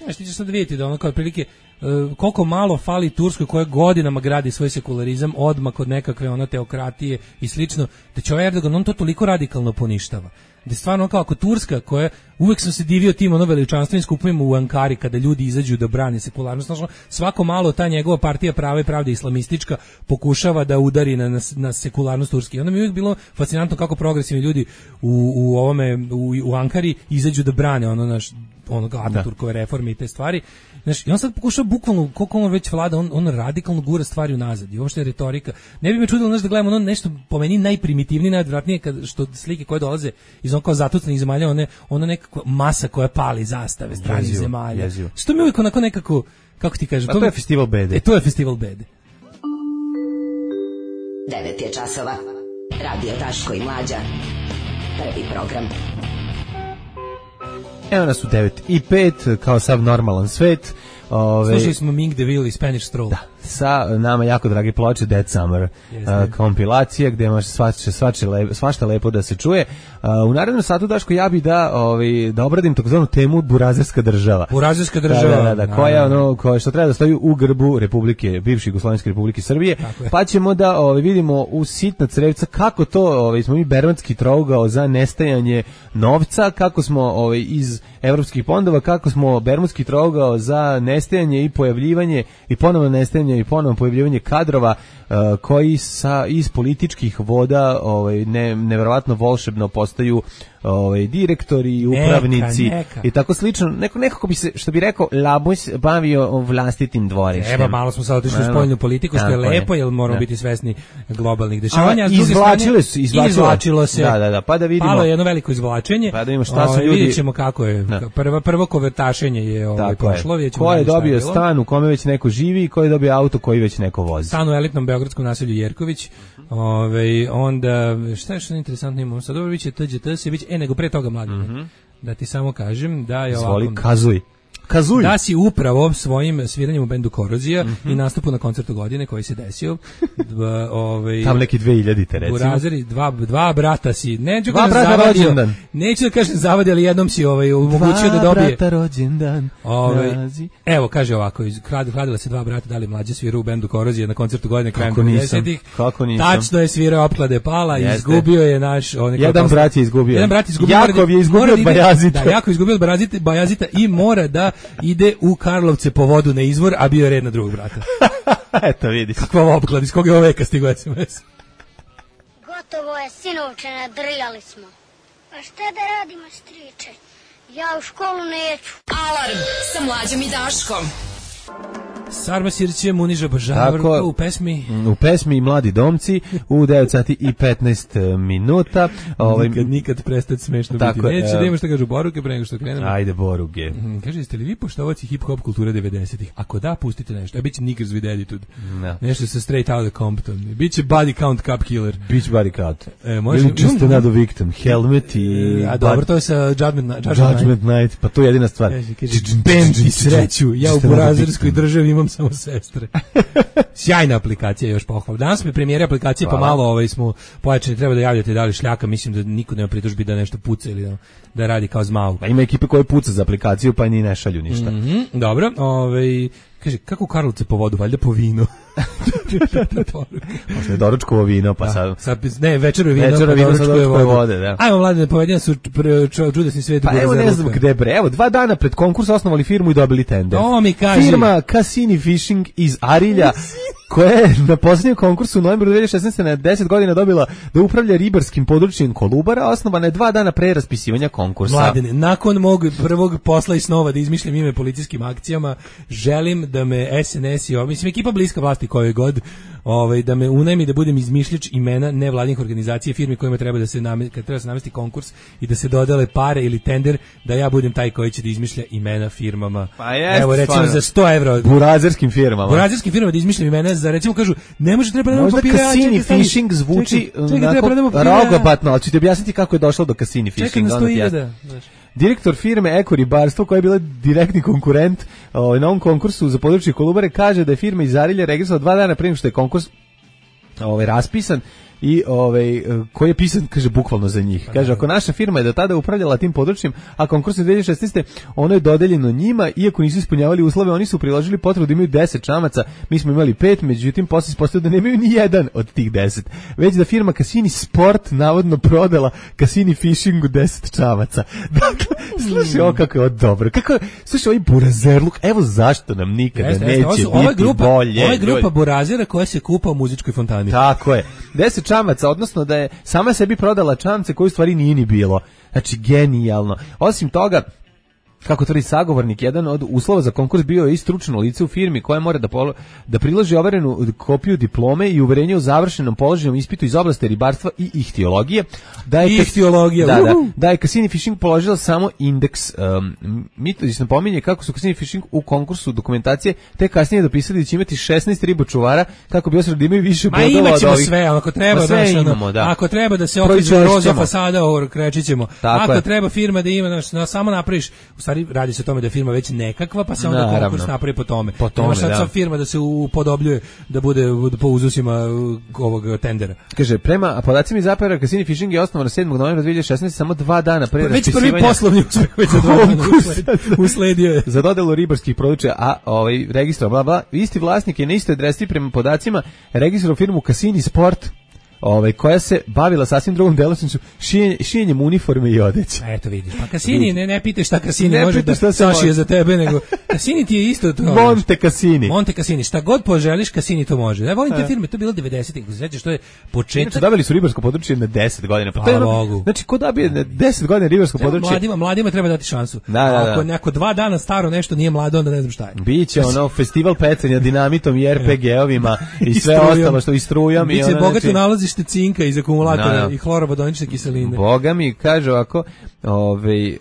Znaš, ti ćeš sad vidjeti da ono kao otprilike uh, koliko malo fali Turskoj koja godinama gradi svoj sekularizam odmah od nekakve ono teokratije i slično, da će ovaj Erdogan on to toliko radikalno poništava. Da je stvarno kao ako Turska koja uvek sam se divio tim ono veličanstvenim skupovima u Ankari kada ljudi izađu da brane sekularnost, znači svako malo ta njegova partija Prava i pravda islamistička pokušava da udari na, na, na sekularnost Turske. I onda mi je uvijek bilo fascinantno kako progresivni ljudi u, u ovome u, u Ankari izađu da brane ono naš onoga Ataturkove reforme i te stvari. Znaš, i on sad pokušao bukvalno, koliko on već vlada, on, on radikalno gura stvari unazad. I uopšte je retorika. Ne bi me čudilo znaš, da gledamo ono nešto po meni najprimitivnije, najodvratnije, kad, što slike koje dolaze iz on kao zatucanih zemalja, one, ona nekakva masa koja pali zastave stranih jezivo, zemalja. Jezivo. Što mi uvijek onako nekako, kako ti kažeš? Pa to, to je festival bede. E, to je festival bede. devet je časova. Radio Daško i Mlađa. Prvi program. Evo nas u devet i pet, kao sav normalan svet. Ove, Slušali smo Ming DeVille i Spanish Stroll. Da, sa nama jako dragi ploče Dead Summer uh, kompilacija gdje može svače, svače lep, svašta lepo da se čuje. Uh, u narednom satu Daško ja bi da, ovaj, da obradim takozvanu temu burazerska država. Burazerska država. Da, da, da, da, koja ono, koja što treba da stoji u grbu Republike, bivše Jugoslovenske Republike Srbije. Pa ćemo da ovaj, vidimo u sitna crevca kako to ovaj, smo mi bermudski trougao za nestajanje novca, kako smo ovaj, iz evropskih fondova, kako smo bermudski trougao za nestajanje i pojavljivanje i ponovno nestajanje i ponovno pojavljivanje kadrova uh, koji sa iz političkih voda ovaj ne neverovatno volšebno postaju ovaj direktori i upravnici neka, neka. I tako slično. Neko nekako bi se što bi rekao Labus bavio vlastitim dvorištem. Evo malo smo sad otišli u spoljnu politiku što je lepo jer moramo da. biti svesni globalnih dešavanja. A, izvlačile su, izvlačilo se. Da, da, da, pa da vidimo. Malo je jedno veliko izvlačenje. Pa da vidimo šta su o, ljudi. Vidimo kako je. Da. Prvo prvo konvertašenje je ovaj prošlo, vidimo. Ko je dobio stan u kome već neko živi i ko je dobio auto koji već neko vozi. Stan u elitnom beogradskom naselju Jerković. Ovaj onda šta je što interesantno imamo sad dobro biće T Đ T se biće e nego pre toga mladi. Mm -hmm. Da ti samo kažem da je ovako. Zvoli kazuj. Kazulj. Da si upravo svojim sviranjem u bendu Korozija mm-hmm. i nastupu na koncertu godine koji se desio. Dva, ovaj, tam neki dve hiljadite recimo. Burazeri, dva, dva brata si. Neću dva brata zavadio, rođendan. Neću da kažem zavadio, ali jednom si ovaj, omogućio da dobije. Dva brata rođendan. Ovaj, evo, kaže ovako, kladila se dva brata, dali mlađe svirao u bendu Korozija na koncertu godine krajem devedesetih. Kako nisam? Tačno je svirao opklade pala, Jeste. izgubio je naš... Jedan brat je izgubio. Jedan brat je izgubio. Jakov je izgubio od Bajazita. Da, Jakov je izgubio od Bajazita, Bajazita i mora da ide u Karlovce po vodu na izvor, a bio je red na drugog brata. Eto, vidiš. Kakva opklad, iz kog je ovo veka stigo es em es? Gotovo je, sinovče, nadrijali smo. A šta da radimo, striče? Ja u školu neću. Alarm sa Mlađom i Daškom. Sarma Sirće Muniža Bažavrka u pesmi u pesmi Mladi domci u devet sati i petnaest minuta. Ovaj nikad nikad prestati smešno biti. Neće da ima šta kažu Boruke pre nego što krenemo. Ajde Boruge. Mm, kaže, jeste li vi poštovaci hip hop kulture devedesetih? Ako da, pustite nešto. A biće Nickers with Attitude. No. Nešto sa Straight Outta Compton. Biće Body Count Cup Killer. Biće Body Count. E, može Ili Just Another Victim, Helmet i a dobro, to je sa Judgment, Judgment, Judgment Night. Pa to je jedina stvar. Bend i sreću. Ja u burazerskoj državi imam samo sestre. Sjajna aplikacija, još pohvala. Danas mi premijera aplikacije, pa malo ovaj smo pojačani, treba da javljate da li šljaka, mislim da niko nema pritužbi da nešto puca ili da, da radi kao zmau. Pa ima ekipe koje puca za aplikaciju, pa ni ne šalju ništa. Mm-hmm, dobro, ovaj kaže, kako u Karlovce po vodu, valjda po vino. Možda je doručkovo vino, pa sad... sad ne, večero je vino, večero pa vino doručkovo je vode. vode da. Ajmo, mladine, povedena su čudesni svijet. Pa evo ne znam gde bre, evo dva dana pred konkurs osnovali firmu i dobili tender. To mi kaže. Firma Cassini Fishing iz Arilja, koja je na posljednjem konkursu u novembru dve hiljade šesnaeste. na deset godina dobila da upravlja ribarskim područjem Kolubara, osnovana je dva dana pre raspisivanja konkursa. Mladine, nakon mog prvog posla i snova da izmišljam ime policijskim akcijama, želim da me es en es i ovo, mislim, ekipa bliska vlasti koje god, ovaj, da me unajmi da budem izmišljač imena nevladinih organizacija, firmi kojima treba da se namesti, kad treba se namesti konkurs i da se dodele pare ili tender, da ja budem taj koji će da izmišlja imena firmama. Pa jest, evo, recimo stvarno. Za sto evra. Burazerskim firmama. Burazerskim firmama da izmišljam imena, za recimo kažu, ne može treba da možda Cassini Fishing zvuči rogobatno, ali ću ti objasniti kako je došlo do Cassini Fishing. Čekaj, na sto hiljada. Direktor firme Eko ribarstvo, koja je bila direktni konkurent ovaj, na ovom konkursu za područje Kolubare, kaže da je firma iz Arilja registrovala dva dana prije što je konkurs ovaj, raspisan i ovaj koji je pisan, kaže, bukvalno za njih. Kaže, ako naša firma je do tada upravljala tim područjem, a konkurs je dve hiljade šesnaeste. ono je dodeljeno njima, iako nisu ispunjavali uslove, oni su priložili potrebu da imaju deset čamaca, mi smo imali pet, međutim posle ispostavilo da nemaju ni jedan od tih deset. Već da firma Cassini Sport navodno prodala Cassini Fishingu deset čamaca. Dakle, slušaj, ovo kako je ovo dobro. Kako je, slušaj, ovaj burazerluk, evo zašto nam nikada jeste, neće jeste, biti ovo grupa, bolje. Ovo je grupa burazera koja se kupa u muzičkoj fontani. Tako je. deset čamaca, odnosno da je sama sebi prodala čamce koji u stvari nije ni bilo. Znači, genijalno. Osim toga, kako tvrdi sagovornik, jedan od uslova za konkurs bio je i stručno lice u firmi koja mora da, polo, da priloži overenu kopiju diplome i uverenje o završenom položenom ispitu iz oblasti ribarstva i ihtiologije. Da je ihtiologija. Da, da, da je Cassini Fishing položila samo indeks. Um, Mitodis napominje kako su Cassini Fishing u konkursu dokumentacije te kasnije dopisali da će imati šesnaest ribočuvara kako bi osvrt da imaju više bodova od ovih. Ma imat ćemo sve, ako treba, sve naš, imamo, ono, da. Ako treba da se okreće roza fasada, krećit ćemo. Ako je. Treba firma da ima, naš, na, samo napraviš, u stvari radi se o tome da je firma već nekakva, pa se onda naravno. Konkurs napravi po tome. Po tome, sad da. Firma da se upodobljuje, da bude po uzusima ovog tendera. Kaže, prema podacima iz A P R, Cassini Fishing je osnovan sedmog novembra dve hiljade šesnaeste. samo dva dana pre već raspisivanja. Već prvi poslovni uspeh već za dva dana usledio je. Za dodelu ribarskih područja, a ovaj registro, bla, bla, isti vlasnik je na istoj adresi prema podacima registrovao firmu Cassini Sport, ovaj, koja se bavila sasvim drugom delatnošću, šijenje, šijenjem uniforme i odeće. Eto vidiš, pa Cassini, ne, ne pitaš šta Cassini ne može da sašije za tebe, nego Cassini ti je isto to. Monte Cassini. Monte Cassini, šta god poželiš, Cassini to može. Ja volim te firme, to je bilo devedesetih, ako se sećaš, to je početak. Znači, dobili su ribarsko područje na deset godina. Pa to je ono, znači, ko dobije na deset godina ribarsko treba područje? Mladima, mladima treba dati šansu. Da, da, da. Ako neko dva dana staro nešto nije mlado, onda ne znam šta je. Biće ono festival pecanja dinamitom i er pe ge-ovima i sve ostalo što i strujom. Biće bogato nalazište cinka iz akumulatora no, no. i hlorovodonične kiseline. Boga mi kaže ovako, ovaj,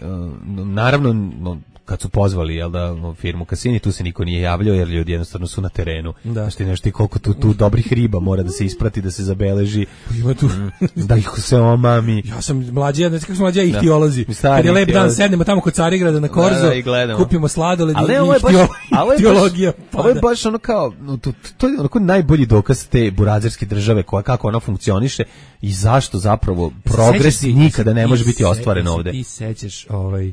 naravno kad su pozvali jel da firmu Cassini, tu se niko nije javljao jer ljudi jednostavno su na terenu. Da. Što nešto i koliko tu, tu dobrih riba mora da se isprati, da se zabeleži. Ima tu da ih se omami. Ja sam mlađi, ja ne znam kako su mlađi ihtiolozi. Kad je lep dan sednemo tamo kod Carigrada na Korzo, da, da, kupimo sladoled i ihtiologija. Ovo je baš ono kao, to, to je onako najbolji dokaz te burazerske države, koja, kako ona funkcioniše i zašto zapravo progres nikada ne može biti ostvaren ovde. Ti sećaš ovaj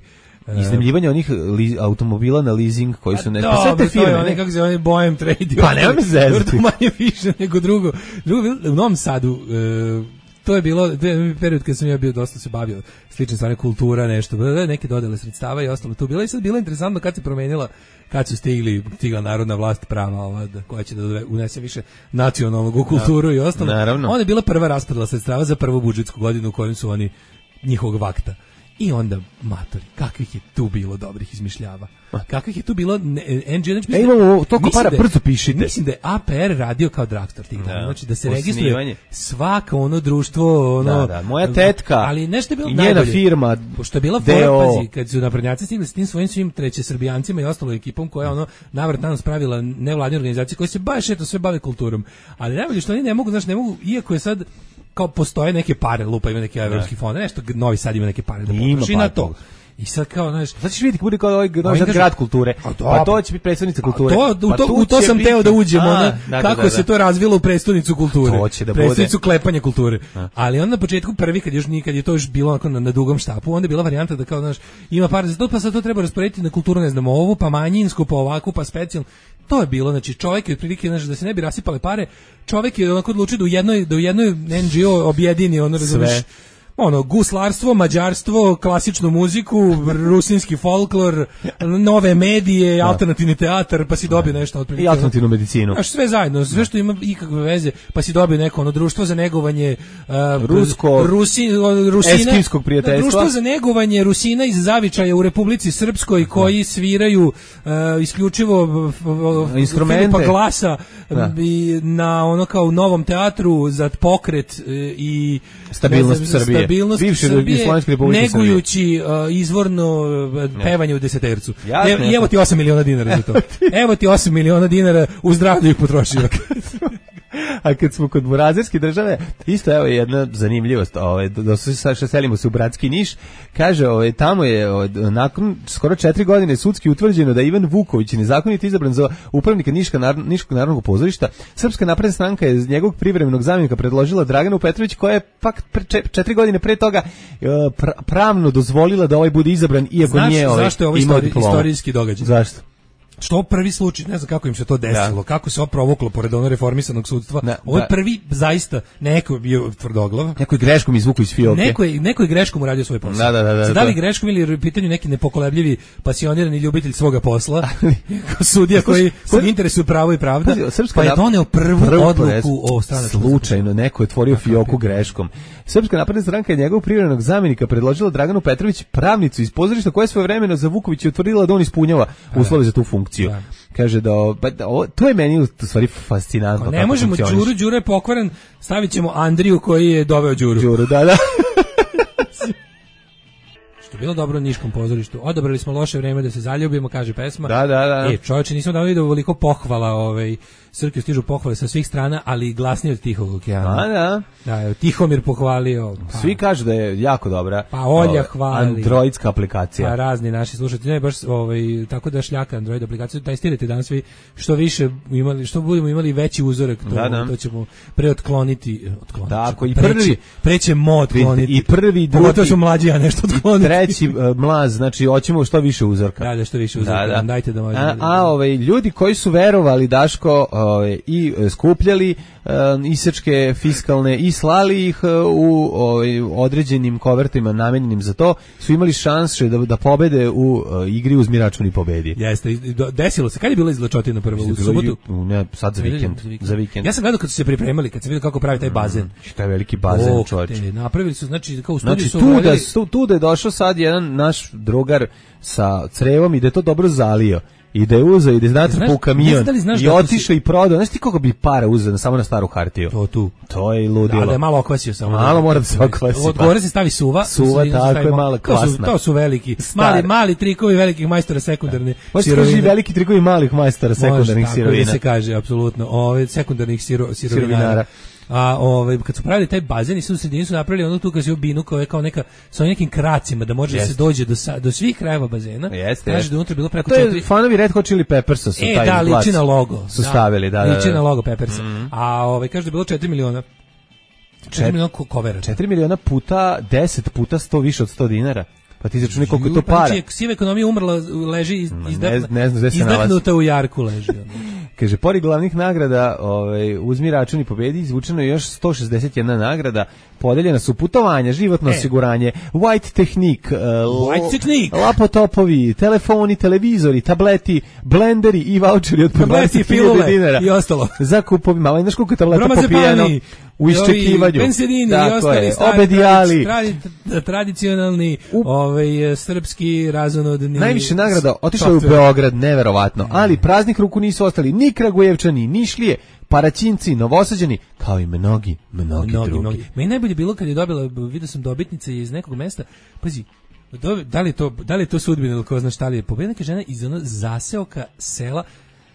iznajmljivanje onih li, automobila na leasing koji su ne pa sve te firme, ne kako se oni Bohem Trade. Pa nema me zezati. Manje više nego drugo. Drugo u Novom Sadu uh, to je bilo period kad sam ja bio dosta se bavio slične stvari, kultura, nešto, neke dodele sredstava i ostalo tu bilo i sad bilo interesantno kad se promenila, kad su stigli stigla narodna vlast prava ova da, koja će da unese više nacionalnog u kulturu i ostalo. Naravno. Onda je bila prva raspodela sredstava za prvu budžetsku godinu u kojoj su oni njihovog vakta. I onda, matori, kakvih je tu bilo dobrih izmišljava. Kakvih je tu bilo N G O, znači, e, imamo toliko para, brzo pišite. Mislim da je A P R radio kao drugstore tih dana, znači da se registruje svako ono društvo, ono... Da, da, moja tetka ali nešto je bilo i njena najbolje, firma, pošto je bila fora, pazi, kad su naprednjaci stigli s tim svojim svim treće srbijancima i ostalom ekipom koja ono navrat nanos pravila nevladine organizacije koje se baš eto sve bave kulturom, ali najbolje što oni ne mogu, znači ne mogu, iako je sad kao postoje neke pare, lupa ima neke evropski fond, nešto Novi Sad ima neke pare da potroši na to. I sad kao, znaš, sad ćeš vidjeti kako bude kao ovaj Novi Sad grad kulture, pa to će biti predstavnica kulture. To, u, to, u to sam teo da uđemo, a, da, kako da, da, se to razvilo u predstavnicu kulture, to će da predstavnicu klepanja kulture. A. Ali onda na početku prvi, kad još nikad je to još bilo onako na, na dugom štapu, onda je bila varijanta da kao, znaš, ima par za to, pa sad to treba rasporediti na kulturu, ne znam, ovu, pa manjinsku, pa ovakvu, pa specijalnu. To je bilo, znači čovjek je otprilike, znači da se ne bi rasipale pare, čovjek je onako odlučio da u jednoj, da u jednoj N G O objedini ono, razumiješ, ono, guslarstvo, mađarstvo, klasičnu muziku, rusinski folklor, nove medije, da. Alternativni teatar, pa si dobio nešto otprilike. I alternativnu medicinu. Znaš, sve zajedno, sve što ima ikakve veze, pa si dobio neko ono društvo za negovanje uh, rusko Rusi, Rusina, eskimskog prijateljstva. Društvo za negovanje Rusina iz Zavičaja u Republici Srpskoj koji sviraju uh, isključivo uh, instrumente pa glasa i na ono kao novom teatru za pokret uh, i stabilnost Srbije. Stabilnost Srbije, negujući uh, izvorno uh, pevanje u desetercu. Jasne, I evo ti osam miliona dinara za to. Evo ti osam miliona dinara, u zdravlju ih potrošio. A kad smo kod burazerske države, isto evo jedna zanimljivost, ovaj, da se selimo se u bratski Niš, kaže, ovaj, tamo je ovaj, nakon skoro četiri godine sudski utvrđeno da Ivan Vuković je nezakonito izabran za upravnika Niška, nar, Niškog narodnog pozorišta. Srpska napredna stranka je iz njegovog privremenog zamjenika predložila Draganu Petrović, koja je pak pre, četiri godine pre toga pra, pravno dozvolila da ovaj bude izabran, iako Znaš, nije ovaj, zašto je ovo istori, istorijski događaj? Zašto? Što prvi slučaj, ne znam kako im se to desilo, da. Kako se ovo provuklo pored ono reformisanog sudstva. Da, ovo je da. prvi zaista, neko je bio tvrdoglav. Neko je greškom izvukao iz fioke. Neko je, neko je greškom uradio svoj posao. Da, da, da, da, da li greškom ili u pitanju neki nepokolebljivi pasionirani ljubitelj svoga posla, sudija koji kog interesuje pravo i pravda, pa je doneo prvu, prvu odluku o stranačkom. Slučajno, neko je otvorio fioku greškom. Srpska napredna stranka je njegovog privremenog zamjenika predložila Draganu Petrović, pravnicu iz pozorišta koja je svojevremeno za Vukovića utvrdila da on ispunjava uslove za tu funkciju. Da. Kaže da, ba, da o, to je meni u stvari fascinantno. Ne možemo Đuru, Đuro je pokvaren, stavit ćemo Andriju koji je doveo Đuru. Đuru, da, da. Što je bilo dobro u Niškom pozorištu. Odabrali smo loše vreme da se zaljubimo, kaže pesma. Da, da, da. E, čovječe, nismo da vidio veliko pohvala, ovaj, Srkiju stižu pohvale sa svih strana, ali glasnije od Tihog okeana. Da, da. Da, Tihomir pohvalio. Pa. Svi kažu da je jako dobra. Pa Olja hvali. Androidska aplikacija. Pa razni naši slušatelji, ne baš ovaj tako da šljaka Android aplikaciju, testirajte danas svi što više imali, što budemo imali veći uzorak, to, da, da. To ćemo preotkloniti, otkloniti. Tako i prvi prećemo otkloniti. I prvi, drugi. Pogotovo su mlađi, a nešto otkloniti. I treći uh, mlaz, znači hoćemo što više uzorka. Da, da što više uzorka. Da, da. Dajte da možemo. A, a ovaj ljudi koji su verovali Daško, ovaj i skupljali uh, isečke fiskalne i slali ih uh, u ovaj, određenim kovertima namenjenim za to, su imali šanse da, da pobede u uh, igri Uzmi račun i pobedi. Jeste, desilo se. Kad je bila izlačotina prva? U subotu? Ne, sad za vikend. Za vikend. Za vikend. Ja sam gledao kad su se pripremali, kad se vidio kako pravi taj bazen. Mm, šta je veliki bazen, čovječe. Napravili su, znači, kao u studiju znači, su... Tu da, tu da je došao sad jedan naš drugar sa crevom i da je to dobro zalio. i da je uzeo i da je natrpao u kamion da i otišao si... i prodao. Znaš ti koliko bi para uzeo samo na staru hartiju? To tu. To je i ludilo. Da, da je malo okvasio samo. Malo mora da se okvasi. Od gore se stavi suva. Suva, tako je malo kvasna. To su, to su veliki, mali, mali trikovi velikih majstora sekundarne da. sirovine. Može veliki trikovi malih majstora sekundarnih Može, sirovina. Može, tako da se kaže, apsolutno. Ove, sekundarnih siro, sirovinara. sirovinara. A ovaj kad su pravili taj bazen i su u sredini su napravili onu tu kao binu koja je kao neka sa nekim kracima da može da se dođe do do svih krajeva bazena. Kaže da unutra bilo preko četiri. To je fanovi Red Hot Chili Peppersa su e, taj da, liči na logo. Su stavili, da, da. Liči na logo Peppersa. Mm-hmm. A ovaj kaže da je bilo četiri miliona. četiri miliona kovera. četiri miliona puta deset puta sto više od sto dinara. Pa ti začuni koliko je to para. Znači, siva ekonomija umrla, leži iz, izdahnuta, ne, ne izdahnuta u jarku leži. Kaže, pored glavnih nagrada, ovaj, uzmi račun i pobedi, izvučeno je još sto šezdeset jedna nagrada, podeljena su putovanja, životno e. osiguranje, White Technique, uh, White Technique, lapotopovi, telefoni, televizori, tableti, blenderi i voucheri od po dvadeset hiljada dinara. I ostalo. Za kupovi, malo, znaš koliko je tableta popijeno u iščekivanju. Pensedini i ostali stari, obedijali. Tradi, tradicionalni, u... ovaj, srpski razonodni. Najviše nagrada otišlo je u Beograd, neverovatno, ali praznih ruku nisu ostali ni Kragujevčani, ni Šlije, Paraćinci, Novosađani, kao i mnogi, mnogi, mnogi drugi. Mnogi. Meni najbolje bilo kad je dobila, vidio sam dobitnice iz nekog mesta, pazi, do, da li je to, da li je to sudbina ili ko zna šta li je, pobedila neka žena iz ono zaseoka sela.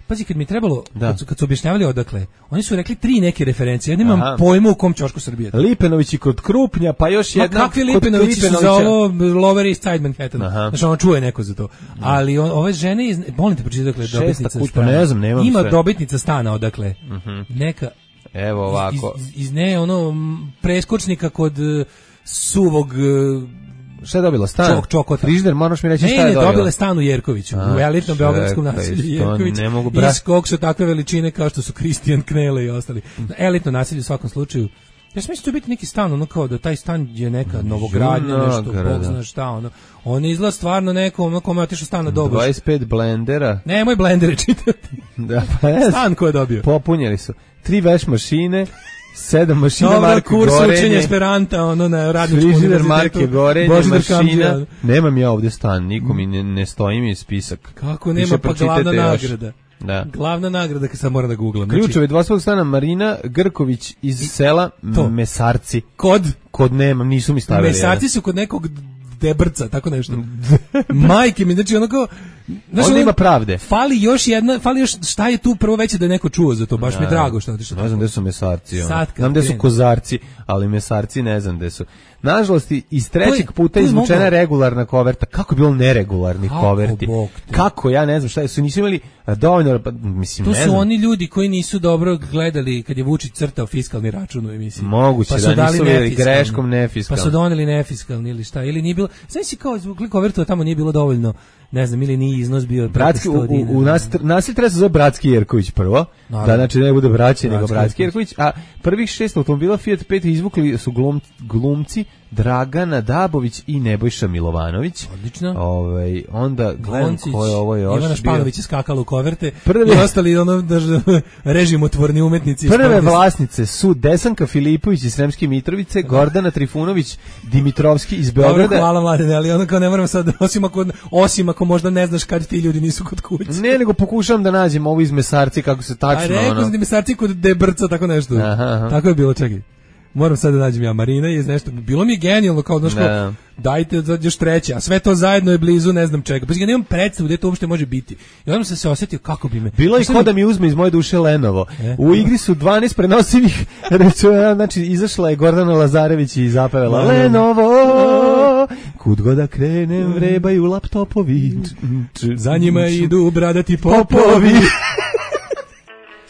Pazi, kad mi je trebalo, kad su, kad su objašnjavali odakle, oni su rekli tri neke referencije, ja nemam Aha. pojma u kom ćošku Srbije. Lipenovići kod Krupnja, pa još jedna... Ma kakvi Lipenovići su za ovo Lower East Side Manhattan, znači on čuje neko za to. Ali on, ove žene, iz, molim te pročiti odakle, dobitnica kuć, stana. Ne znam, nemam Ima sve. dobitnica stana odakle, uh-huh. neka... Evo ovako. Iz, iz, iz ne, ono, preskočnika kod uh, suvog... Uh, Šta je dobila? Stan? Čok, čokota. Frižider, moraš mi reći šta je dobila. Ne, ne, dobila stan u Jerkoviću, a, u elitnom beogradskom naselju Jerković. Ne mogu bra... Iz kog su takve veličine kao što su Kristijan Knele i ostali. Elitno naselje u svakom slučaju. Ja sam mislim da će biti neki stan, ono kao da taj stan je neka novogradnja, nešto, bog zna šta, ono. On izgleda stvarno neko, ono kome je otišao stan na doboš. dvadeset pet blendera. Ne, moj blendere čitati. Da, pa je. Stan ko je dobio. Popunjeli su. Tri veš mašine, sedam mašina Dobar, marke kurs Gorenje. Učenja Esperanta, ono na radničkom univerzitetu. Marke Gorenje, mašina. Kamđija. Nemam ja ovdje stan, nikom mi ne, ne stoji mi spisak. Kako nema, pa glavna nagrada. Da. Glavna nagrada, kad sam moram da googlam. Ključevi dvospolnog stana Marina Grković iz I, sela to. Mesarci. Kod? Kod nemam, nisu mi stavili. Mesarci su kod nekog Debrca, tako nešto. Majke mi, znači onako... Znaš, onda ima pravde. Fali još jedna, fali još, šta je tu prvo veće da je neko čuo za to, baš ne, mi je drago što otišao. Ne znam gde su Mesarci. Znam gde su Kozarci, ali Mesarci ne znam gde su. Nažalost, iz trećeg je, puta izvučena regularna koverta. Kako je bilo neregularnih Kako koverti? Bog, Kako, ja ne znam šta je. Su nisu imali dovoljno, mislim, to ne znam. To su oni ljudi koji nisu dobro gledali kad je Vučić crtao fiskalni račun u emisiji. Moguće pa da nisu vidjeli greškom nefiskalni. Pa su doneli nefiskalni ili šta. Ili nije bilo, znači si kao izvukli kovertu, a tamo nije bilo dovoljno, ne znam, ili nije iznos bio bratski, u, u, u nasilj treba se zove Bratski Jerković prvo, naravno. Da znači ne bude braće, nego Bratski Jerković, a prvih šest automobila Fiat pet izvukli su glum, glumci Dragana Dabović i Nebojša Milovanović. Odlično. Ovaj onda gledam ko je ovo još. Ivana Španović je skakala u koverte. Prve, i ostali ono režimotvorni umetnici. Prve vlasnice su Desanka Filipović iz Sremske Mitrovice, Gordana Trifunović Dimitrovski iz Beograda. Dobro, hvala mladene, ali ono kao ne moram sad, osim ako, osim ako možda ne znaš kad ti ljudi nisu kod kuće. Ne, nego pokušavam da nađem ovo iz Mesarci kako se tačno. A rekao sam Mesarci kod Debrca, tako nešto. Aha, aha. Tako je bilo, čekaj. Moram sad da nađem ja Marina je nešto. Bilo mi je genijalno kao znaš kao, dajte još treće, a sve to zajedno je blizu ne znam čega. Pa ja nemam predstavu gde to uopšte može biti. I onda sam se osetio kako bi me. Bilo je kao da mi uzme iz moje duše Lenovo. E? U igri su dvanaest prenosivih računa, znači izašla je Gordana Lazarević i zapevala Lenovo. Kud god da krenem vrebaju laptopovi. Za njima idu bradati popovi.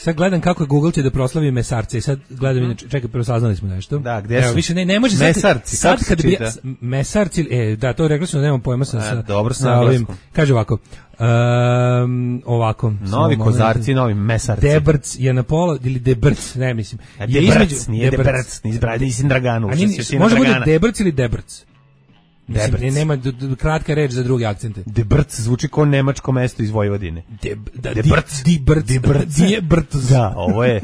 Sad gledam kako je Google će da proslavi Mesarce i sad gledam inače, čekaj, prvo saznali smo nešto. Da, gde su? Evo, više ne, ne može Mesarci, sad, sad kad bi Mesarci, e, da, to rekli smo, nemam pojma sa, A, sa, dobro, sa ovim, kaže ovako, um, ovako. Novi Kozarci, novi Mesarci. Debrc je na pola, ili Debrc, ne mislim. A je Debrc, između, nije Debrc, nisi Draganu. Može bude Debrc ili Debrc? Debrc. Ne, nema d, d, kratka reč za druge akcente. Debrc zvuči kao nemačko mesto iz Vojvodine. Deb, da, Debrc. Debrc. Debrc. Debrc. Da, ovo je.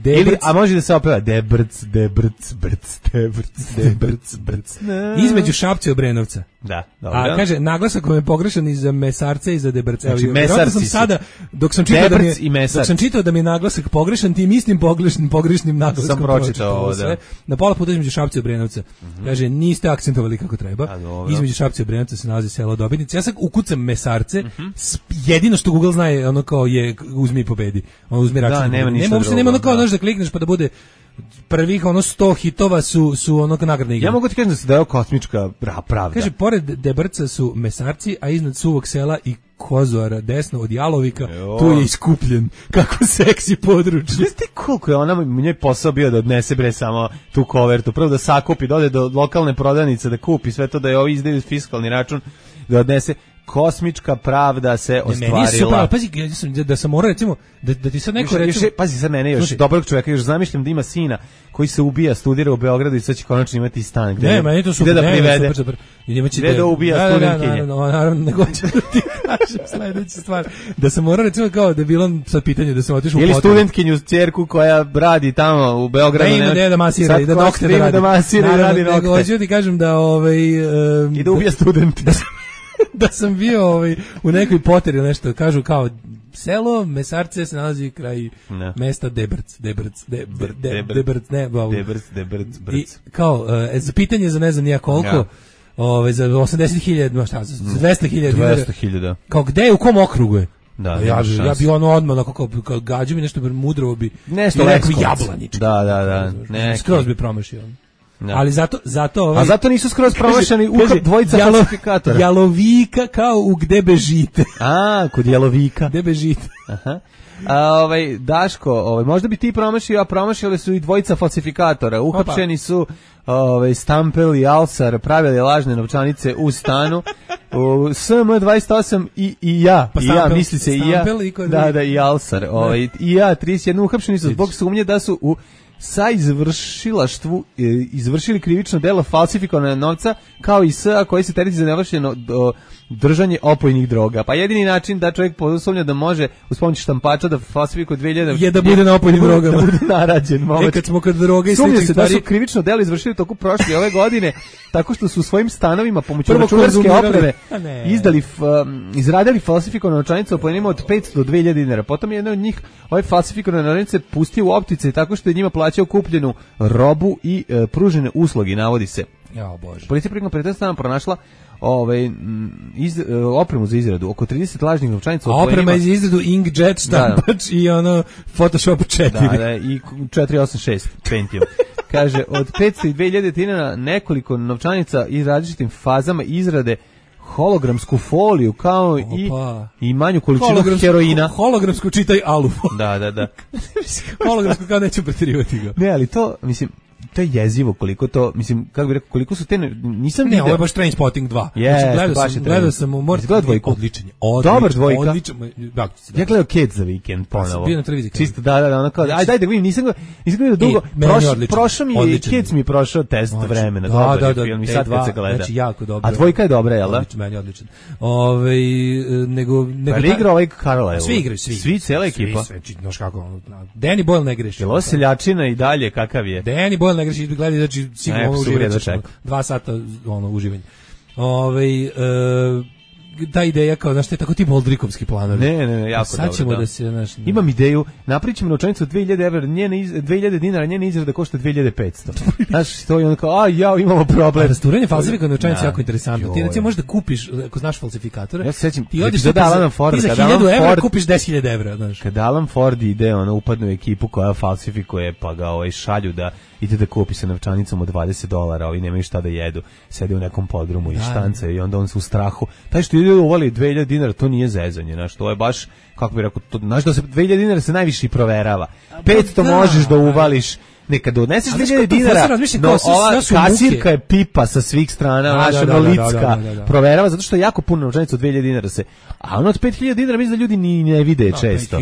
Ili, a može da se opeva Debrc, Debrc, Brc, Debrc, Debrc, Brc. Između Šapca i Obrenovca. Da, dobro. A kaže, naglasak vam je pogrešan i za mesarce i za debrce. Znači, mesarci sam sada, dok sam čitao da mi je, dok sam čitao da mi je naglasak pogrešan, tim istim pogrešnim, pogrešnim naglaskom sam pročitao ovo, da. Na pola puta između Šapca i Obrenovca. Mm-hmm. Kaže, niste akcentovali kako treba. Između Šapca i Obrenovca se nalazi selo Dobitnice. Ja sad ukucam mesarce, mm-hmm. jedino što Google zna je ono kao je uzmi i pobedi. On uzmi račun. Da, nema ništa nema, uopšte drugo, nema ono kao da. Znaš da klikneš pa da bude prvih ono sto hitova su su onog nagradne igre. Ja mogu ti kažem da se daje kosmička pravda. Kaže, pored Debrca su mesarci, a iznad Suvog sela i Kozora desno od Jalovika, jo. Tu je iskupljen. Kako seksi područje. Znaš ti koliko je ona njoj posao bio da odnese bre samo tu kovertu, prvo da sakupi, da ode do lokalne prodavnice da kupi sve to, da je ovi izdaju fiskalni račun, da odnese. Kosmička pravda se ostvarila. Meni su pravo, pazi, ja sam, da sam morao recimo, da, da ti sad neko još, recimo... Još, pazi sad mene još, Slušaj, dobrog čovjeka, još zamišljam da ima sina koji se ubija, studira u Beogradu i sad će konačno imati stan. Gde, ne, meni to super, da ne, privede. super, super. Gde da ubija da, studentkinje. Da, da, naravno, naravno, nego ću da ti kažem sledeću stvar. Da sam morao recimo kao da je bilo sad pitanje da sam otišao u ili potrebu. studentkinju ćerku koja radi tamo u Beogradu. Ne ima ne, da masira i da nokte da radi. Da masira i radi nokte. Nego ću ti kažem da ovaj... Um, I da ubija student. Da sam bio ovaj, u nekoj poteri nešto, kažu kao selo Mesarce se nalazi kraj no. mesta Debrc, Debrc, Debrc, Debrc, ne, Debrc, Debrc, Brc. I kao, e, za pitanje za ne znam nija koliko, ja. Ove, za osamdeset hiljada, šta, za dvesta hiljada. dvesta hiljada. Kao gde je, u kom okrugu je? Da, ja, bi, ja bi ono odmah, kao, kao gađu mi nešto mudro bi, nešto neko jablaničko. Da, da, da. Neki. Skroz bi promašio. No. Ali zato zato ovaj, a zato nisu skroz promašeni u dvojica jalo, falsifikatora. Jalovika kao u gde bežite. A, kod Jalovika. Gde bežite. Aha. A, ovaj Daško, ovaj možda bi ti promašio, a promašili su i dvojica falsifikatora. Uhapšeni su ovaj Stampel i Alsar, pravili lažne novčanice u stanu. U S M dvadeset osam i i ja, pa i Stampel, ja misli se i ja. I da, da i Alsar. Ovaj i ja trideset jedan uhapšeni su zbog sumnje da su u sa izvršilaštvu izvršili krivično delo falsifikovanja novca kao i S A koji se tereti za nevršeno držanje opojnih droga. Pa jedini način da čovjek posumnja da može uz pomoć štampača da falsifikuje dve hiljade je da bude na opojnim drogama, da bude narađen. E, kad smo kod droga i sličnih stvari, da su krivično delo izvršili toku prošle ove godine tako što su u svojim stanovima pomoću Prvo računarske opreme izdali um, izradili falsifikovane novčanice opojnima od petsto do dve hiljade dinara. Potom je jedan od njih ove falsifikovane novčanice pustio u optice tako što je njima plaćao kupljenu robu i e, pružene usluge, navodi se. Ja, bože. Policija prilikom pretestana pronašla ovaj iz, opremu za izradu oko trideset lažnih novčanica. Oprema za izradu inkjet štampač i ono Photoshop četiri. Da, da, i četiristo osamdeset šest Pentium. Kaže, od petsto i dve hiljade dinara nekoliko novčanica i različitim fazama izrade hologramsku foliju kao Opa. i i manju količinu heroina. Hologramsku čitaj alu. Da, da, da. Hologramsku kao neću preterivati ga. Ne, ali to, mislim, to je jezivo koliko to, mislim, kako bih rekao, koliko su te, nisam ne, vidio. ovo je baš Trainspotting dva. Yes, znači, gledao sam, gledao sam u Mort, gledao dvojku. Odličan je. Dobar dvojka. Odličan, da, ja gledao Ked za vikend ponovo. Bio na televiziji. Čisto, da, da, da, ono kao, aj daj da vidim, nisam ga, nisam ga dugo, Proš, prošao mi je, Ked mi je prošao test znači, vremena, da, dobar da, je da, film i sad kad se gleda. Znači, jako dobro. A dvojka je dobra, jel da? Odličan, meni odličan. Ove, nego, nego pa igra ovaj Carlisle. Svi igraju, svi. Svi, cela ekipa. Svi, sve, znaš kako, Danny Boyle ne greši. Jel ovo seljačina i dalje, kakav je? Danny Boyle ne greši, gledaj, znači, sigurno ono uživaćeš, dva sata ono uživanje. Ovaj e, ta ideja kao, znaš, te tako ti Moldrikovski planovi. Ne, ne, ne, jako sad dobro. Sad ćemo da, da se, znaš... Imam ideju, napravit ćemo novčanicu od dve hiljade evra, njene iz, dve hiljade dinara, njene izrada košta dve hiljade petsto. Znaš, to je ono kao, a ja, imamo problem. Rasturanje falsifikovane novčanice je jako interesantno. Ti recimo možeš da kupiš, ako znaš falsifikatore, ja se sećam, ti odeš da Alan Ford, ti za hiljadu evra kupiš deset hiljada evra, znaš. Kad Alan Ford ide, ono, upadne u ekipu koja falsifikuje, pa ga ovaj šalju da ide da kupi sa novčanicom od dvadeset dolara, ovi nemaju šta da jedu, sede u nekom podrumu i štanca i onda on se u strahu. Taj što ide uvali dve hiljade dinara, to nije zezanje, znaš, to je baš, kako bi rekao, to, znaš da se dve hiljade dinara se najviše i proverava. petsto da, možeš da uvališ, nekad doneseš dve hiljade dinara, no ova kasirka je pipa sa svih strana, naša Nolicka proverava, zato što je jako puno novčanica od dve hiljade dinara se, a ono od pet hiljada dinara mislim da ljudi ni ne vide često.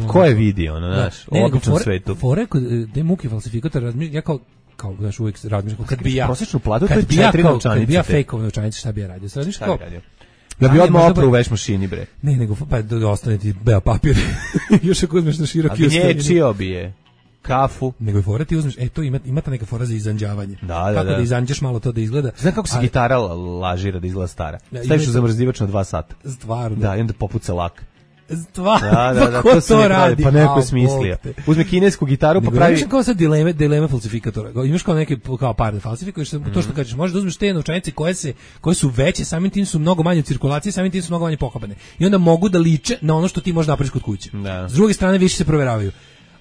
Ko je vidio, ono, znaš, u običnom svetu. Fore kod de muki falsifikator, ja kao kao znaš uvijek razmišljam kad bi ja prosječnu platu to je četiri novčanice. Kad bi ja fejkovao novčanice, šta bi ja radio? Sad kao da bi odmah oprao u veš mašini, bre. Ne, nego pa da ostane ti beo papir. Još ako uzmeš na široki ostavljeni. A gnječio bi je. kafu. Nego je fora ti uzmeš, e to ima, ima ta neka fora za izanđavanje. Da, da, kako da. da izanđeš malo to da izgleda. Znaš kako se ali, gitara lažira da izgleda stara? Da, Staviš u ima- zamrzivač na dva sata. Stvarno. Da, i onda popuca lak. Stvarno, Da, da, da, ko to, se ne pravi, radi? pa neko A, je smislio. Bog te. Uzme kinesku gitaru pa Nego, pravi... imaš kao sad dileme, dileme falsifikatora. Imaš kao neke kao par da falsifikuješ, Mhm. to što kažeš, možeš da uzmeš te novčanice koje se koje su veće, samim tim su mnogo manje u cirkulaciji, samim tim su mnogo manje pohapane. I onda mogu da liče na ono što ti možeš napraviš kod kuće. Da. S druge strane više se proveravaju.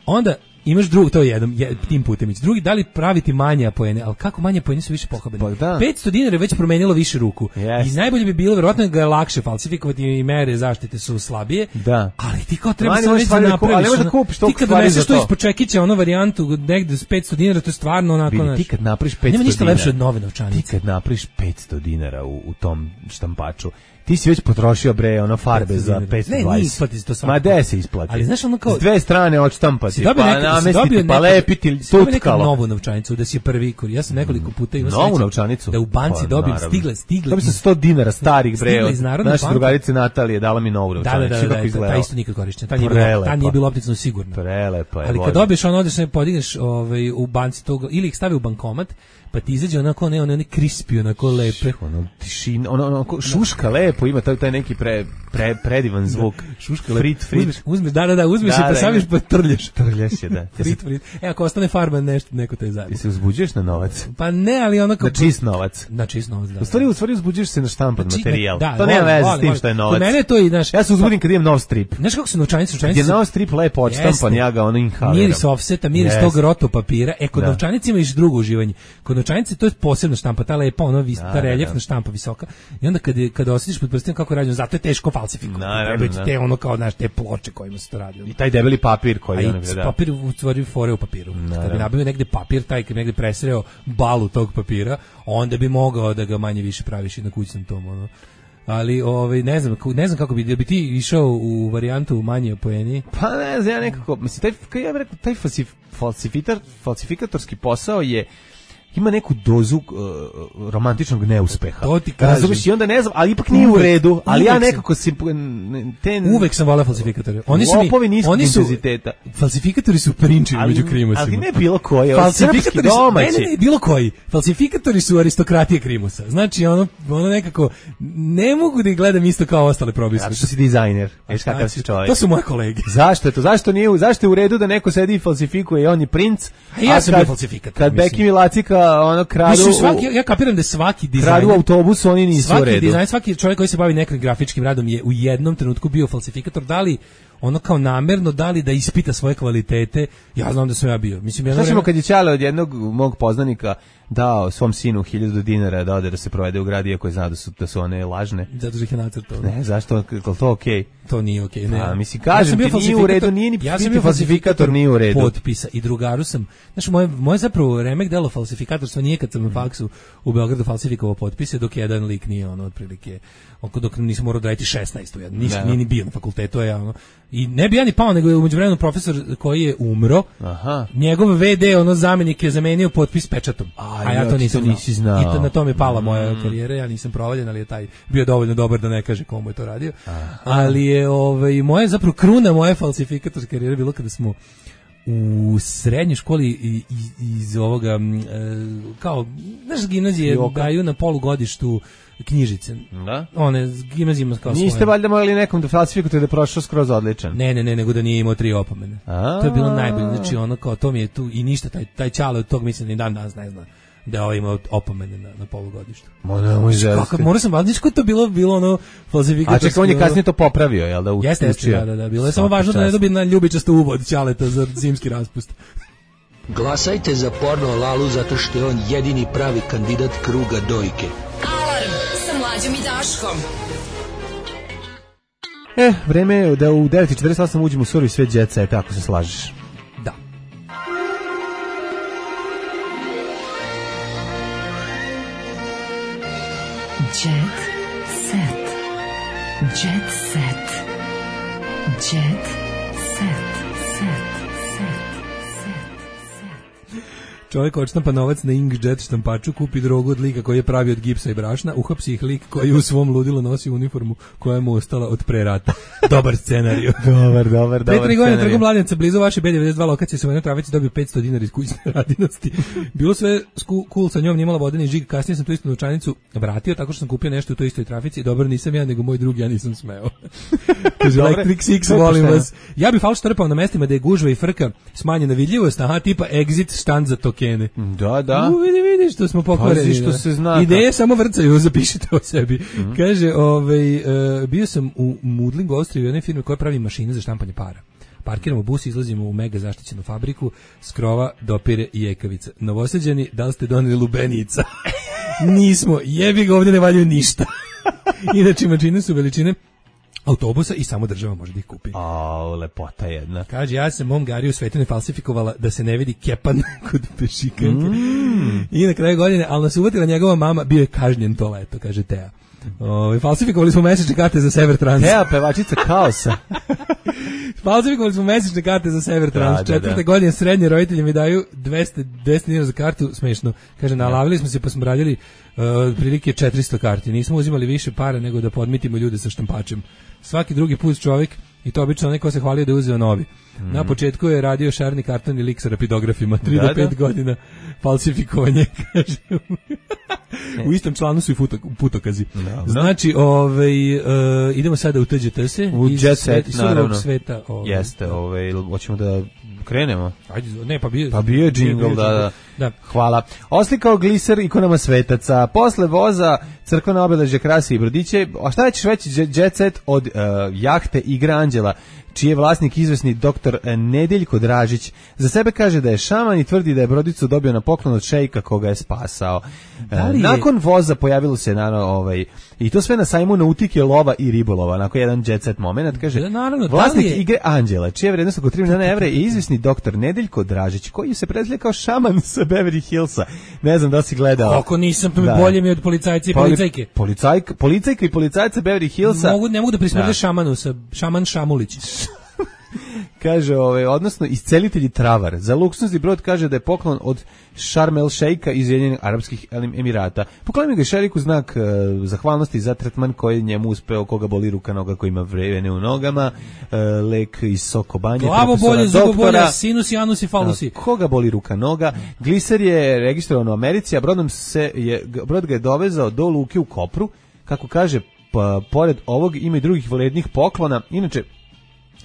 Onda imaš drug, to je jedan, je, tim putem ići. Drugi, da li praviti manje apoene, ali kako manje apoene su više pohabene? Pa da. petsto dinara je već promenilo više ruku. Yes. I najbolje bi bilo, verovatno ga je lakše falsifikovati i mere zaštite su slabije. Da. Ali ti kao treba Manje samo možeš već da stvari da ku- ali napraviš. ne možeš da ono, kupiš ti toliko kad stvari doneseš za to to. ispod čekića, ono varijantu negde s petsto dinara, to je stvarno onako... Vidi, znaš, ti kad napraviš petsto nema ništa dinara, lepše od nove novčanice. Ti kad napraviš petsto dinara u, u tom štampaču, ti si već potrošio bre ono farbe petsto za dinara. petsto Ne, nije dvadeset. isplati se to svakako. Ma de se isplati. Ali znaš ono kao- S dve strane odštampati, Si dobio pa neka, si namestiti, dobio pa neka, lepiti si dobio neku tutkalo. novu novčanicu da si je prvi kur. Ja sam nekoliko puta imao Novu sreće novčanicu? da u banci Pa, dobijem, naravno. stigle, stigle. Dobio sam iz- sto dinara starih bre. Stigle od iz Narodne naše banke. drugarice Natalije dala mi novu Da, novčanicu. da, da, da, kako da, izgledala. ta isto nikad korišćena. Ta nije bilo, Prelepa. ta nije bilo optično sigurno. Prelepa je. Ali kad voda. dobiješ ono, odeš se podigneš ovaj, u banci tog, ili ih stavi u bankomat, pa ti izađe onako, ne, one, one krispi, onako lepe. Ono tišina, ono, ono ko- šuška lepo ima taj, taj neki pre, pre, predivan zvuk. Šuška Frit, frit. Uzmeš, uzmeš, da, da, da, uzmeš Da, i pa da, saviš ima. pa trljaš. Trljaš je, da. Ja se, Frit, frit. E, ako ostane farba, nešto, neko te zajedno. ti se uzbuđuješ na novac? Pa ne, ali ono kao... Na čist novac? Na čist novac, da. U stvari, u stvari uzbuđuješ se na štampan Znači, materijal. da, to nema volim, veze s volim, tim volim. što je Kod novac. mene je to i, znaš... Ja se uzbudim kad imam nov strip. Znaš kako su novčanice? Kad Novčanice je su- nov strip lepo odštampan, Jeste. ja ga ono inhaliram. Miris offseta, miris Jeste. tog roto papira. E, kod Da. novčanice ima još drugo uživanje. Kod novčanice to je posebna štampa, ta lepa, ona vis, Da, ta da, reljefna da. štampa visoka. I onda kad, je, kad osjetiš pod prstima kako je rađeno, zato je teško falsifikovati. Naravno, Trebaju ti da. te ono kao, znaš, te ploče kojima se to radi. I taj debeli papir A koji i ono s da. papir u stvari fore u papiru. Kad bi Naravno. nabavio negde papir, taj kad bi negde presreo balu tog papira, onda bi mogao da ga manje više praviš i na kućnom tom, ono. Ali ovaj ne znam, ne znam kako bi, jel bi ti išao u varijantu manje poeni? Pa ne znam, ja nekako, mislim, taj, kao ja bih rekao, taj falsif, falsifitar, falsifikatorski posao je ima neku dozu uh, romantičnog neuspeha. To ti kažem. Razumeš, i onda ne znam, ali ipak nije u Uvek- redu, ali ja uvek sam- nekako si te Uvek sam voleo falsifikatore. Oni su mi, lopovi niskog oni su intenziteta. Falsifikatori su prinči Ali- među krimosima. ali ne bilo koji, ovo Falsifikatori srpski, su, domaći. ne, ne, ne, bilo koji. Falsifikatori su aristokratije krimosa. Znači ono, ono nekako ne mogu da ih gledam isto kao ostale probisve. Zato što si dizajner, viš šta kakav ću- si čovjek. To su moje kolege. Zašto je to? Zašto nije, u- zašto je u redu da neko sedi i falsifikuje i on je princ? A ja sam kad- bio falsifikator, Kad mislim. Bekim i Lacika ono kradu, Mislim, svaki, u- ja, ja kapiram da je svaki kradu dizajner, autobus, oni nisu u svaki redu. dizajner, svaki čovjek koji se bavi nekim grafičkim radom je u jednom trenutku bio falsifikator, da li ono kao namerno, da li da ispita svoje kvalitete, ja znam da sam ja bio. Mislim, jedno Šta ćemo vreme- kad je Ćale od jednog mog poznanika dao svom sinu hiljadu dinara da ode da se provede u grad, iako je zna da su, da su one lažne? Zato što ih je nacrtao. Ne, zašto? Je li to okej? To nije okej, ne. A, mislim, kažem sam bio ti, nije u redu, falsifikator- nije ni ja sam biti bio falsifikator, nije u redu. Potpisa i drugaru sam. Znaš, moje, moje zapravo remek delo falsifikatorstva nije kad sam na faksu u Beogradu falsifikovao potpise, dok jedan lik nije ono otprilike, oko dok nisam morao da raditi šesnaest u jednom. Nisam, Da. nije ni bio na fakultetu, je ono. I ne bi ja ni pao, nego je umeđu vremenu profesor koji je umro, Aha. njegov ve de, ono zamenik je zamenio potpis pečatom. A, A ja ja, to ti nisam to nisi znao. I to, na tome je pala moja karijera, ja nisam provaljen, ali je taj bio dovoljno dobar da ne kaže komu je to radio. Ali je ovaj, moja zapravo kruna moje falsifikatorske karijere bilo kada smo u srednjoj školi i- i- iz ovoga m, e, kao naš gimnazije Joka. daju na polugodištu knjižice. Da? One gimnazijima kao Niste svoje. valjda morali nekom da falsifikujete da je prošao skroz odličan? Ne, ne, ne, nego da nije imao tri opomene. A. To je bilo najbolje. Znači ono kao to mi je tu i ništa taj taj Ćale od tog mislim ni dan danas ne zna da je ovaj imao opomene na, na polugodištu. Ma nemoj Kako želiti. morao sam valjda što to bilo bilo ono A falsifikatorsko. čekaj, on je kasnije to popravio, jel da? u- Jeste, jeste, učio? da, da, da. Bilo je samo Svaka važno da ne čast. dobije na ljubičasto uvod Ćaleta za zimski raspust. Glasajte za Porno Lalu zato što je on jedini pravi kandidat kruga dojke. Alarm sa mlađom i Daškom. E, vreme je da u devet i četrdeset osam uđemo u surovi svet Jet Seta, ako se slažeš. Da. Jet set. Jet set. Jet set. Set. Set. Set. Čovjek odštampa novac na inkjet štampaču, kupi drogu od lika koji je pravi od gipsa i brašna, uhapsi ih lik koji u svom ludilu nosi uniformu koja mu ostala od pre rata. Dobar scenarij. dobar, dobar, dobar. Pre tri godine trgom Mladenca blizu vaše B devedeset dva lokacije se u jednoj trafici dobio petsto dinara iz kućne radinosti. Bilo sve cool sa njom, nimala vodeni žig, kasnije sam tu istu novčanicu vratio tako što sam kupio nešto u toj istoj trafici i dobro nisam ja, nego moj drug, ja nisam smeo. Kaže Electric Six, volim vas. Ja bih falš trpao na mestima da je gužva i frka smanjena vidljivost, aha, tipa exit štand za tokene. Da, da. U, vidi, vidi što smo pokvareni. Pazi što se zna. Ideje samo vrcaju, zapišite o sebi. Mm-hmm. Kaže, ovaj, uh, bio sam u Mudlingu, Austriji, u jednoj firmi koja pravi mašine za štampanje para. Parkiramo bus, izlazimo u mega zaštićenu fabriku, skrova, dopire i jekavica. Novosađani, da li ste doneli lubenica? Nismo, jebi ga, ovdje ne valjaju ništa. Inače, mašine su veličine autobusa i samo država može da ih kupi. O, lepota jedna. Kaže, ja sam mom Gariju Svetine falsifikovala da se ne vidi kepan kod pešikanke. Mm. I na kraju godine, ali nas uvatila njegova mama, bio je kažnjen to leto, kaže Teja. O, falsifikovali smo mesečne karte za Sever Trans. Teja, pevačica kaosa. Falsifikovali smo mesečne karte za Sever Trans. Da, Četvrte da, da. godine srednje roditelji mi daju dvesta dinara za kartu, smešno. Kaže, nalavili smo se pa smo radili uh, prilike četiristo karti. Nismo uzimali više para nego da podmitimo ljude sa štampačem. Svaki drugi put čovjek, i to obično neko se hvalio da je uzeo novi. Mm. Na početku je radio šarni karton i lik sa rapidografima, tri do pet godina falsifikovanje, kaže. U istom članu su i futo, putokazi. Da, znači, ovaj, uh, idemo sada u T Ž T S u Jet Set, naravno. Sveta, ovaj, jeste, ovaj, hoćemo da krenemo. Ajde, ne, pa bio, pa bio je džingl, da, da, da. Hvala. Oslikao gliser ikonama svetaca. Posle voza crkvena obeležja, krasi i brodiće. A šta ćeš veći Jet Set od uh, jahte Igra Anđela, čiji je vlasnik izvesni doktor Nedeljko Dražić. Za sebe kaže da je šaman i tvrdi da je brodicu dobio na poklon od šejka koga je spasao. Je... Nakon voza pojavilo se naravno ovaj i to sve na sajmu nautike, lova i ribolova. Nakon jedan jet set moment, kaže da, naravno, vlasnik je... Igre Anđela, čija je vrednost oko tri miliona evra, je izvesni doktor Nedeljko Dražić, koji se predstavlja kao šaman sa Beverly Hillsa. Ne znam da li si gledao. Kako nisam, da. Bolje mi od policajca i Poli... policajke. Policajka, policajka i policajca Beverly Hillsa. Mogu, ne mogu da prismrde šamanu sa šaman Šamulić. Kaže, ovaj, odnosno iscelitelji travar. Za luksuzni brod kaže da je poklon od Sharm el Sheikha iz Ujedinjenih Arapskih Emirata. Poklonio ga šeriku znak uh, zahvalnosti za tretman koji njemu uspeo, koga boli ruka, noga, koji ima vrevene u nogama, uh, lek iz Sokobanje, glavo bolje, zubo bolje, sinus, janus i falusi. Uh, koga boli ruka, noga. Gliser je registrovan u Americi, a brodom se je, brod ga je dovezao do luke u Kopru. Kako kaže, pa, pored ovog ima i drugih vrednih poklona. Inače,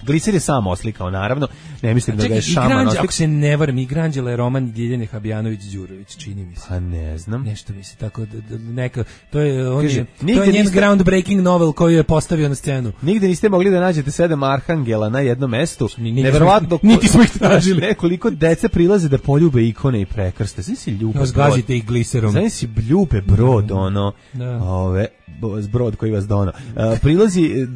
Gliser je sam oslikao, naravno, ne mislim da ga je šaman oslikao. Ako se ne varam, Igranđela je roman Ljiljane Habijanović-Đurović, čini mi se. Pa ne znam. Nešto mi se tako, da, neka, to je, on Kaže, je, to je njen niste, groundbreaking novel koju je postavio na scenu. Nigde niste mogli da nađete sedam arhangela na jednom mestu. Neverovatno. Niti smo ih tražili. Nekoliko dece prilaze da poljube ikone i prekrste. Znači si ljube brod. Zgazite ih gliserom. Znači si ljube brod, ono, da. Ove, brod koji vas dono. Uh, prilazi,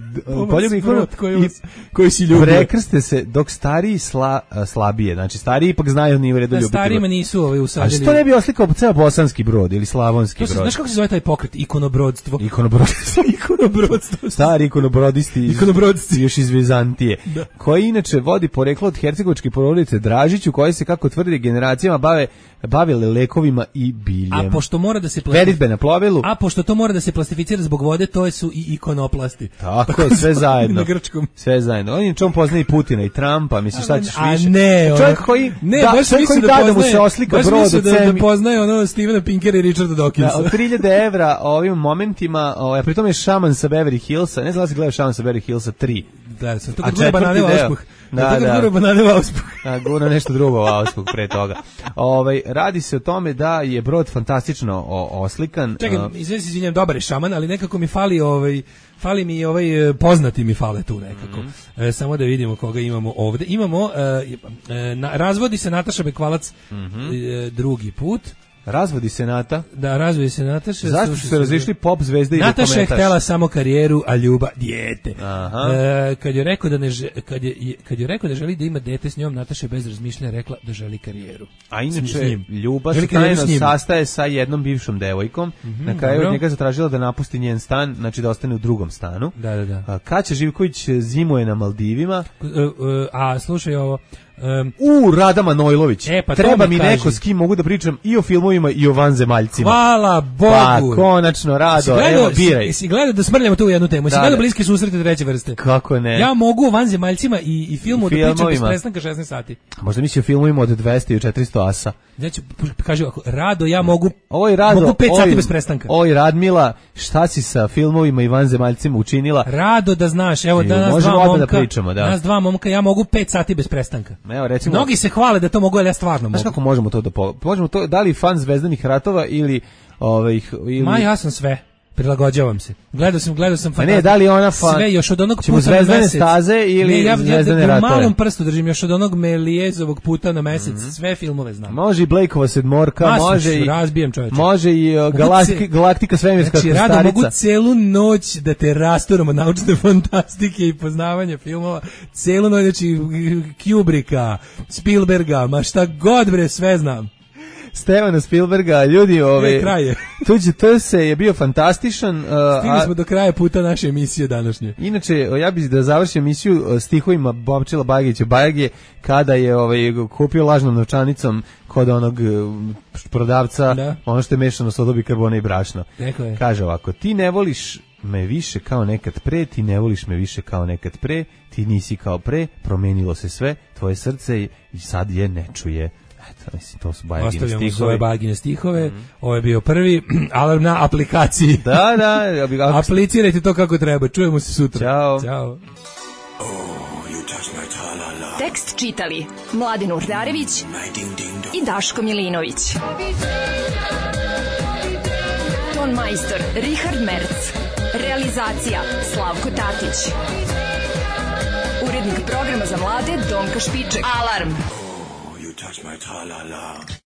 poljube ikone koji, koji si ljubio. Prekrste se dok stariji sla, slabije, znači stariji ipak znaju ni u redu ljubiti. Starijima nisu ovaj usadili. A što ne bi oslikao ceo bosanski brod ili slavonski brod? Znaš kako se zove taj pokret? Ikonobrodstvo. Ikonobrodstvo. Ikonobrodstvo. Stari ikonobrodisti. Ikonobrodsti. Još iz Vizantije. Da. Koji inače vodi poreklo od hercegovačke porodice Dražiću, koji se, kako tvrdi, generacijama bave bavile lekovima i biljem. A pošto mora da se veritbe na plovilu. A pošto to mora da se plastificira zbog vode, to su i ikonoplasti. Tako, Tako je, sve zajedno. Na grčkom. Sve zajedno. On je čom poznaje i Putina i Trumpa, misliš šta ćeš više? A ne, čovjek koji ne, da, baš koji da, da, poznaje, da mu se oslika baš brod od da, da poznaje ono Stevena Pinkera i Richarda Dawkinsa. Da, od tri hiljade evra ovim momentima, ovaj, pritom je šaman sa Beverly Hillsa, ne znam da si gledao šaman sa Beverly Hillsa tri. Da, sam to gura banane u auspuh. Da, da, gura banane u auspuh. Da, gura nešto drugo u auspuh pre toga. Ovaj, radi se o tome da je brod fantastično oslikan. Čekaj, izvini se, izvinjam, dobar je šaman, ali nekako mi fali ovaj fali mi ovaj poznati mi fale tu nekako. Mm-hmm. E, samo da vidimo koga imamo ovde. Imamo e, e, na, razvodi se Nataša Bekvalac mm-hmm. e, drugi put. Razvodi se Nata. Da, razvodi se Nataša. Zašto su se razišli pop zvezde i Nataša dokumentaš? Nataša je htela samo karijeru, a ljubav dijete. Aha. E, kad je rekao da ne kad je kad je rekao da želi da ima dete s njom, Nataša je bez razmišljanja rekla da želi karijeru. A inače ljubav se tajno sastaje sa jednom bivšom devojkom. Mm-hmm, na kraju od njega zatražila da napusti njen stan, znači da ostane u drugom stanu. Da, da, da. A Kaća Živković zimuje na Maldivima. A, a slušaj ovo, Um, U, Rada Manojlović. E, pa treba mi kaži. neko s kim mogu da pričam i o filmovima i o vanzemaljcima. Hvala Bogu. Pa, konačno, Rado, gledao, evo, biraj. Si, si gledao da smrljamo tu u jednu temu. Si Da, gledao da. bliske susrete treće vrste. Kako ne? Ja mogu o vanzemaljcima i, i filmu da pričam bez Filmovima. prestanka šesnaest sati. Možda misli o filmovima od dvesta i četiristo asa. Znači, kaže ovako, Rado, ja mogu, Ovo Rado, mogu pet oj, sati bez prestanka. Oj, Radmila, šta si sa filmovima i vanzemaljcima učinila? Rado, da znaš, evo, da Ju, nas možemo dva odmah da momka, pričamo, da. nas dva momka, ja mogu pet sati bez prestanka. Evo, recimo, Mnogi se hvale da to mogu, ali ja stvarno znaš mogu. kako možemo to da po... možemo to, da li fan Zvezdanih ratova ili ovih ili Ma, ja sam sve. Prilagođavam se. Gledao sam, gledao sam Pa ne, da li ona fan... sve još od onog Ćemo puta na Zvezdane mesec. staze ili ne, ja, Zvezdane ja, ja, ratove? u malom prstu držim još od onog Melijezovog puta na mesec, mm-hmm. sve filmove znam. Može i Blakeova sedmorka, Ma, može i razbijem, čoveče. može i uh, galaktika, galaktika svemirska znači, krstarica. Rado, mogu celu noć da te rasturam od naučne fantastike i poznavanja filmova. Celu noć, znači Kubricka, Spielberga, ma šta god bre, sve znam. Stevena Spielberga, ljudi, ove, E, kraj je. tuđi T se je bio fantastičan. Uh, Stigli a, smo do kraja puta naše emisije današnje. inače, ja bih da završim emisiju uh, stihovima Bobčila Bajagića Bajage, kada je ovaj, kupio lažnom novčanicom kod onog uh, prodavca, Da. ono što je mešano soda, bikarbona i brašno. Rekao je. Kaže ovako, ti ne voliš me više kao nekad pre, ti ne voliš me više kao nekad pre, ti nisi kao pre, promenilo se sve, tvoje srce i sad je ne čuje. Eto, mislim, to su Bajagine Ostavljamo stihovi. svoje Bajagine stihove. Mm. Ovo je bio prvi alarm na aplikaciji. Da, da. Ja bih, ako... Aplicirajte to kako treba. Čujemo se sutra. Ćao. Ćao. Tekst čitali Mladin Urdarević i Daško Milinović. Ton majstor Richard Merc. Realizacija Slavko Tatić. Urednik programa za mlade Donka Špiček. Alarm! You touch my tra-la-la.